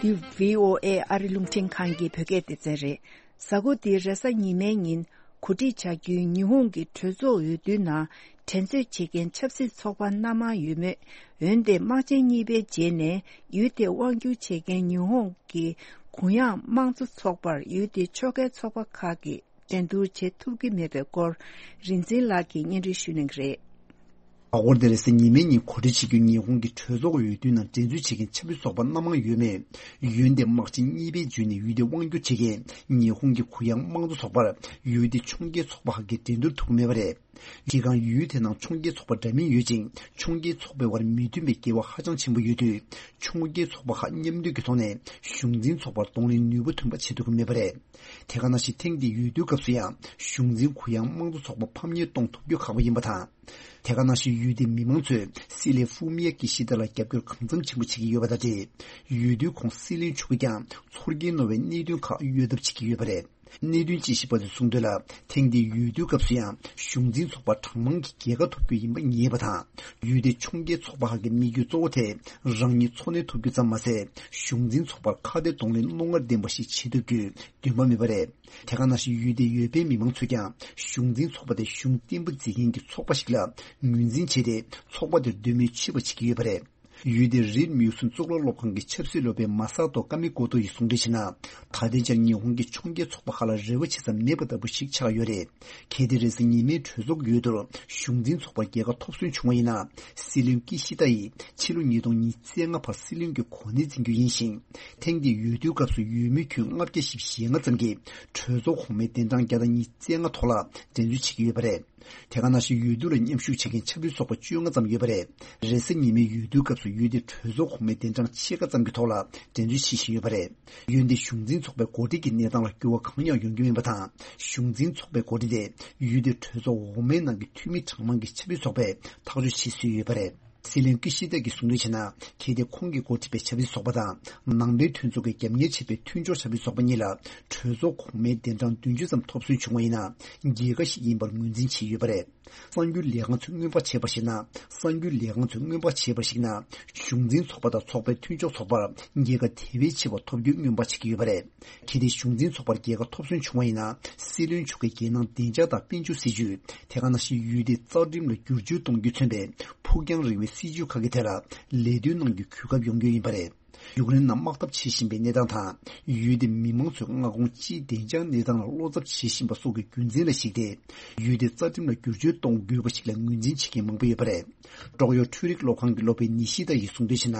འདི་བྷི་ཨོ་ཨེ་ཨ་རི་རླུང་འཕྲིན་ཁང་གི་བོད་སྐད་སྡེ་ཚན་རེད། གཟའ་འཁོར་འདིའི་རེས་གཟའ་ཉི་མའི་ཉིན་གོ་སྒྲིག་བྱ་རྒྱུའི་ཉི་ཧོང་གི་གྲོས་ཚོགས་འོས་བསྡུའི་ནང་འགྲན་རྩོད་བྱེད་མཁན་ཆབ་སྲིད་ཚོགས་པ་སྣ་མང་ཡོད་མོད། འོན་ཏེ་དམག་ཆེན་གཉིས་པའི་རྗེས་ནས་ཡུལ་དེ་དབང་བསྒྱུར་བྱེད་མཁན་ཉི་ཧོང་གི་གུ་ཡངས་དམངས་གཙོ་ཚོགས་པར་ཡུལ་དེའི་ཕྱོགས་འགལ་ཚོགས་པ་ཁག་གིས་འགྲན་བསྡུར་བྱེད་ཐུབ་ཀྱི་མེད་པའི་སྐོར། རིག་འཛིན་ལགས་ཀྱིས་སྙན་སྒྲོན་ཞུ་གནང་གི་རེད། གཟའ་འཁོར་འདིར་རེས་གཟའ་ཉི་མའི་ཉིན་གོ་སྒྲིག་བྱེད་རྒྱུའི་ཉི་ཧོང་གི་གྲོས་ཚོགས་འོས་བསྡུའི་ནང་འགྲན་རྩོད་བྱེད་མཁན་ཆབ་སྲིད་ཚོགས་པ་སྣ་མང་ཡོད་མོད། འོན་ཏེ་དམག་ཆེན་གཉིས་པའི་བརྒྱུད་ནས་ཡུལ་དེ་དབང་བསྒྱུར་བྱེད་མཁན་ཉི་ཧོང་གི་གུ་ཡངས་དམངས་གཙོ་ཚོགས་པར་ཡུལ་དེའི་ཕྱོགས་འགལ་ཚོགས་པ་ཁག་གིས་འགྲན་བསྡུར་ཐུབ་ཀྱི་མེད་པ་རེད། སྤྱིར་བཏང་ཡུལ་དེ་ནང་ཕྱོགས་འགལ་ཚོགས་པ་འདྲ་མིན་ཡོད་ཅིང་། ཕྱོགས་འགལ་ཚོགས་པའི་དབར་མོས་མཐུན་པའི་འགལ་བ་ཧ་ཅང་ཆེན་པོ་ཡོད་དུས། ཕྱོགས་འགལ་ཚོགས་པ་ཁག་མཉམ་འདུས་ཀྱི་ཐོག་ནས་གཞུང་འཛིན་ཚོགས་པར་གདོང་ལེན་ནུས་པ་ཐོན་པ་བྱེད་ཐུབ་ཀྱི་མེད་པ་རེད། དེ་ག་ནང་བཞིན་ཐེངས་འདིའི་འོས་བསྡུའི་སྐབས་སུ་ཡང་གཞུང་འཛིན་གུ་ཡངས་དམངས་གཙོ་ཚོགས་པ་ཕམ་ཉེས་གཏོང་ཐུབ་རྒྱུ་ཁག་པོ་ཡིན་པ་དང་། དེ་ག་ནང་བཞིན་ཡུལ་དེའི་མི་མང་ཚོས་སྲིད་བློན་ཧྥུ་མི་ཡ་ཀི་ཤི་ད་ལ་རྒྱབ་སྐྱོར་གང་འཚམ་ཆེན་པོ་བྱེད་ཀྱི་ཡོད་པ་དང་འབྲེལ། འོས་བསྡུའི་ཁོངས་སྲིད་བློན་མཆོག་གིས་ཀྱང་ཚོར་སྐྱེན་རྣོ་བའི་གནད་དོན་ཁག་གཡོལ་ཐབས་བྱེད་ཀྱི་ཡོད་པ་རེད། གནད་དོན་དཔྱད་ཞིབ་པ་ཚོས་གསུངས་དོན་ལ། ཐེངས་འདིའི་འོས་བསྡུའི་སྐབས་སུ་ཡང་གཞུང་འཛིན་ཚོགས་པ་གྲངས་མང་གིས་རྒྱལ་ཁ་ཐོབ་རྒྱུ་ཡིན་པ་ངེས་པ་དང་། ཡུལ་དེའི་ཕྱོགས་འགལ་ཚོགས་པ་ཁག་གི་དམིགས་ཡུལ་གཙོ་བོ་དེ་རང་ཉིད་འཚོ་གནས་ཐུབ་རྒྱུ་ཙམ་མ་ཟད། གཞུང་འཛིན་ཚོགས་པར་ཁ་གཏད་གདོང་ལེན་རྣོ་ངར་ལྡན་པ་ཞིག་བྱེད་ཐུབ་རྒྱུའི་འདུན་པ་མེད་པ་རེད། དེ་ག་ནང་བཞིན་ཡུལ་དེའི་འོས་འཕེན་མི་མང་ཚོས་ཀྱང་གཞུང་འཛིན་ཚོགས་པ་དེ་གཞུང་བརྟན་པོ་འཛིན་མཁན་གྱི་ཚོགས་པ་ཞིག་ལ་ངོས་འཛིན་བྱས་ཏེ། ཚོགས་པ་དེར་འདོད་མོས་ཆེ་བ་བྱེད་ཀྱི་ཡོད་པ་རེད། ཡུལ་དེའི་རིད་མིའུ་སུན་གཙུག་ལག་སློབ་ཁང་གི་ཆབ་སྲིད་སློབ་དཔོན་མ་ས་ཏོ་ཀ་མི་ཀོ་ཏོ་ཡིས་གསུངས་དོན་བྱས་ན། ད་ལྟའི་ཆར་ཉི་ཧོང་གི་ཕྱོགས་འགལ་ཚོགས་པ་ཁག་ལ་རེ་བ་བྱེད་ས་མེད་པ་ལྟ་བུ་ཞིག་ཆགས་ཡོད་རེད། གལ་ཏེ་རེས་གཟའ་ཉི་མའི་གྲོས་ཚོགས་འོས་བསྡུར་གཞུང་འཛིན་ཚོགས་པར་རྒྱལ་ཁ་ཐོབ་སོན་བྱུང་བ་ཡིན་ན། སྲིད་བློན་ཀི་ཤི་ཏ་ཡིས་ཕྱི་ལོ་ཉིས་སྟོང་ཉི་ཤུ་རྩ་ལྔ་བར་སྲིད་བློན་གྱི་གོ་གནས་འཛིན་རྒྱུ་ཡིན་ཞིང་། ཐེངས་འདིའི་འོས་བསྡུའི་སྐབས་སུ་འོས་མི་ཁྱོན་ལྔ་བརྒྱ་བཞི་བཅུ་ཞེ་ལྔ་ཙམ་གྱིས་གྲོས་ཚོགས་གོང་མའི་གདན་གྲངས་བརྒྱ་དང་ཉི་ཤུ་རྩ་ལྔ་ཐོག་ལ་འགྲན་རྩོད་བྱེད་ཀྱི་ཡོད་པ་རེད། དེ་ག་ནང་བཞིན་འོས་བསྡུ་ལ་མཉམ་ཞུགས་བྱེད་མཁན་ཆབ་སྲིད་ཚོགས་པ་བཅོ་ལྔ་ཙམ་ཡོད་པ་རེད། རེས་གཟའ་ཉི་མའི་འོས་བསྡུའི་སྐབས་སུ་ཡུལ་དེའི་གྲོས་ཚོགས་གོང་མའི་གདན་གྲངས་ཕྱེད་ཀ་ཙམ་གྱི་ཐོག་ལ་འགྲན་རྩོད་བྱེད་བཞིན་ཡོད་པ་རེད། འོན་ཏེ་གཞུང་འཛིན་ཚོགས་པའི་འགོ་ཁྲིད་ཀྱི་གནས་སྟངས་ལ་འགྱུར་བ་གང་ཡང་ཡོང་རྒྱུ་མིན་པ་དང་། གཞུང་འཛིན་ཚོགས་པའི་འགོ་ཁྲིད་དེ་ཡུལ་དེའི་གྲོས་ཚོགས་འོག་མའི་ནང་གི་འཐུས་མི་གྲངས་མང་གི་ཆབ་སྲིད་ཚོགས་པས་ཐག་གཅོད་བྱེད་སྲོལ་ཡོད་པ་རེད། སྲིད་བློན་ཀི་ཤི་ད་གིས་གསུངས་དོན་བྱས་ན། གལ་ཏེ་ཁོང་གིས་འགོ་ཁྲིད་པའི་ཆབ་སྲིད་ཚོགས་པ་དང་ནང་པའི་མཐུན་ཚོགས་ཀྱིས་རྒྱབ་གཉེར་བྱས་པའི་མཐུན་ཕྱོགས་ཆབ་སྲིད་ཚོགས་པ་གཉིས་ལ་གྲོས་ཚོགས་གོང་མའི་གདན་གྲངས་བདུན་ཅུ་ཙམ་ཐོབ་སོན་བྱུང་བ་ཡིན་ན། རྒྱལ་ཁ་ཞིག་ཡིན་པར་ངོས་འཛིན་བྱས་ཡོད་པ་རེད། གསར་འགྱུར་ལས་ཁང་ཚོས་སྔོན་དཔག་བྱས་པར་གཞིགས་ན། གསར་འགྱུར་ལས་ཁང་ཚོས་སྔོན་དཔག་བྱས་པར་གཞིགས་ན། གཞུང་འཛིན་ཚོགས་པ་དང་ཚོགས་པའི་མཐུན་ཕྱོགས་ཚོགས་པར་རྒྱལ་ཁ་དེ་བས་ཆེ་བ་ཐོབ་རྒྱུའི་སྔོན་དཔག་བྱེད་ཀྱི་ཡོད་པ་རེད། གལ་ཏེ་གཞུང་འཛིན་ཚོགས་པར་རྒྱལ་ཁ་ཐོབ་སོན་བྱུང་བ་ཡིན་ན། སྲིད་བློན་མཆོག་གི་རྒྱལ་ནང་བདེ་འཇགས་དང་དཔལ་འབྱོར་སྲིད་ཇུས། དེ་ག་ནང་བཞིན་ཡུལ་དེའི་རྩ་ཁྲིམས་ལ་བསྒྱུར་བཅོས་གཏོང་རྒྱུས་མཚོན་པའི་ཕུགས་རྒྱང་རིང་བའི་ སྲིད་བྱུས་ཁག་གི་ཐད་ལ་ལས་དོན་གནང་རྒྱུའི་གོ་སྐབས་ཡོང་རྒྱུ་ཡིན་པ་རེད། ཡུཀ་རེན་ནང་དམག་འཐབ་བྱེད་བཞིན་པའི་གནས་སྟངས་དང་། ཡུལ་དེའི་མི་མང་ཚོས་མངའ་ཁོངས་སྤྱིའི་བདེ་འཇགས་གནས་སྟངས་ལ་བློ་འཚབ་བྱེད་བཞིན་པ་སོགས་ཀྱི་རྒྱུ་མཚན་ལ་གཞིགས་ཏེ། ཡུལ་དེའི་རྩ་ཁྲིམས་ལ་བསྒྱུར་བཅོས་གཏོང་དགོས་པ་ཞིག་ལ་ངོས་འཛིན་བྱེད་མཁན་མང་པོ་ཡོད་པ་རེད། ཀྲོག་ཡོ་འཕྲུལ་རིག་སློབ་ཁང་གི་སློབ་དཔོན་ནི་ཤི་ཏ་ཡིས་གསུངས་དོན་བྱས་ན།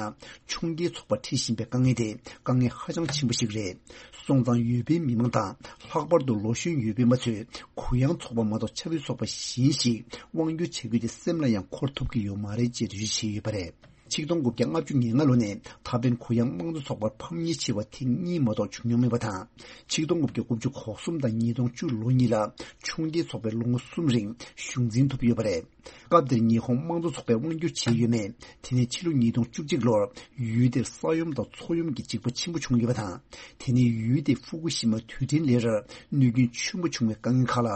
ཕྱུག་འགྱུར་ཚོགས་པར་འཁྲི་བཞིན་པའི་དཀའ་ངལ་དེ་དཀའ་ངལ་ཧ་ཅང་ཆེན་པོ་ཞིག་རེད། སོང་ཙང་ཡུལ་པའི་མི་མང་དང་། ལྷག་པར་དུ་ལོ་གཞོན་ཡུལ་པའི་མི་ཚོས་གུ་ཡངས་ཚོགས་པ་མ་གཏོགས་ཆབ་སྲིད་ཚོགས་པ་གཞན་ཞིག་དབང་སྒྱུར་བྱ་རྒྱུ་དེ་སེམས་ལ་ཡང་འཁོར་ཐུབ་ཀྱི་ཡོད་མ་རེད་ཅེས་འགྲེལ་བརྗོད་བྱས་ཡོད་པ་རེད། ཆིག་སྟོང་དགུ་བརྒྱ་ལྔ་བཅུ་ང་ལྔ་ལོ་ནས་ད་ཕན་གུ་ཡངས་དམངས་གཙོ་ཚོགས་པར་ཕམ་ཉེས་ཆེ་བ་ཐེངས་གཉིས་མ་གཏོགས་བྱུང་མྱོང་མེད་པ་དང་། ཆིག་སྟོང་དགུ་བརྒྱ་དགུ་བཅུ་གོ་གསུམ་དང་ཉིས་སྟོང་བཅུ་ལོ་གཉིས་ལ་ཕྱུག་འགྱུར་ཚོགས་པས་ལོ་ངོ་གསུམ་རིང་གཞུང་འཛིན་ཐུབ་ཡོད་པ་རེད། སྐབས་དེར་ཉི་ཧོང་དམངས་གཙོ་ཚོགས་པས་དབང་སྒྱུར་བྱས་ཡོད་མེད། དེ་ནས་ཕྱི་ལོ་ཉིས་སྟོང་བཅུ་གཅིག་ལོར་ཡུལ་དེར་ས་ཡོམ་དང་མཚོ་ཡོམ་གྱི་འཇིགས་པ་ཆེན་པོ་བྱུང་ཡོད་པ་དང་། དེ་ནས་ཡུལ་དེའི་ཧྥུ་ཀུ་ཤི་མ་རྡུལ་ཕྲན་ལས་རར་གནོད་སྐྱོན་ཆེན་པོ་བྱུང་བའི་དཀའ་ངལ་ཁག་ལ།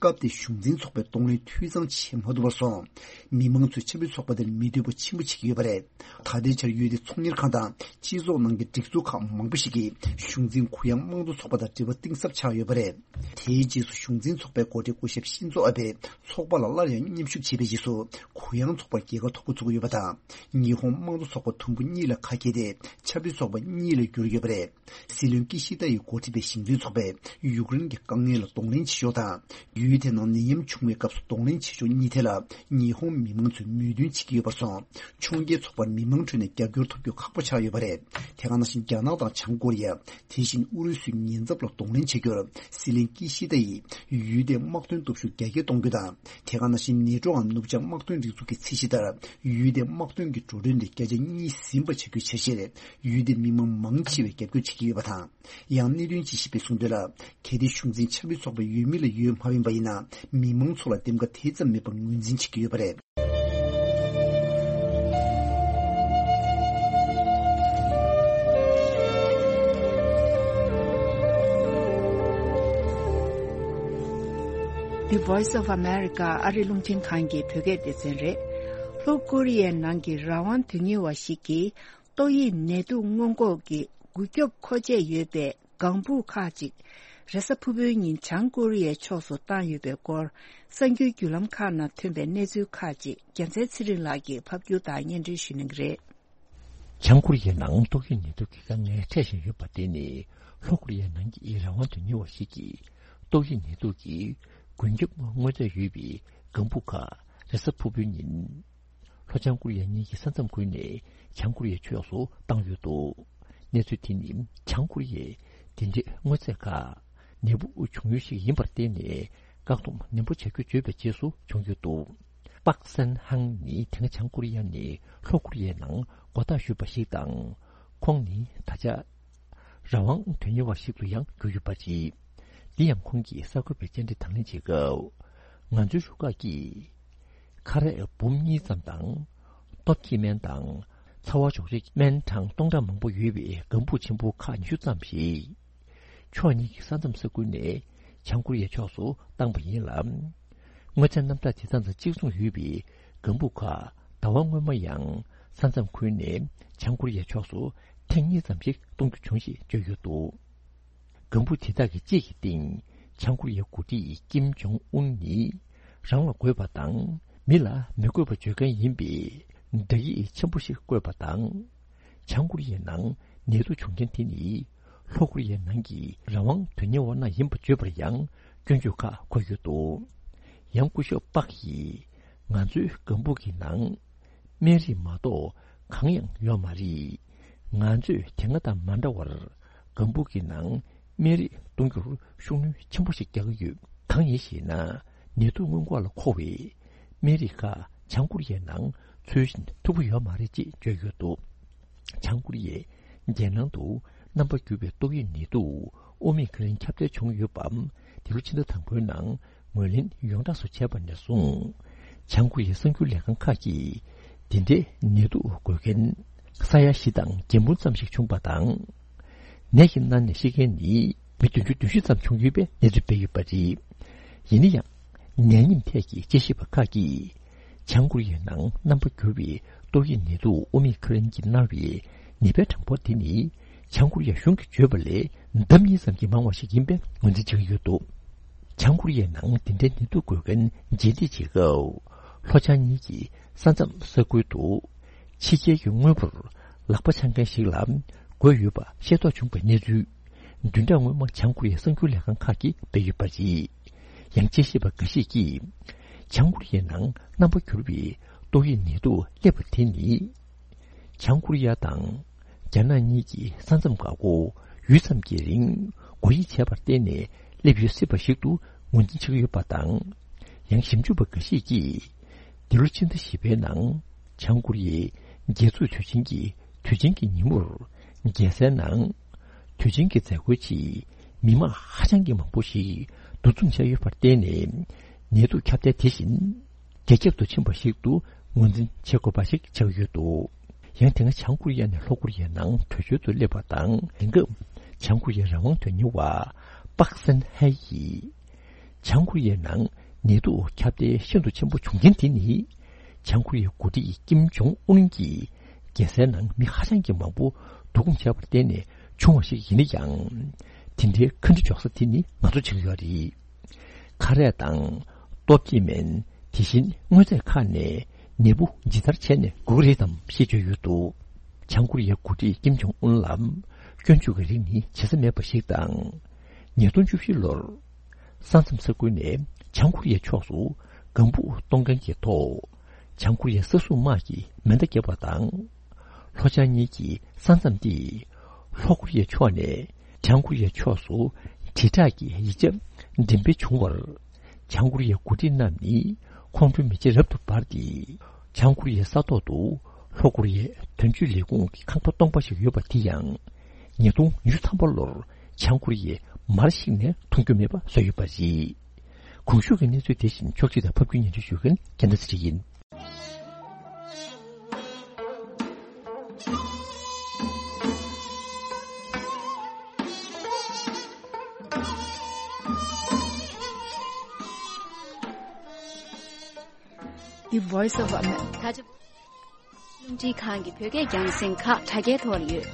སྐབས་དེའི་གཞུང་འཛིན་ཚོགས་པས་གདོང་ལེན་འཐུས་ཚང་བྱེད་མ་ཐུབ་པར་སོང་། མི་མང་ཚོས་ཆབ་སྲིད་ཚོགས་པ་དེར་མི་འདོད་པ་ཆེན་པོ་བྱེད་ཀྱི་ཡོད་པ་རེད། ད་ལྟའི་ཆར་ཡུལ་དེའི་ཚོང་གཉེར་ཁང་དང་སྤྱི་ཚོགས་ནང་གི་སྒྲིག་འཛུགས་ཁག་མང་པོ་ཞིག་གིས་གཞུང་འཛིན་གུ་ཡངས་དམངས་གཙོ་ཚོགས་པ་དང་འབྲེལ་བ་གཏིང་ཟབ་ཆགས་ཡོད་པ་རེད། དེའི་རྗེས་སུ་གཞུང་འཛིན་ཚོགས་པའི་འགོ་ཁྲིད་སྐུ་ཞབས་ཤིན་ཛོ་ཨ་བྷེ་ཚོགས་པ་ལ་སླར་ཡང་མཉམ་ཞུགས་བྱས་པའི་རྗེས་སུ་གུ་ཡངས་ཚོགས་པར་རྒྱལ་ཁ་ཐོབ་འགོ་ཚུགས་ཡོད་པ་དང་། ཉི་ཧོང་དམངས་གཙོ་ཚོགས་པ་དུམ་བུ་གཉིས་ལ་ཁ་གྱེས་ཏེ་ཆབ་སྲིད་ཚོགས་པ་གཉིས་ལ་གྱུར་ཡོད་པ་རེད། སྲིད་བློན་ཀི་ཤི་ཏ་ཡིས་འགོ་ཁྲིད་པའི་གཞུང་འཛིན་ཚོགས་པས་ཡུཀ་རེན་གྱི་དཀའ་ངལ་ལ་གདོང་ལེན་བྱེད་ཕྱོགས་དང་། ཡུལ་དེ་ནང་ནད་ཡམས་བྱུང་བའི་སྐབས་སུ་གདོང་ལེན་བྱེད་ཕྱོགས་གཉིས་ཐད་ལ་ཉི་ཧོང་མི་མང་ཚོས་མོས་མཐུན་བྱེད་ཀྱི་ཡོད་པར་སོང་། ཕྱུག་འགྱུར་ཚོགས་པར་མི་མང་ཁྲོད་ནས་རྒྱབ་སྐྱོར་ཐོབ་རྒྱུ་ཁག་པོ་ཆགས་ཡོད་པ་རེད། དེ་ག་ནང་བཞིན་རྒྱ་ནག་དང་བྱང་ཀོ་རི་ཡ། དེ་བཞིན་ཨུ་རུ་སུའི་ཉེན་ཚབས་ལ་གདོང་ལེན་བྱེད་རྒྱུར་སྲིད་བློན་ཀི་ཤི་ཏ་ཡིས་ཡུལ་དེའི་དམག་དོན་སྟོབས་ཤུགས་རྒྱ་སྐྱེད་གཏོང་རྒྱུ་དང་། དེ་ག་ནང་བཞིན་ནེ་ཊོའམ་ནུབ་བྱང་དམག་དོན་སྒྲིག་འཛུགས་ཀྱི་ཚད་གཞི་ལྟར་ཡུལ་དེའི་དམག་དོན་གྱི་འགྲོ་གྲོན་དེ་བརྒྱ་ཆ་གཉིས་ཟིན་པ་བྱ་རྒྱུའི་འཆར་གཞིར་ཡུལ་དེའི་མི་མང་མང་ཆེ་བས་རྒྱབ་སྐྱོར་བྱེད་ཀྱི་ཡོད་པ་དང་། ཡང་གནད་དོན་དཔྱད་ཞིབ་པས་གསུངས་དོན་ལ། གལ་ཏེ་གཞུང་འཛིན་ཆབ་སྲིད་ཚོགས་པའི་འོས་མི་ལ་འོས་མ་འཕེན་པ་ཡིན་ན། མི་མང་ཚོ་ལ་འདེམས་ཀ་དེ་ཙམ་མེད་པར་ངོས་འཛིན་བྱེད་ཀྱི་ཡོད་པ་རེད། The Voice of America ཨ་རི་རླུང་འཕྲིན་ཁང་གི་བོད་སྐད་སྡེ་ཚན་རེད། ལྷོ་ཀོ་རི་ཡའི་ནང་གི་རང་དབང་དོན་གཉེར་བ་ཞིག་གིས་ཏོག་དབྱིབས་ནད་དུག་སྔོན་འགོག་གི་འགུལ་སྐྱོབ་མཁོ་ཆས་ཡོད་པའི་ལྒང་བུ་ཁག་ཅིག་རེས་གཟའ་ཕུར་བུའི་ཉིན་བྱང་ཀོ་རི་ཡའི་ཕྱོགས་སུ་བཏང་ཡོད་པའི་སྐོར། གསར་འགྱུར་བརྒྱུད་ལམ་ཁག་ནང་ཐོན་པའི་གནས་ཚུལ་ཁག་ཅིག་རྒྱལ་མཚན་ཚེ་རིང་ལགས་ཀྱིས་ཕབ་སྒྱུར་དང་སྙན་སྒྲོན་ཞུ་གནང་གི་རེད། བྱང་ཀོ་རི་ཡའི་ནང་ཏོག་དབྱིབས་ནད་དུག་གི་དཀའ་ངལ་འཕྲད་བཞིན་ཡོད་པ་དེ་ནི། ལྷོ་ཀོ་རི་ཡའི་ནང་གི་རང་དབང་དོན་གཉེར་བ་ཞིག་གིས་ཏོག་དབྱིབས་ནད་དུག་གི་འགུལ་སྐྱོབ་དངོས་རྫས་ཡོད་པའི་ལྒང་བུ་ཁག་རེས་གཟའ་ཕུར་བུའི་ཉིན། ལྷོ་བྱང་ཀོ་རི་ཡ་གཉིས་ཀྱི་ས་མཚམས་ཁུལ་ནས་བྱང་ཀོ་རི་ཡའི་ཕྱོགས་སུ་བཏང་ཡོད་འདུག་གནས་ཚུལ་དེ་ « བྱང་ཀོ་རི་ཡས་འདི་འདྲའི་དངོས་རྫས་ཁག་ནད་འབུ་བྱུང་ཡུལ་ཞིག་ཡིན་པར་བརྟེན་ནས་བཀག་སྡོམ་ནན་པོ་བྱ་རྒྱུ་བརྗོད་པའི་རྗེས་སུ་བྱུང་ཡོད་འདུག །པག་སན་ཧང་ནི་དེ་སྔ་བྱང་ཀོ་རི་ཡ་ནས་ལྷོ་ཀོ་རི་ཡའི་ནང་མགོ་བཏགས་ཞུས་པ་ཞིག་དང་། ཁོང་ནི་ད་ཆ་རང་དབང་དོན་གཉེར་བ་ཞིག་ཏུ་ཡང་གྱུར་ཡོད་པ་རེད། འདི་ཡང་ཁོང་གིས་གསར་འགོད་པའི་བཅར་འདྲི་དང་ལེན་བྱེད་སྐབས། ང་ཚོའི་རུ་ཁག་གིས་ཁ་རས་འབུམ་གཉིས་ཙམ་དང་། སྟོབས་སྐྱེད་སྨན་དང་། ཚ་བ་འཇོག་རིགས་སྨན་གྲངས་སྟོང་ཕྲག་མང་པོ་ཡོད་པའི་ལྒང་བུ་ཆེན་པོ་ཁག་ཉི་ཤུ་ཙམ་ཞིག་ཕྱོགས་གཉིས་ཀྱི་ས་མཚམས་ས་ཁུལ་ནས་བྱང་ཀོ་རི་ཡའི་ཕྱོགས་སུ་བཏང་པ་ཡིན་ལ། དངོས་རྫས་རྣམ་གྲངས་དེ་དག་དང་གཅིག་མཚུངས་ཡོད་པའི་ལྒང་བུ་ཁག་ཟླ་བ་སྔོན་མ་ཡང་ས་མཚམས་ཁུལ་ནས་བྱང་ཀོ་རི་ཡའི་ཕྱོགས་སུ་ཐེངས་གཉིས་ཙམ་ཞིག་གཏོང་རྒྱུ་བྱུང་ཞེས་བརྗོད་ཡོད་འདུག་ལྒང་བུ་དེ་དག་གི་གཅིག་གི་སྟེང་བྱང་ཀོ་རི་ཡའི་འགོ་ཁྲིད་ཀིམ་ཇོང་ཨུན་ནི་རང་ལ་དགོས་པ་དང་མི་ལ་མི་དགོས་པ་བརྗོད་མཁན་ཡིན་པའི་བརྡ་ཡིག་ཆེན་པོ་ཞིག་བཀོད་པ་དང་། བྱང་ཀོ་རི་ཡའི་ནང་ནད་དུག་བྱུང་མཁན་དེ་ནི་ལྷོ་ཀོ་རི་ཡའི་ནང་གི་རང་དབང་དོན་གཉེར་བ་རྣམས་ཡིན་པ་བརྗོད་པར་ཡང་སྐྱོན་བརྗོད་ཁག་འཁོད་ཡོད་འདུག་ཡང་སྐུ་ཞབས་པག་ཡིས་ང་ཚོའི་ལྒང་བུ་གི་ནང་སྨན་རིགས་མ་གཏོགས་གང་ཡང་ཡོད་མ་རེད། ང་ཚོས་དེ་སྔ་དང་མ་འདྲ་བར་ལྒང་བུ་གི་ནང་སྨན་རིགས་གཏོང་རྒྱུར་ཤུགས་སྣོན་ཆེན་པོ་ཞིག་རྒྱག་གི་ཡོད། གང་ཡིན་ཞེ་ན། ནད་དུག་སྔོན་འགོག་ལ་མཁོ་བའི་སྨན་རིགས་ཁག་བྱང་ཀོ་རི་ཡའི་ནང་འཚོལ་ཞིན་ཐུབ་ཀྱི་ཡོད་མ་རེད་ཅེས་བརྗོད་ཡོད་འདུག་བྱང་ཀོ་རི་ཡས་རྒྱལ་ནང་དུ་རྣམ་པ་འགྱུར་བའི་ཏོག་དབྱིབས་ནད་དུག་ཨོ་མི་ཁི་རོན་ཁྱབ་གདལ་བྱུང་ཡོད་པ། འདི་ལོ་ཕྱི་ཟླ་དང་པོའི་ནང་ངོས་ལེན་ཡོངས་གྲགས་སུ་བྱས་པ་ནས་བཟུང་། བྱང་ཀོ་རི་ཡའི་གསར་འགྱུར་ལས་ཁང་ཁག་གིས་འདི་འདྲའི་ནད་དུག་འགོས་མཁན་ས་ཡ་བཞི་དང་བརྒྱད་འབུམ་ཙམ་ཞིག་བྱུང་བ་དང་། ནད་ཀྱིས་མནར་ནས་ཤི་མཁན་ནི་མི་བདུན་ཅུ་དོན་བཞི་ཙམ་བྱུང་ཡོད་པའི་གནས་ཚུལ་སྤེལ་ཡོད་པ་རེད། ཡིན་ན་ཡང་། ནད་ཡམས་ཐད་ཀྱི་དཔྱད་ཞིབ་པ་ཁག་གིས། བྱང་ཀོ་རི་ཡའི་ནང་རྣམ་པ་འགྱུར་བའི་ཏོག་དབྱིབས་ནད་དུག་ཨོ་མི་ཁི་རོན་གྱིས་མནར་བའི་ནད་པའི་གྲངས་འབོར་དེ་ནི། བྱང་ཀོ་རི་ཡ་གཞུང་གིས་བརྗོད་པ་ལས་ལྡབ་གཉིས་ཙམ་གྱིས་མང་བ་ཞིག་ཡིན་པའི་ངོས་འཛིན་བྱེད་ཀྱི་ཡོད་འདུག་བྱང་ཀོ་རི་ཡའི་ནང་འདི་འདྲའི་ནད་དུག་འགོས་མཁན་རྗེས་འདེད་བྱེད་སྐབས། ལྷོ་བྱང་གཉིས་ཀྱི་ས་མཚམས་ས་ཁུལ་དུ་ཕྱི་རྒྱལ་གྱི་དངོས་པོར་ལག་པ་འཆང་མཁན་ཞིག་ལ་རྒོལ་ཡོད་པ་ཤེས་རྟོགས་བྱུང་བའི་གནས་ཚུལ། བདུན་ཕྲག་སྔོན་མ་བྱང་ཀོ་རི་ཡའི་གསར་འགྱུར་ལས་ཁང་ཁག་གིས་སྤེལ་ཡོད་པ་རེད། ཡང་དཔྱད་ཞིབ་པ་འགའ་ཞིག་གིས། བྱང་ཀོ་རི་ཡའི་ནང་རྣམ་པ་འགྱུར་བའི་ཏོག་དབྱིབས་ནད་དུག་སླེབས་པ་དེ་ནི། བྱང་ཀོ་རི་ཡ་དང་རྒྱ་ནག་གཉིས་ཀྱི་ས་མཚམས་འགག་སྒོ་ཡུད་ཙམ་གྱི་རིང་སྒོ་དབྱེ་བྱས་པར་བརྟེན་ནས་སླེབས་ཡོད་སྲིད་པ་ཞིག་ཏུ་ངོས་འཛིན་བྱེད་ཀྱི་ཡོད་པ་དང་། ཡང་ཞིབ་འཇུག་པ་འགའ་ཞིག་གིས། འདི་ལོ་ཕྱི་ཟླ་བཞི་པའི་ནང་བྱང་ཀོ་རི་ཡའི་རྒྱལ་འཛུགས་དུས་ཆེན་གྱི་དུས་ཆེན་གྱི་ཉིན་མོར་རྒྱལ་སའི་ནང་དུས་ཆེན་གྱི་མཛད་སྒོའི་ཆེད་མི་མང་ཧ་ཅང་གི་མང་པོ་ཞིག་འདུ་འཛོམས་བྱས་ཡོད་པར་བརྟེན་ནས་ནད་དུག་ཁྱབ་གདལ་དེ་བཞིན། རྒྱ་ཁྱབ་ཏུ་ཕྱིན་པ་ཞིག་ཏུ་ངོས་འཛིན་བྱེད་དགོས་པ་ཞིག་ཆགས་ཡོད་འདུག་ཡང་དེ་སྔ་བྱང་ཀོ་རི་ཡ་ནས་ལྷོ་ཀོ་རི་ཡའི་ནང་བྲོས་བྱོལ་དུ་སླེབས་པ་དང་། དེང་སྐབས་བྱང་ཀོ་རི་ཡའི་རང་དབང་དོན་གཉེར་བ་པག་སན་ཧའེ་ཡིས། བྱང་ཀོ་རི་ཡའི་ནང་ནད་དུག་ཁྱབ་གདལ་ཤིན་ཏུ་ཆེན་པོ་བྱུང་རྐྱེན་དེ་ནི། བྱང་ཀོ་རི་ཡའི་འགོ་ཁྲིད་ཀིམ་ཇོང་ཨུན་གྱིས་རྒྱལ་སའི་ནང་མི་ཧ་ཅང་གི་མང་པོ་བསྡུ་སྐོང་བྱས་པར་བརྟེན་ནས་བྱུང་བ་ཞིག་ཡིན་ན་ཡང་། དེ་འདྲའི་ཁ་འདྲི་འཇོག་ས་དེ་ནི་ང་ཚོ་བྱེད་ཀྱི་ཡོད་རེད། ཁ་རས་དང་སྟོབས་སྐྱེད་སྨན། དེ་བཞིན་དངོས་རྫས་ཁག་ནས་ནད་འབུ་ཇི་ལྟར་བྱས་ནས་འགོ་གི་རེད་དམ་ཞེས་བརྗོད་ཡོད་འདུག་བྱང་ཀོ་རི་ཡའི་འགོ་ཁྲིད་ཀིམ་ཇོང་ཨུན་ལ་སྐྱོན་བརྗོད་ཀྱི་རིགས་ནི་བྱེད་ས་མེད་པ་ཞིག་དང་། ཉིས་སྟོང་བཅུ་བཞི་ལོར་ས་མཚམས་ས་ཁུལ་ནས་བྱང་ཀོ་རི་ཡའི་ཕྱོགས་སུ་ལྒང་བུ་གཏོང་མཁན་གྱི་ཐོག་བྱང་ཀོ་རི་ཡའི་ས་སྲུང་དམག་གིས་མེ་མདའ་བརྒྱབ་པ་དང་། ལྷོ་བྱང་གཉིས་ཀྱི་ས་མཚམས་དེ་ལྷོ་ཀོ་རི་ཡའི་ཕྱོགས་ནས་བྱང་ཀོ་རི་ཡའི་ཕྱོགས་སུ་དྲིལ་བསྒྲགས་ཀྱི་ཡིག་ཆ་འགྲེམས་སྤེལ་བྱུང་བར། བྱང་ཀོ་རི་ཡའི་འགོ་ཁྲིད་རྣམས་ནི་ཁོང་ཁྲོའི་མེ་ལྕེ་རབ་ཏུ་འབར་ཏེ། བྱང་ཀོ་རི་ཡའི་ས་ཐོག་ཏུ་ལྷོ་ཀོ་རི་ཡའི་དོན་གཅོད་ལས་ཁུངས་ཀྱི་ཁང་པ་སྟོང་པ་ཞིག་ཡོད་པ་དེ་ཡང་། ཉིས་སྟོང་ཉི་ཤུ་ཐམ་པ་ལོར་བྱང་ཀོ་རི་ཡས་མར་ཞིག་ནས་མཐོང་རྒྱུ་མེད་པ་བཟོས་ཡོད་པ་རེད། གོང་ཞུས་ཀྱི་གནས་ཚུལ་དེ་བཞིན་ཕྱོགས་སྒྲིག་དང་ཕབ་སྒྱུར་སྙན་སྒྲོན་ཞུ་མཁན་རྒྱལ་མཚན་ཚེ་རིང་ཡིན། The Voice of America. རླུང་འཕྲིན་ཁང་གི་བོད་སྐད་རྒྱང་སྲིང་ཁག་དྲ་རྒྱའི་ཐོག་ལ་ཡོད།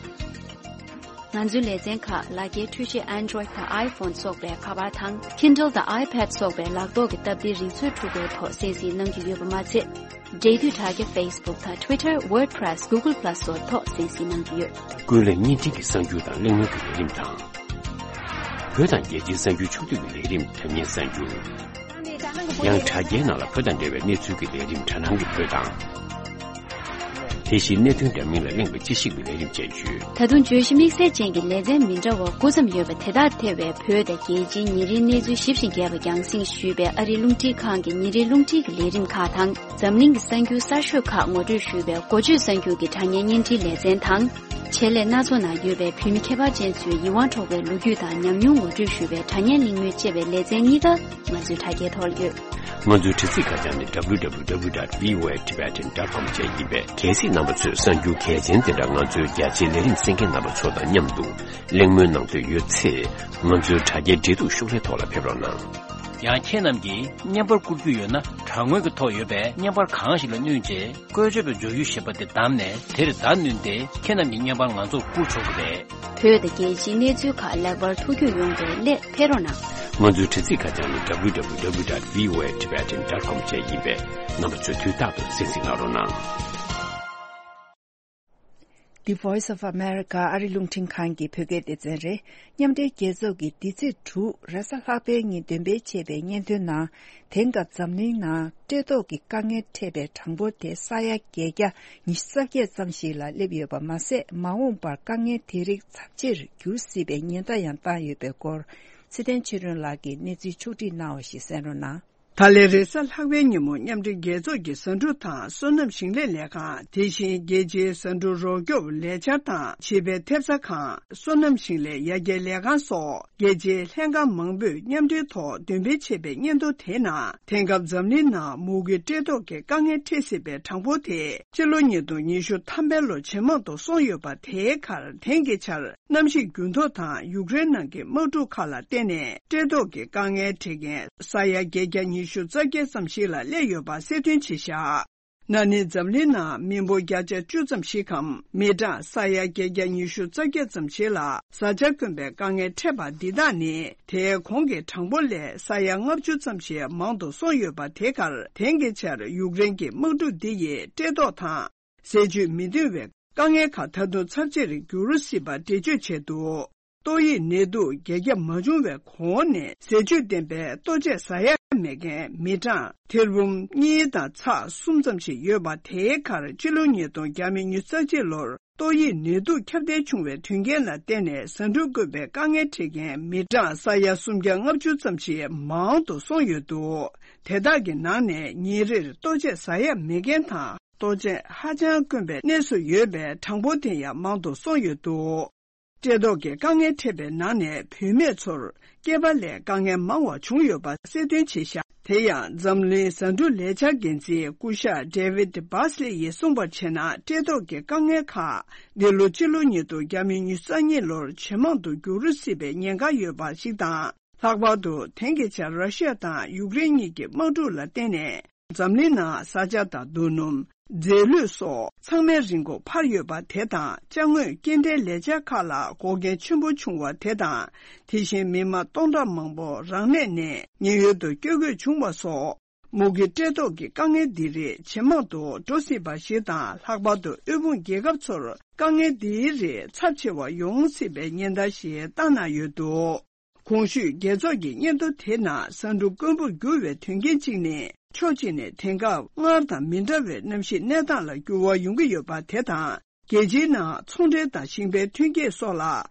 ང་ཚོའི་ལེ་ཚན་ཁག་ལག་འཁྱེར་འཕྲུལ་ཆས་Android་དང་iPhone་སོགས་པའི་ཁ་པར་དང་Kindle་དང་iPad་སོགས་པའི་ལག་ཐོག་གི་སྟབས་བདེའི་རིག་མཛོད་འཕྲུལ་འཁོར་ཐོག་གསན་གཟིགས་གནང་རྒྱུ་ཡོད་པ་མ་ཚད། འབྲེལ་མཐུད་དྲ་རྒྱ་Facebook་དང་Twitter, WordPress, Google Plus་སོགས་ཐོག་གསན་གཟིགས་གནང་རྒྱུ་ཡོད། ཀུན་གླེང་བརྙན་འཕྲིན་གྱི་གསར་འགྱུར་དང་གླེང་མོལ་གྱི་ལས་རིམ་དང་། བོད་དང་རྒྱལ་སྤྱིའི་གསར་འགྱུར་ཕྱོགས་བསྡུས་ཀྱི་ལས་རིམ་དྲ་བརྙན་གསར་འགྱུར། ཡང་དྲ་རྒྱའི་ནང་ལ་བོད་དང་འབྲེལ་བའི་གནས་ཚུལ་གྱི་ལས་རིམ་དྲ་སྣང་གི་བོད་དང་། དེ་བཞིན་གནད་དོན་འདྲ་མིན་ལ་གླེང་བའི་དཔྱད་ཞིབ་ཀྱི་ལས་རིམ་བཅས་ཡོད། ད་དུང་བརྗོད་གཞི་དམིགས་བསལ་ཅན་གྱི་ལེ་ཚན་མི་འདྲ་བ་དགུ་ཙམ་ཡོད་པ་དེ་དག་ཐེ་བའི་བོད་དང་རྒྱལ་སྤྱིའི་ཉིན་རེའི་གནས་ཚུལ་ཞིབ་ཅིང་རྒྱས་པ་རྒྱང་སྲིང་ཞུས་པའི་ཨ་རིའི་རླུང་འཕྲིན་ཁང་གི་ཉིན་རེའི་རླུང་འཕྲིན་གྱི་ལས་རིམ་ཁག་དང་། འཛམ་གླིང་གི་གསར་འགྱུར་གསར་ཤོས་ཁག་ངོ་སྤྲོད་ཞུས་པའི་འགོ་བརྗོད་གསར་འགྱུར་གྱི་དྲ་བརྙན་བརྙན་འཕྲིན་ལེ་ཚན་དང་། ཆེད་ལས་སྣ་ཚོགས་ནང་ཡོད་པའི་བོད་མི་ཁྱད་པར་ཅན་ཚོའི་ཡིད་དབང་འཕྲོག་པའི་ལོ་རྒྱུས་དང་ཉམས་མྱོང་ངོ་སྤྲོད་ཞུས་པའི་དྲ་བརྙན་གླེང་མོལ་བཅས་པའི་ལེ་ཚན་གཉིས་ཀ་ང་ཚོའི་དྲ་རྒྱའི་ཐོག་ལ་ཡོད། ང་ཚོའི་དྲ་ཚིགས་ཁ་བྱང་ནི་W W W dot V O A Tibetan dot com བཅས་ཡིན་པས། གལ་སྲིད་རྣམ་པ་ཚོས་གསར་འགྱུར་གལ་ཆེན་དེ་འདྲ་ང་ཚོའི་རྒྱ་ཆེའི་ལས་རིམ་གསན་མཁན་རྣམ་པ་ཚོ་དང་མཉམ་དུ་གླེང་མོལ་གནང་འདོད་ཡོད་ཚེ། ང་ཚོའི་དྲ་རྒྱའི་འབྲེལ་གཏུག་ཤོག་ལྷེ་ཐོག་ལ་ཕེབས་རོགས་གནང་། ཡང་ཁྱེད་རྣམས་ཀྱིས་བརྙན་པར་བསྐུར་རྒྱུ་ཡོད་ན། དྲ་ངོས་ཀྱི་ཐོག་ཡོད་པའི་བརྙན་པར་གང་ཞིག་ལ་བསྣུན་རྗེས། བཀོལ་སྤྱོད་པའི་མཇུག་ཡུ་ཞེས་པ་དེ་བདམས་ནས། དེར་བརྡ་བསྣུན་ཏེ། ཁྱེད་རྣམས་ཀྱི་བརྙན་པར་ང་ཚོར་བསྐུར་ཆོག་གི་རེད། བོད་དང་རྒྱལ་སྤྱིའི་གནས་ཚུལ་ཁག་ལེགས་པར་ཐུགས་རྒྱུས་ཡོང་བའི་སླད་ཕེབས་རོགས་གནང་། ང་ཚོའི་དྲ་ཚིགས་ཁ་བྱང་ནི་W W W dot V O A Tibetan dot com བཅས་ཡིན་པས། རྣམ་པ་ཚོས་དུས་རྟག་ཏུ་གསན་གཟིགས་གནང་རོགས་གནང་། The Voice of America ཨ་རི་རླུང་འཕྲིན་ཁང་གི་བོད་སྐད་སྡེ་ཚན་རེད། མཉམ་འབྲེལ་རྒྱལ་ཚོགས་ཀྱིས་འདི་ཚེས་དྲུག་རེས་གཟའ་ལྷག་པའི་ཉིན་འདོན་སྤེལ་བྱས་པའི་སྙན་ཐོའི་ནང་། དེང་སྐབས་འཛམ་གླིང་ནང་བཀྲེས་ལྟོགས་ཀྱི་དཀའ་ངལ་འཕྲད་པའི་གྲངས་འབོར་དེ་ས་ཡ་བརྒྱད་བརྒྱ་ཉི་ཤུ་རྩ་བརྒྱད་ཙམ་ཞིག་ལ་སླེབས་ཡོད་པ་མ་ཟད། མ་འོངས་པར་དཀའ་ངལ་དེ་རིགས་ཚབས་ཆེར་འགྱུར་སྲིད་པའི་ཉེན་བརྡ་ཡང་བཏང་ཡོད་པའི་སྐོར། ཚེ་བརྟན་ཆོས་སྒྲོན་ལགས་ཀྱིས་གནས་ཚུལ་ཕྱོགས་བསྒྲིགས་གནང་བ་ཞིག་གསན་རོགས་གནང་། ད་ལན་རེས་གཟའ་ལྷག་པའི་ཉིན་མོ། མཉམ་འབྲེལ་རྒྱལ་ཚོགས་ཀྱི་བཟའ་འབྲུ་དང་སོ་ནམ་ཞིང་ལས་ལས་ཁང་། དེ་བཞིན་རྒྱལ་སྤྱིའི་བཟའ་འབྲུ་རོགས་སྐྱོབ་ལས་འཆར་དང་། བྱིས་པའི་ཐེབས་རྩ་ཁང་། སོ་ནམ་ཞིང་ལས་ཡར་རྒྱས་ལས་ཁང་སོགས། རྒྱལ་སྤྱིའི་ལྷན་ཁང་མང་པོས་མཉམ་འབྲེལ་ཐོག་འདོན་སྤེལ་བྱས་པའི་སྙན་ཐོ་དེའི་ནང་། དེང་སྐབས་འཛམ་གླིང་ནང་མུ་གེ་བཀྲེས་ལྟོགས་ཀྱི་དཀའ་ངལ་འཕྲད་སྲིད་པའི་གྲངས་འབོར་དེ། ཕྱི་ལོ་ཉིས་སྟོང་ཉི་ཤུ་ཐམ་པའི་ལོ་ཇེ་མང་དུ་སོང་ཡོད་པ། དེའི་ཁར་དེང་གི་ཆར། གནམ་གཤིས་འགྱུར་ལྡོག་དང་ཡུཀ་རེན་ནང་གི་དམག་འཁྲུག་ཁག་ལ་བརྟེན་ནས། བཀྲེས་ལྟོགས་ཀྱི་དཀའ་ངལ་འཕྲད་མཁན་ས་ཡ་བརྒྱད་བརྒྱ་ཉི་ཤུ་རྩ་བརྒྱད་ཙམ་ཞིག་ལ་སླེབས་ཡོད་པ་གསལ་སྟོན་བྱས་བཞག་ན་ནིང་འཛམ་གླིང་ནང་མི་འབོར་བརྒྱ་ཆ་བཅུ་ཙམ་ཞིག་གམ། མི་གྲངས་ས་ཡ་བརྒྱད་བརྒྱ་ཉི་ཤུ་རྩ་བརྒྱད་ཙམ་ཞིག་ལ་བཟའ་བཅའ་དཀོན་པའི་དཀའ་ངལ་འཕྲད་པ་འདི་དག་ནི། དེའི་གོང་གི་གྲངས་འབོར་ལས་ས་ཡ་ལྔ་བཅུ་ཙམ་ཞིག་མང་དུ་སོང་ཡོད་པ། དེ་གར་དེང་གི་ཆར་ཡུཀ་རེན་གྱི་དམག་འཁྲུག་འདི་ཡིས་བཀྲེས་ལྟོགས་དང་། ཟས་བཅུད་མི་འདུས་པའི་དཀའ་ངལ་ཁག་ད་དུང་ཚབས་ཆེར་འགྱུར་སྲིད་པ་འགྲེལ་བརྗོད་བྱས་འདུག། ཏོག་དབྱིབས་ནད་དུག་རྒྱ་ཁྱབ་མ་བྱུང་བའི་གོང་ནས་ཟས་བཅུད་ལྡན་པའི་ལྟོ་ཆས་ཟ་ཡ་མེད་མཁན་མི་གྲངས་ཐེར་འབུམ་གཉིས་དང་ཚེག་གསུམ་ཙམ་ཞིག་ཡོད་པ། དེའི་ཁར་ཕྱི་ལོ་ཉིས་སྟོང་ཉི་ཤུ་རྩ་གཅིག་ལོར་ཏོག་དབྱིབས་ནད་དུག་ཁྱབ་གདལ་བྱུང་བའི་དོན་རྐྱེན་ལ་བརྟེན་ནས་ཟ་འབྲུ་དཀོན་པའི་དཀའ་ངལ་འཕྲད་མཁན་མི་གྲངས་ས་ཡ་སུམ་བརྒྱ་ལྔ་བཅུ་ཙམ་ཞིག་མང་དུ་སོང་ཡོད་འདུག། དེ་དག་གི་ནང་ནས་ཉིན་རེར་ལྟོ་ཆས་ཟ་ཡ་མེད་མཁན་དང་། ལྟོ་ཆས་ཧ་ཅང་དཀོན་པའི་གནས་སུ་ཡོད་པའི་གྲངས་འབོར་དེ་ཡང་མང་དུ་སོང་ཡོད་འདུག། བཀྲེས་ལྟོགས་ཀྱི་དཀའ་ངལ་འཕྲད་པའི་ནང་ནས་བུད་མེད་ཚོར་སྐྱེས་པ་ལས་དཀའ་ངལ་མང་བ་བྱུང་ཡོད་པ་གསལ་སྟོན་བྱས་ཤག། དེ་ཡང་འཛམ་གླིང་ཟ་འབྲུ་ལས་འཆར་འགན་འཛིན་སྐུ་ཞབས་David Beasley་ཡིས་གསུངས་པར་བྱས་ན། བཀྲེས་ལྟོགས་ཀྱི་དཀའ་ངལ་ཁག་འདི་ལོ་སྤྱི་ལོ་ཉིས་སྟོང་ཉི་ཤུ་རྩ་གཉིས་ལོར་ཇེ་མང་དུ་འགྱུར་སྲིད་པའི་ཉེན་ཁ་ཡོད་པ་ཞིག་དང་། ལྷག་པར་དུ་དེང་གི་ཆར་ར་ཤི་ཡ་དང་ཡུཀ་རེན་གཉིས་ཀྱི་དམག་འཁྲུག་ལ་བརྟེན་ནས། འཛམ་གླིང་ནང་བཟའ་བཅའ་དང་རྡོ་སྣུམ། རྫས་ལུད་སོགས་ཚང་མའི་རིན་གོང་འཕར་ཡོད་པ་དེ་དང་། ཅ་དངོས་སྐྱེལ་འདྲེན་ལས་འཆར་ཁག་ལ་འགོག་རྐྱེན་ཆེན་པོ་བྱུང་བ་དེ་དང་། དེ་བཞིན་མི་མང་སྟོང་ཕྲག་མང་པོ་རང་གནས་ནས་ཉེན་གཡོལ་དུ་བསྐྱོད་དགོས་བྱུང་བ་སོགས། མུ་གེ་བཀྲེས་ལྟོགས་ཀྱི་དཀའ་ངལ་འདི་རིགས་ཇེ་མང་དུ་འགྲོ་སྲིད་པ་ཞིག་དང་། ལྷག་པར་དུ་དབུལ་ཕོངས་རྒྱལ་ཁབ་ཚོར་དཀའ་ངལ་འདིའི་རིགས་ཚབས་ཆེ་བ་ཡོང་སྲིད་པའི་ཉེན་བརྡ་ཞིག་བཏང་གནང་ཡོད་འདུག། གོང་ཞུས་རྒྱལ་ཚོགས་ཀྱི་སྙན་ཐོ་དེ་ནང་ཟ་འབྲུ་དཀོན་པོར་འགྱུར་བའི་དོན་རྐྱེན་གཅིག་ནི། ཕྱོགས་གཅིག་ནས་དེང་སྐབས་སྔར་དང་མི་འདྲ་བའི་གནམ་གཤིས་གནས་སྟངས་ལ་འགྱུར་བ་ཡོང་གི་ཡོད་པ་དེ་དང་། རྒྱལ་སྤྱིའི་ནང་ཚོང་འབྲེལ་དང་ཞིང་པའི་ཐོན་སྐྱེད་སོགས་ལ་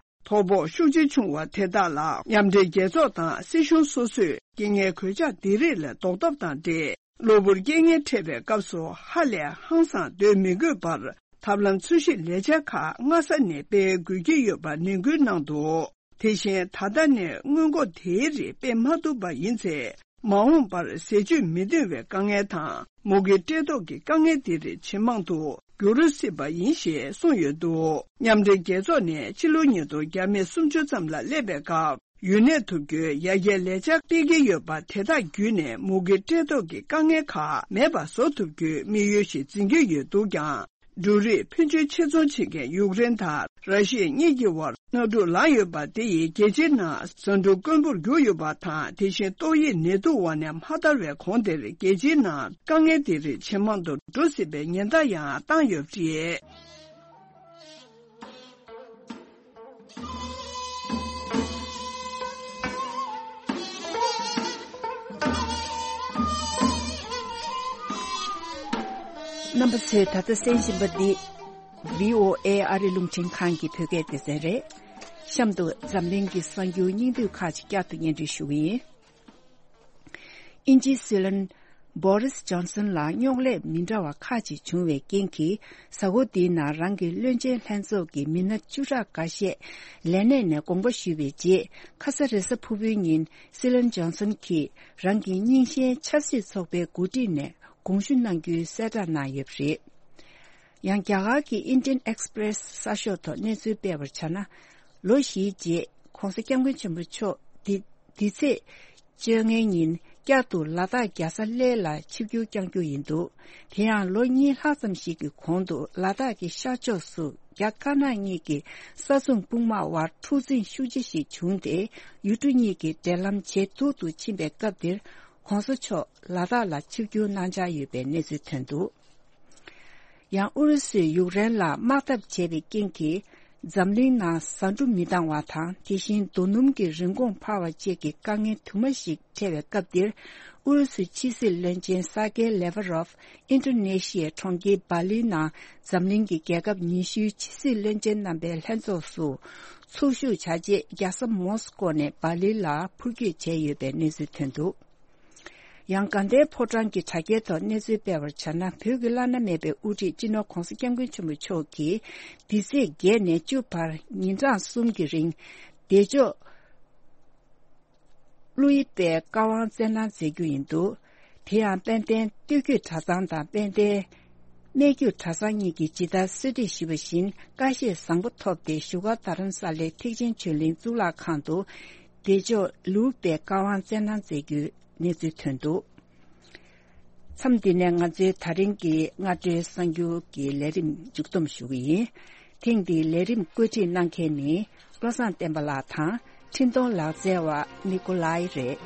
དོ་ཕོག་ཤུགས་ཆེ་བྱུང་བ་དེ་དག་ལ། མཉམ་འབྲེལ་རྒྱལ་ཚོགས་དང་སྲིད་གཞུང་སོ་སོས་རྐྱེན་ངན་གོད་ཆག་འདི་རིགས་ལས་ཟློག་ཐབས་དང་འབྲེལ། གློ་བུར་རྐྱེན་ངན་འཕྲད་པའི་སྐབས་སུ་ཧ་ལས་ཧང་སངས་སྡོད་མི་དགོས་པར། ཐབས་ལམ་འཚོལ་ཞིབ་ལས་འཆར་ཁག་སྔ་ས་ནས་སྤེལ་དགོས་ཀྱི་ཡོད་པ་ནན་སྐུལ་གནང་འདུག། དེ་བཞིན་ད་ལྟ་ནས་སྔོན་འགོག་དེའི་རིགས་སྤེལ་མ་ཐུབ་པ་ཡིན་ཚེ། མ་འོངས་པར་ཟས་བཅུད་མི་འདུས་པའི་དཀའ་ངལ་དང་། མུ་གེ་བཀྲེས་ལྟོགས་ཀྱི་དཀའ་ངལ་འདི་རིགས་ཇེ་མང་དུ་འགྱུར་སྲིད་པ་ཡིན་ཞེས་གསུངས་ཡོད་འདུག། མཉམ་འབྲེལ་རྒྱལ་ཚོགས་ནས་ཕྱི་ལོ་ཉིས་སྟོང་ཉི་ཤུ་རྩ་གསུམ་ཙམ་ལ་སླེབས་པའི་སྐབས། ཡུན་གནས་ཐུབ་རྒྱུའི་ཡར་རྒྱས་ལས་འཆར་སྤེལ་གྱི་ཡོད་པ། དེ་དག་བརྒྱུད་ནས་མུ་གེ་བཀྲེས་ལྟོགས་ཀྱི་དཀའ་ངལ་ཁག་མེད་པ་བཟོ་ཐུབ་རྒྱུའི་དམིགས་ཡུལ་ཞིག་འཛིན་གྱི་ཡོད་འདུག་ཀྱང་། འབྲུ་རིགས་ཕོན་ཆེན་ཕྱིར་ཚོང་བྱེད་མཁན་ཡུཀ་རེན་དང་ར་ཤི་ཡ་གཉིས་ཀྱི་དབར་གནག་དུག་ལངས་ཡོད་པ། དེ་ཡིས་རྒྱལ་སྤྱིའི་ནང་ཟ་འབྲུ་དཀོན་པོར་གྱུར་ཡོད་པ་དང་། དེ་བཞིན་ཏོག་དབྱིབས་ནད་དུག་འོག་ནས་མ་ཐར་བའི་གོང་དེར་རྒྱལ་སྤྱིའི་ནང་དཀའ་ངལ་འདི་རིགས་ཇེ་མང་དུ་འགྲོ་སྲིད་པའི་ཉེན་བརྡ་ཡང་བཏང་ཡོད་པ་རེད། རྣམ་པ་ཚོས་ད་ལྟ་གསན་བཞིན་པ་འདི་བྷི་ཨོ་ཨེ་ཨ་རི་རླུང་འཕྲིན་ཁང་གི་བོད་སྐད་སྡེ་ཚན་རེད། གཤམ་དུ་འཛམ་གླིང་གི་གསར་འགྱུར་སྙིང་བསྡུས་ཁག་ཅིག་བསྐྱར་དུ་སྙན་སྒྲོན་ཞུ་གི་ཡིན། དབྱིན་ཇིའི་སྲིད་བློན་བྷོ་རིས་ཇོན་སན་ལ་རྙོག་གླེང་མི་འདྲ་བ་ཁག་ཅིག་བྱུང་བའི་རྐྱེན་གྱིས། གཟའ་འཁོར་འདིའི་ནང་རང་གི་བློན་ཆེན་ལྷན་ཚོགས་ཀྱི་མི་སྣ་བཅུ་ཕྲག་འགའ་ཤས་ལས་གནས་ནས་དགོངས་པ་ཞུས་པའི་རྗེས། ཁ་ས་རེས་གཟའ་ཕུར་བུའི་ཉིན་སྲིད་བློན་ཇོན་སན་གྱིས་རང་གི་རྙིང་ཞེན་ཆབ་སྲིད་ཚོགས་པའི་འགོ་ཁྲིད་ནས་དགོངས་ཞུ་གནང་རྒྱུའི་གསལ་བསྒྲགས་གནང་ཡོད་པ་རེད། ཡང་རྒྱ་གར་གྱི་Indian Express་གསར་ཤོག་ཐོག་གནས་ཚུལ་སྤེལ་བར་བྱས་ན། ལོ་བཞིའི་རྗེས་༸གོང་ས་༸སྐྱབས་མགོན་ཆེན་པོ་མཆོག་འདི་འདི་ཚེས་བཅོ་ལྔའི་ཉིན་བསྐྱར་དུ་ལ་དྭགས་རྒྱལ་ས་གླེ་ལ་ཆིབས་བསྒྱུར་བསྐྱང་རྒྱུ་ཡིན་འདུག། དེ་ཡང་ལོ་གཉིས་ལྷག་ཙམ་ཞིག་གི་གོང་དུ་ལ་དྭགས་ཀྱི་ཤར་ཕྱོགས་སུ་རྒྱ་དཀར་ནག་གཉིས་ཀྱི་ས་མཚམས་དཔུང་དམག་དབར་འཁྲུག་འཛིང་ཤུགས་ཆེ་ཞིག་བྱུང་སྟེ། ཡུལ་གྲུ་གཉིས་ཀྱི་འབྲེལ་ལམ་ཇེ་སྡུག་ཏུ་ཕྱིན་པའི་སྐབས་འདིར་༸གོང་ས་མཆོག་ལ་དྭགས་ལ་ཆིབས་བསྒྱུར་གནང་འཆར་ཡོད་པའི་གནས་ཚུལ་ཐོན་འདུག། ཡང་ཨུ་རུ་སུས་ཡུཀ་རེན་ལ་དམག་འཐབ་བྱས་པའི་རྐྱེན་གྱིས། འཛམ་གླིང་ནང་ཟ་འབྲུ་མི་འདང་བ་དང་། དེ་བཞིན་རྡོ་སྣུམ་གྱི་རིན་གོང་འཕར་བ་བཅས་ཀྱི་དཀའ་ངལ་དུ་མ་ཞིག་འཕྲད་པའི་སྐབས་འདིར། ཨུ་རུ་སུའི་ཕྱི་སྲིད་བློན་ཆེན་སར་ཀེ་ལེ་ཝ་རོབ་ཨིན་ཌོ་ནེ་ཤི་ཡའི་གྲོང་ཁྱེར་སྦ་ལིའི་ནང་འཛམ་གླིང་གི་རྒྱལ་ཁབ་ཉི་ཤུའི་ཕྱི་སྲིད་བློན་ཆེན་རྣམ་པའི་ལྷན་ཚོགས་སུ་ཚོགས་ཞུགས་བྱ་ཆེད། རྒྱལ་ས་མོ་སི་ཀོ་ནས་སྦ་ལི་ལ་འཕུར་སྐྱོད་བྱས་ཡོད་པའི་གནས་ཚུལ་ཐོན་འདུག། ཡང་དགའ་ལྡན་ཕོ་བྲང་གི་དྲ་རྒྱའི་ཐོག་གནས་ཚུལ་སྤེལ་བར་བྱས་ན། བོད་ཀྱི་བླ་ན་མེད་པའི་དབུ་ཁྲིད་སྤྱི་ནོར་༸གོང་ས་༸སྐྱབས་མགོན་ཆེན་པོ་མཆོག་གིས་འདི་ཚེས་བརྒྱད་ནས་བཅུ་བར་ཉིན་གྲངས་གསུམ་གྱི་རིང་། བདེ་མཆོག་ཀླུ་ཡི་པའི་བཀའ་དབང་སྩལ་གནང་མཛད་རྒྱུ་ཡིན་འདུག། དེ་ཡང་དཔལ་ལྡན་སྟོད་རྒྱུད་གྲྭ་ཚང་དང་དཔལ་ལྡན་སྨད་རྒྱུད་གྲྭ་ཚང་གཉིས་ཀྱིས་ཇི་ལྟར་གསོལ་འདེབས་ཞུས་པ་བཞིན། ཀ་ཤས་བཟང་པོ་ཐོབ་སྟེ་བཞུགས་སྒར་རྡ་རམ་ས་ལའི་ཐེག་ཆེན་ཆོས་གླིང་གཙུག་ལག་ཁང་དུ་བདེ་མཆོག་ལུའུ་པའི་བཀའ་དབང་སྩལ་གནང་མཛད་རྒྱུའི་གནས་ཚུལ་ཐོན་འདུག། མཚམས་འདི་ནས་ང་ཚོའི་ད་རིང་གི་སྔ་དྲོའི་གསར་འགྱུར་གྱི་ལས་རིམ་མཇུག་བསྡོམས་ཞུ་གི་ཡིན། ཐེངས་འདིའི་ལས་རིམ་བཀོད་སྒྲིག་གནང་མཁན་ནི་བློ་བཟང་བསྟན་པ་ལགས་དང་། འཕྲིན་གཏོང་ལག་རྩལ་བ་ནི་ཀོ་ལའི་རེད།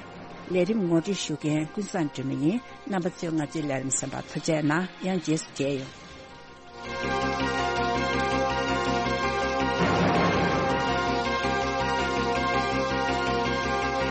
ལས་རིམ་ངོ་སྤྲོད་ཞུ་མཁན་ཀུན་བཟང་སྒྲོལ་མ་ཡིན། རྣམ་པ་ཚོས་ང་ཚོའི་ལས་རིམ་གསན་པར་ཐུགས་རྗེ་གནང་། ཡང་རྗེས་སུ་མཇལ་ཡོང་།